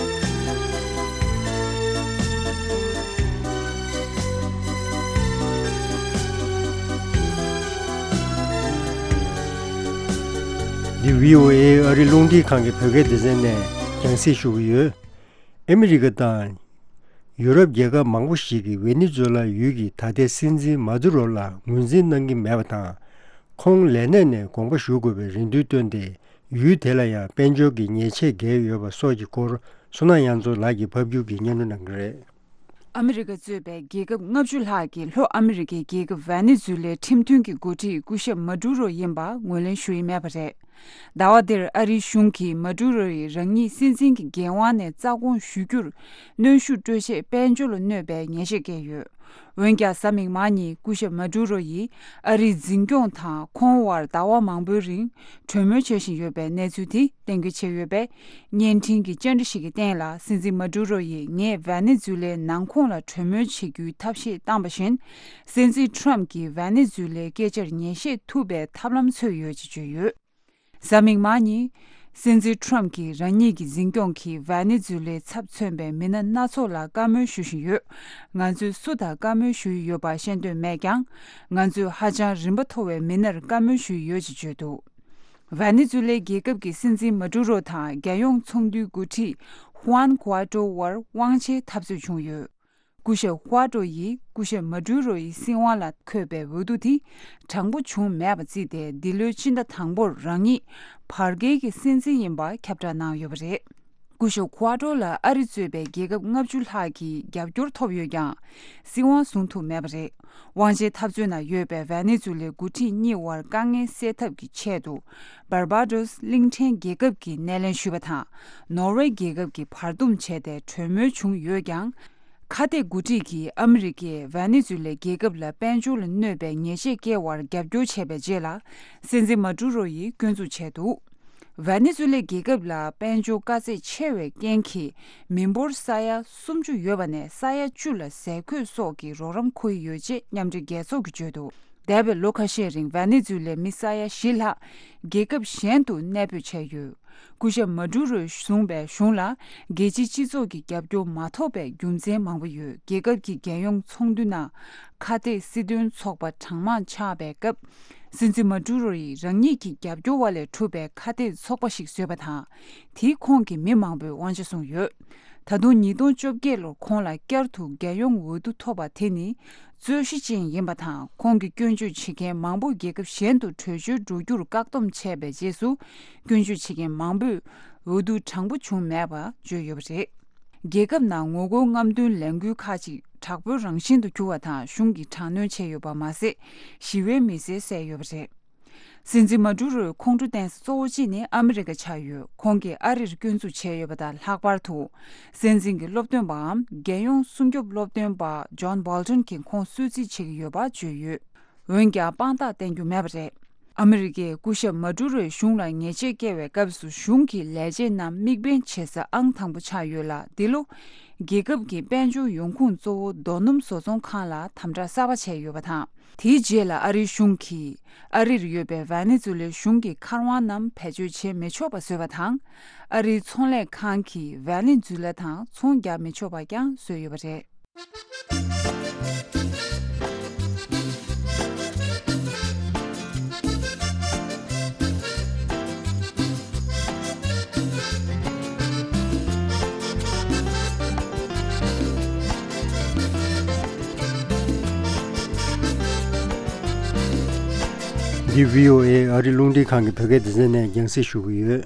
འདི་བྷི་ཨོ་ཨེ་ཨ་རི་རླུང་འཕྲིན་ཁང་གི་བོད་སྐད་སྡེ་ཚན་ནས་རྒྱང་སྲིང་ཞུ་གི་ཡོད། ཨ་མི་རི་ཀ་དང་ཡུ་རོབ་རྒྱལ་ཁབ་མང་པོ་ཞིག་གིས་ཝེ་ནེ་ཛུ་ལ་ཡུལ་གྱི་ད་ལྟའི་སྲིད་འཛིན་མ་དུ་རོ་ལ་ངོས་འཛིན་གནང་གི་མེད་པ་དང་། ཁོང་ལས་གནས་ནས་དགོངས་པ་ཞུ་དགོས་པའི་རེ་འདུན་བཏོན་ཏེ། ཡུལ་དེ་ལ་ཡང་དཔལ་འབྱོར་གྱི་ཉེས་ཆད་བཀལ་ཡོད་པ་སོགས་ཀྱི་སྐོར། བསོད་ནམས་དབྱངས་མཚོ་ལགས་ཀྱིས་ཕབ་སྒྱུར་གྱིས་སྙན་སྒྲོན་གནང་གི་རེད། ཨ་མི་རི་ཀ་གཙོས་པའི་རྒྱལ་ཁབ་ལྔ་བཅུ་ལྷག་གིས་ལྷོ་ཨ་མི་རི་ཀའི་རྒྱལ་ཁབ་ཝེ་ནེ་ཛུ་ལའི་ཁྲིམས་མཐུན་གྱི་འགོ་ཁྲིད་སྐུ་ཞབས་མ་ཏུ་རོ་ཡིན་པ་ངོས་ལེན་ཞུ་ཡི་མེད་པ་རེད། ཟླ་བ་འདིར་ཨ་རིའི་གཞུང་གིས་མ་ཏུ་རོ་ཡིས་རང་ཉིད་སྲིད་འཛིན་གྱི་འགན་དབང་ནས་རྩ་དགོངས་ཞུ་རྒྱུར་གནོན་ཤུགས་སྤྲོད་ཆེད་དཔལ་འབྱོར་ལ་གནོད་པའི་ཉེས་ཆད་བཀལ་ཡོད། འོན་ཀྱང་། གཟའ་མིག་དམར་ཉིན་སྐུ་ཞབས་མ་ཏུ་རོ་ཡིས་ཨ་རིའི་འཛིན་སྐྱོང་དང་ཁོང་དབར་ཟླ་བ་མང་པོའི་རིང་གྲོས་མོལ་བྱེད་བཞིན་ཡོད་པའི་གནས་ཚུལ་དེ་གཏན་འཁེལ་བྱས་ཡོད་པས། བརྙན་འཕྲིན་གྱི་བཅར་འདྲི་ཞིག་གི་སྟེང་ལ། སྲིད་འཛིན་མ་ཏུ་རོ་ཡིས་ངས་ཝེ་ནེ་ཛུ་ལའི་ནང་ཁོངས་ལ་གྲོས་མོལ་བྱེད་རྒྱུའི་ཐབས་ཤེས་བཏང་བ་བཞིན། སྲིད་འཛིན་ཁྲོམ་གྱིས་ཝེ་ནེ་ཛུ་ལའི་སྐད་ཆར་ཉན་ཤེས་ཐུབ་པའི་ཐབས་ལམ་འཚོལ་ཡོད་ཅེས་བརྗོད་ཡོད། གཟའ་མིག་དམར་ཉིན། སྲིད་འཛིན་ཁྲོམ་གྱིས་རང་ཉིད་ཀྱི་འཛིན་སྐྱོང་གིས་ཝེ་ནེ་ཛུ་ལའི་ཚབ་མཚོན་པའི་མི་སྣ་སྣ་ཚོགས་ལ་བཀའ་མོལ་ཞུ་བཞིན་ཡོད། ང་ཚོས་སུ་དང་བཀའ་མོལ་ཞུ་ཡི་ཡོད་པ་ཤེས་འདོད་མེད་ཀྱང་། ང་ཚོས་ཧ་ཅང་རིམ་པ་མཐོ་བའི་མི་སྣར་བཀའ་མོལ་ཞུ་ཡི་ཡོད་ཅེས་བརྗོད་འདུག་ཝེ་ནེ་ཛུ་ལའི་རྒྱལ་ཁབ་ཀྱི་སྲིད་འཛིན་མ་ཏུ་རོ་དང་རྒྱལ་ཡོངས་ཚོགས་འདུའི་འགོ་ཁྲིད་ཧུའན་གུ་ཨ་ཏོ་དབར་དབང་ཆའི་འཐབ་རྩོད་བྱུང་ཡོད། སྐུ་ཞབས་ཧུ་ཨ་ཏོ་ཡིས་སྐུ་ཞབས་མ་ཏུ་རོ་ཡི་སྲིད་དབང་ལ་འཁོད་པའི་འོས་བསྡུ་དེ་དྲང་པོ་བྱུང་མེད་པ་བརྩིས་ཏེ། འདི་ལོའི་ཕྱི་ཟླ་དང་པོར་རང་ཉིད་བར་བརྒལ་གྱི་སྲིད་འཛིན་ཡིན་པ་ཁྱབ་བསྒྲགས་གནང་ཡོད་པ་རེད། སྐུ་ཞབས་ཧུ་ཨ་ཏོ་ལ་ཨ་རི་གཙོས་པའི་རྒྱལ་ཁབ་ལྔ་བཅུ་ལྷག་གི་རྒྱབ་སྐྱོར་ཐོབ་ཡོད་ཀྱང་། སྲིད་དབང་བཟུང་ཐུབ་མེད་པ་རེད། དབང་ཆའི་འཐབ་རྩོད་ནང་ཡོད་པའི་ཝེ་ནེ་ཛུ་ལའི་འགོ་ཁྲིད་གཉིས་དབར་དཀའ་ངལ་སེལ་ཐབས་ཀྱི་ཆེད་དུ། འབར་བ་ཏོས་གླིང་ཕྲན་རྒྱལ་ཁབ་ཀྱིས་སྣེ་ལེན་ཞུས་པ་དང་། ནོར་ཝེ་རྒྱལ་ཁབ་ཀྱིས་བར་འདུམ་བྱས་ཏེ་གྲོས་མོལ་བྱུང་ཡོད་ཀྱང་། ཁ་གཏད་འགོ་ཁྲིད་ཀྱིས་ཨ་མི་རི་ཀས་ཝེ་ནེ་ཛུ་ལའི་རྒྱལ་ཁབ་ལ་དཔལ་འབྱོར་ལ་གནོད་པའི་ཉེས་ཆད་བཀལ་བར་རྒྱབ་སྐྱོར་བྱས་པའི་རྗེས་ལ། སྲིད་འཛིན་མ་ཏུ་རོ་ཡིས་སྐྱོན་འཛུགས་བྱས་འདུག་ཝེ་ནེ་ཛུ་ལའི་རྒྱལ་ཁབ་ལ་དཔལ་འབྱོར་དཀའ་ཚེགས་ཆེ་བའི་རྐྱེན་གྱིས། མི་འབོར་ས་ཡ་སུམ་ཅུ་ཡོད་པ་ནས་ས་ཡ་བཅུ་ལ་ཟས་གོས་སོགས་ཀྱི་རོགས་རམ་འཁོར་གྱི་ཡོད་ཅེས་མཉམ་འབྲེལ་རྒྱལ་ཚོགས་ཀྱིས་བརྗོད་འདུག་འདས་པའི་ལོ་ཁ་ཤས་རིང་ཝེ་ནེ་ཛུ་ལའི་མི་ས་ཡ་བཞི་ལྷག་རྒྱལ་ཁབ་གཞན་དུ་གནས་སྤོས་བྱས་ཡོད། སྐུ་ཞབས་མ་ཏུ་རོས་བཟུང་པའི་གཞུང་ལ་རྒྱལ་སྤྱིའི་སྤྱི་ཚོགས་ཀྱི་རྒྱབ་སྐྱོར་མ་ཐོབ་པའི་རྒྱུ་མཚན་མང་པོ་ཡོད། རྒྱལ་ཁབ་ཀྱི་རྒྱལ་ཡོངས་ཚོགས་འདུ་ནང་ཁ་གཏད་སྲིད་དོན་ཚོགས་པ་གྲངས་མང་ཆགས་པའི་སྐབས། སྲིད་འཛིན་མ་ཏུ་རོ་ཡིས་རང་ཉིད་ཀྱི་རྒྱབ་སྐྱོར་བ་ལས་གྲུབ་པའི་ཁ་གཏད་ཚོགས་པ་ཞིག་བཟོས་པ་དང་། དེས་ཁོང་གི་མི་མང་པོས་དབང་ཆ་བཟུང་ཡོད། ད་དུང་ཉིས་སྟོང་བཅོ་བརྒྱད་ལོར་ཁོང་ལ་བསྐྱར་དུ་རྒྱལ་ཡོངས་འོས་བསྡུ་ཐོབ་པ་དེ་ནི་རྩོད་གཞི་ཅན་ཡིན་པ་དང་། ཁོང་གི་སྐྱོན་བརྗོད་བྱེད་མཁན་མང་པོ་རྒྱལ་ཁབ་གཞན་དུ་བྲོས་བྱོལ་འགྲོ་རྒྱུར་བཀག་སྡོམ་བྱས་པའི་རྗེས་སུ། སྐྱོན་བརྗོད་བྱེད་མཁན་མང་པོས་འོས་བསྡུ་དྲང་པོ་བྱུང་མེད་པ་བརྗོད་ཡོད་པ་རེད། རྒྱལ་ཁབ་ནང་ངོ་རྒོལ་རྔམ་སྟོན་ལས་འགུལ་ཁག་ཅིག་དྲག་པོའི་རང་བཞིན་དུ་གྱུར་བ་དང་། གཞུང་གིས་དྲག་གནོན་བྱས་ཡོད་པ་མ་ཟད། ཞི་བའི་མི་སེར་བསད་ཡོད་པ་རེད། སྲིད་འཛིན་མ་ཌུ་རོའི་ཁོང་ཁྲོ་བསྟན་ས་གཙོ་བོ་གཅིག་ནི་ཨ་མི་རི་ཀ་ཆགས་ཡོད། ཁོང་གིས་ཨ་རིར་སྐྱོན་འཛུགས་བྱས་ཡོད་པ་དང་། ལྷག་པར་དུ་སྲིད་འཛིན་གྱི་སློབ་སྟོན་པའམ་རྒྱལ་ཡོངས་སྲུང་སྐྱོབ་སློབ་སྟོན་པ་ཇོན་བྷོལ་ཊོན་གྱིས་ཁོང་གསོད་རྩིས་བྱེད་ཀྱི་ཡོད་པ་བརྗོད་ཡོད། འོན་ཀྱང་དཔང་རྟགས་བསྟན་རྒྱུ་མེད་པ་རེད། ཨ་མི་རི་ཀས་སྐུ་ཞབས་མ་ཌུ་རོའི་གཞུང་ལ་ཉེས་ཆད་བཀལ་བའི་སྐབས་སུ། གཞུང་གི་ལས་བྱེད་རྣམས་དམིགས་འབེན་བྱེད་ས་ཨང་དང་པོ་ཆགས་ཡོད་ལ། འདི་ལོ་རྒྱལ་ཁབ་ཀྱི་དཔལ་འབྱོར་ཡོང་ཁུངས་གཙོ་བོ་རྡོ་སྣུམ་བཟོ་ཚོང་ཁང་ལ་དམ་དྲག་གསར་པ་བྱས་ཡོད་པ་དང་། དེའི་རྗེས་ལ་ཨ་རིའི་གཞུང་གིས་ཨ་རིར་ཡོད་པའི་ཝེ་ནེ་ཛུ་ལའི་གཞུང་གི་མཁར་དབང་རྣམས་བེད་སྤྱོད་བྱེད་མི་ཆོག་པ་བཟོས་པ་དང་། ཨ་རིའི་ཚོང་ལས་ཁང་གིས་ཝེ་ནེ་ཛུ་ལ་དང་ཚོང་རྒྱག་མི་ཆོག་པ་ཀྱང་བཟོས་ཡོད་པ་རེད། འདི་བྷི་ཨོ་ཨེ་ཨ་རི་རླུང་འཕྲིན་ཁང་གི་བོད་སྐད་སྡེ་ཚན་ནས་རྒྱང་སྲིང་ཞུ་གི་ཡོད།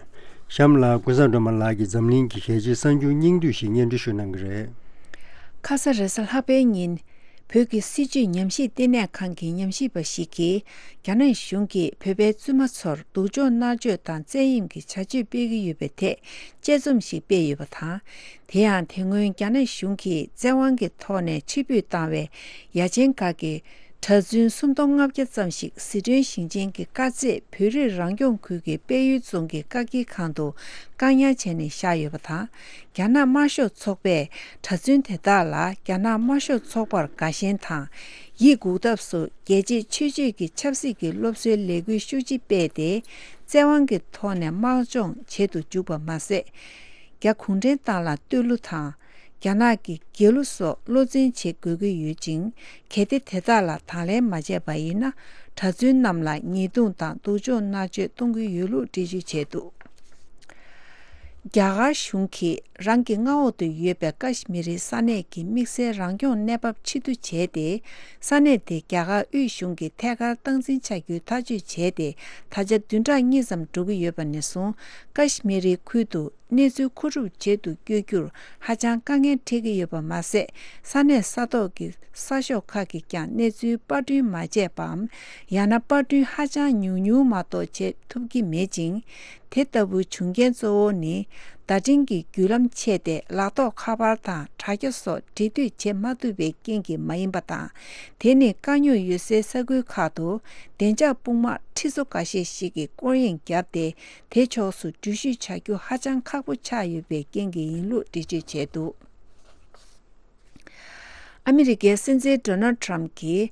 གཤམ་ལ་ཀུན་བཟང་སྒྲོལ་མ་ལགས་ཀྱིས་འཛམ་གླིང་གི་གལ་ཆེའི་གསར་འགྱུར་སྙིང་བསྡུས་ཤིག་སྙན་སྒྲོན་ཞུ་གནང་གི་རེད། ཁ་ས་རེས་གཟའ་ལྷག་པའི་ཉིན། བོད་ཀྱི་སྲིད་བྱུས་ཉམས་ཞིབ་ལྟེ་གནས་ཁང་གི་ཉམས་ཞིབ་པ་ཞིག་གིས། རྒྱ་ནག་གཞུང་གིས་བོད་པའི་བཙུན་མ་ཚོར་སྡུག་སྦྱོང་མནར་གཅོད་དང་བཙན་གཡེམ་གྱི་བྱ་སྤྱོད་སྤེལ་གྱི་ཡོད་པའི་ཐད་དཔྱད་རྩོམ་ཞིག་སྤེལ་ཡོད་པ་དང་། དེ་ཡང་དེ་སྔོན་རྒྱ་ནག་གཞུང་གིས་བཙན་དབང་གི་ཐོག་ནས་ཕྱིར་འབུད་བཏང་བའི་ཡ་ཆེན་ཁག་གི་གྲྭ་བཙུན་སུམ་སྟོང་ལྔ་བརྒྱ་ཙམ་ཞིག་ཟི་ཁྲོན་ཞིང་ཆེན་གྱི་དཀར་མཛེས་བོད་རིགས་རང་སྐྱོང་ཁུལ་གྱི་དཔལ་ཡུལ་རྫོང་གི་བཀག་སྐྱིལ་ཁང་དུ་བཀག་ཉར་བྱས་ནས་བཞག་ཡོད་པ་དང་། རྒྱ་ནག་དམར་ཤོག་ཚོགས་པས་གྲྭ་བཙུན་དེ་དག་ལ་རྒྱ་ནག་དམར་ཤོག་ཚོགས་པར་དགའ་ཞེན་དང་། ཡིད་འགུག་ཐབས་སུ་རྒྱལ་གཅེས་ཆོས་གཅེས་ཀྱི་ཆབ་སྲིད་ཀྱི་སློབ་གསོའི་ལས་འགུལ་ཤུགས་ཆེ་སྤེལ་ཏེ། བཙན་དབང་གི་ཐོག་ནས་དམག་སྦྱོང་བྱེད་དུ་འཇུག་པ་མ་ཟད། རྒྱ་གུང་ཁྲན་ཏང་ལ་བསྟོད་གླུ་དང་། རྒྱ་ནག་གི་རྒྱལ་གླུ་སོགས་བློ་འཛིན་བྱེད་དགོས་ཀྱི་ཡོད་ཅིང་། གལ་ཏེ་དེ་དག་ལ་དང་ལེན་མ་བྱས་པ་ཡིན་ན། གྲྭ་བཙུན་རྣམས་ལ་ཉེས་རྡུང་དང་སྡུག་སྦྱོང་མནར་གཅོད་གཏོང་གི་ཡོད་ལུགས་འགྲེལ་བརྗོད་བྱས་འདུག། རྒྱ་གར་གཞུང་གིས་རང་གི་མངའ་འོག་ཏུ་ཡོད་པའི་ཀ་ཤི་མི་རི་ས་གནས་ཀྱི་དམིགས་བསལ་རང་སྐྱོང་གནས་བབ་ཕྱིར་བསྡུ་བྱས་ཏེ། ས་གནས་དེ་རྒྱ་གར་དབུས་གཞུང་གིས་ཐད་ཀར་སྟངས་འཛིན་བྱ་རྒྱུའི་ཐག་གཅོད་བྱས་ཏེ། ད་ཆ་བདུན་ཕྲག་གཉིས་ཙམ་འགྲོ་གི་ཡོད་པ་ནས་བཟུང་། ཀ་ཤི་མི་རི་ཁུལ་དུ་གནས་ཚུལ་མཁོ་སྒྲུབ་བྱེད་དུ་བསྐྱོད་རྒྱུར་ཧ་ཅང་དཀའ་ངལ་འཕྲད་ཀྱི་ཡོད་པ་མ་ཟད། ས་གནས་ས་ཐོག་གི་གསར་ཤོག་ཁག་གིས་ཀྱང་གནས་ཚུལ་པར་སྐྲུན་མ་བྱས་པའམ། ཡང་ན་པར་སྐྲུན་ཧ་ཅང་ཉུང་ཉུང་མ་གཏོགས་བྱེད་ཐུབ་ཀྱི་མེད་ཅིང་། དེ་ལྟ་བུའི་བྱུང་རྐྱེན་གཙོ་བོ་ནི། བརྡ་འཕྲིན་གྱི་བརྒྱུད་ལམ་ཆད་དེ། ལག་ཐོགས་ཁ་པར་དང་དྲ་རྒྱ་སོགས་འབྲེལ་མཐུད་བྱེད་མ་ཐུབ་པའི་རྐྱེན་གྱིས་མ་ཡིན་པ་དང་། དེ་ནི་དཀའ་རྙོག་ཡོད་སའི་ས་ཁུལ་ཁག་ཏུ་བདེ་འཇགས་དཔུང་དམག་ཁྲི་ཚོ་འགའ་ཤས་ཤིག་གིས་སྐོར་གཡེང་བརྒྱབ་སྟེ། དེ་ཕྱོགས་སུ་འགྲུལ་བཞུད་བྱ་རྒྱུ་ཧ་ཅང་ཁག་པོ་ཆགས་ཡོད་པའི་རྐྱེན་གྱིས་ཡིན་ལུགས་འགྲེལ་བརྗོད་བྱས་འདུག། ཨ་མི་རི་ཀའི་སྲིད་འཛིན་ཌོ་ནལ་ཌི་ཊརམ་ཕི་གྱིས།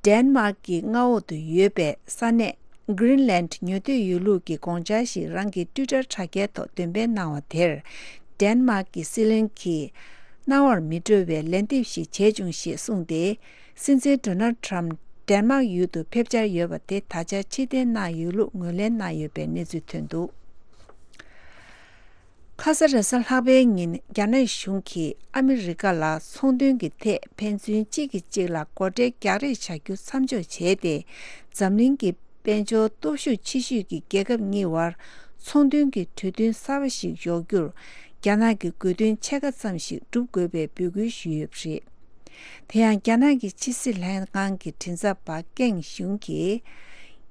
ཌེན་མཱག་གི་མངའ་འོག་ཏུ་ཡོད་པའི་ས་གནས་གྷི་རིན་ལན་ཌི་ཉོ་འདོད་ཡོད་ལུགས་ཀྱི་དགོངས་འཆར་ཞིག་རང་གི་ཊུའི་ཊར་དྲ་རྒྱའི་ཐོག་འདོན་སྤེལ་གནང་བ་དེར། ཌེན་མཱག་གི་སྲིད་བློན་གྱིས། རྣ་བར་མི་འགྲོ་བའི་ལན་འདེབས་ཤིག་བྱས་བྱུང་ཞེས་གསུངས་ཏེ། སྲིད་འཛིན་ཌོ་ནལ་ཌི་ཊརམ་ཕི་ཌེན་མཱག་ཡུལ་དུ་ཕེབས་འཆར་ཡོད་པ་དེ་ད་ཆ་ཕྱིར་འཐེན་གནང་ཡོད་ལུགས་ངོས་ལེན་གནང་ཡོད་པའི་གནས་ཚུལ་ཐོན་འདུག། ཁ་ས་རེས་གཟའ་ལྷག་པའི་ཉིན། རྒྱ་ནག་གཞུང་གིས་ཨ་མི་རི་ཀ་ལ་ཚོང་དོན་གྱི་ཐད་ཕན་ཚུན་གཅིག་གིས་གཅིག་ལ་སྒོ་ཁྲལ་རྒྱག་རེས་བྱ་རྒྱུ་མཚམས་འཇོག་བྱས་ཏེ། འཛམ་གླིང་གི་དཔལ་འབྱོར་སྟོབས་ཤུགས་ཆེ་ཤོས་ཀྱི་རྒྱལ་ཁབ་གཉིས་བར་ཚོང་དོན་གྱི་གྲོས་མཐུན་གསར་པ་ཞིག་འཇོག་རྒྱུར། རྒྱ་ནག་གི་དགོས་འདུན་ཕྱེད་ཀ་ཙམ་ཞིག་སྒྲུབ་དགོས་པའི་འབོད་སྐུལ་ཞུས་ཡོད་པ་རེད། དེ་ཡང་རྒྱ་ནག་གི་ཕྱི་སྲིད་ལྷན་ཁང་གི་མགྲིན་ཚབ་པ་ཀེང་ཞུང་གིས།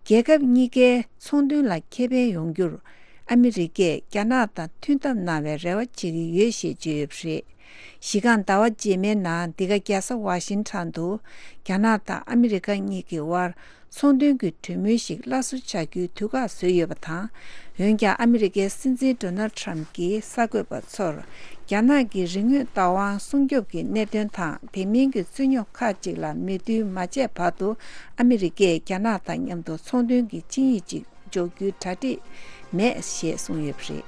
རྒྱལ་ཁབ་གཉིས་ཀའི་ཚོང་དོན་ལ་ཁེ་ཕན་ཡོང་རྒྱུར། ཨ་མི་རི་ཀས་རྒྱ་ནག་དང་མཐུན་ཐབས་གནང་བའི་རེ་བ་བྱེད་ཀྱི་ཡོད་ཞེས་བརྗོད་ཡོད་པ་རེད། གཞི་རྐང་ཟླ་བ་རྗེས་མའི་ནང་འདི་ག་རྒྱལ་ས་ཝ་ཤིང་ཊོན་དུ། རྒྱ་ནག་དང་ཨ་མི་རི་ཀ་གཉིས་ཀྱི་དབར། ཚོང་དོན་གྱི་གྲོས་མོལ་ཞིག་སླར་གསོ་བྱ་རྒྱུའི་དུས་བཀག་བཟོས་ཡོད་པ་དང་། འོན་ཀྱང་ཨ་མི་རི་ཀའི་སྲིད་འཛིན་ཌོ་ནལ་ཌི་ཊརམ་ཕི་གྱིས་གསར་འགོད་པ་ཚོར། རྒྱ་ནག་གི་རིག་དངོས་བདག་དབང་སྲུང་སྐྱོབ་ཀྱི་གནད་དོན་དང་། དེ་མིན་གྱི་རྩོད་རྙོག་ཁག་ཅིག་ལ་མོས་མཐུན་མ་བྱས་བར་དུ། ཨ་མི་རི་ཀས་རྒྱ་ནག་དང་མཉམ་དུ་ཚོང་དོན་གྱི་ཆིངས་ཡིག་ཅིག་འཇོག་རྒྱུའི་གྲ་སྒྲིག་མེད་ཞེས་གསུངས་ཡོད་པ་རེད།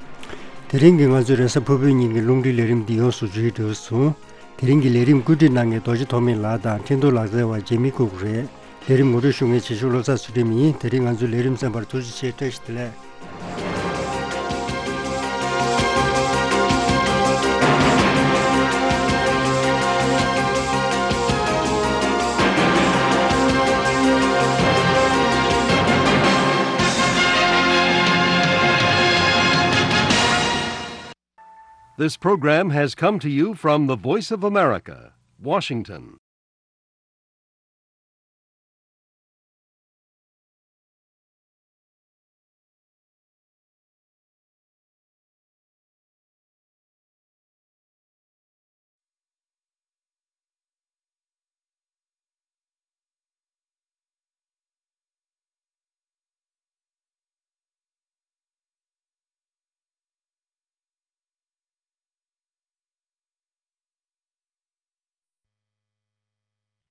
དེ་རིང་གི་ང་ཚོའི་རེས་གཟའ་ཕུར་བུའི་ཉིན་གྱི་རླུང་འཕྲིན་ལས་རིམ་འདི་ཡོངས་སུ་མཇུག་བསྡུས་སོང་། དེ་རིང་གི་ལས་རིམ་བཀོད་སྒྲིག་གནང་མཁན་རྡོ་རྗེ་ཐོགས་མེད་ལགས་དང་འཕྲིན་གཏོང་ལག་རྩལ་བ་ཇེ་མི་ཀུག་རེད། ལས་རིམ་ངོ་སྤྲོད་ཞུ་མཁན་བྱེད་ཤུགས་བློ་བཟང་ཚུལ་ཁྲིམས་ཡིན། དེ་རིང་ང་ཚོའི་ལས་རིམ་གསན་པར་ཐུགས་རྗེ་ཆེ། བཀྲ་ཤིས་བདེ་ལེགས། This program has come to you from the Voice of America, Washington.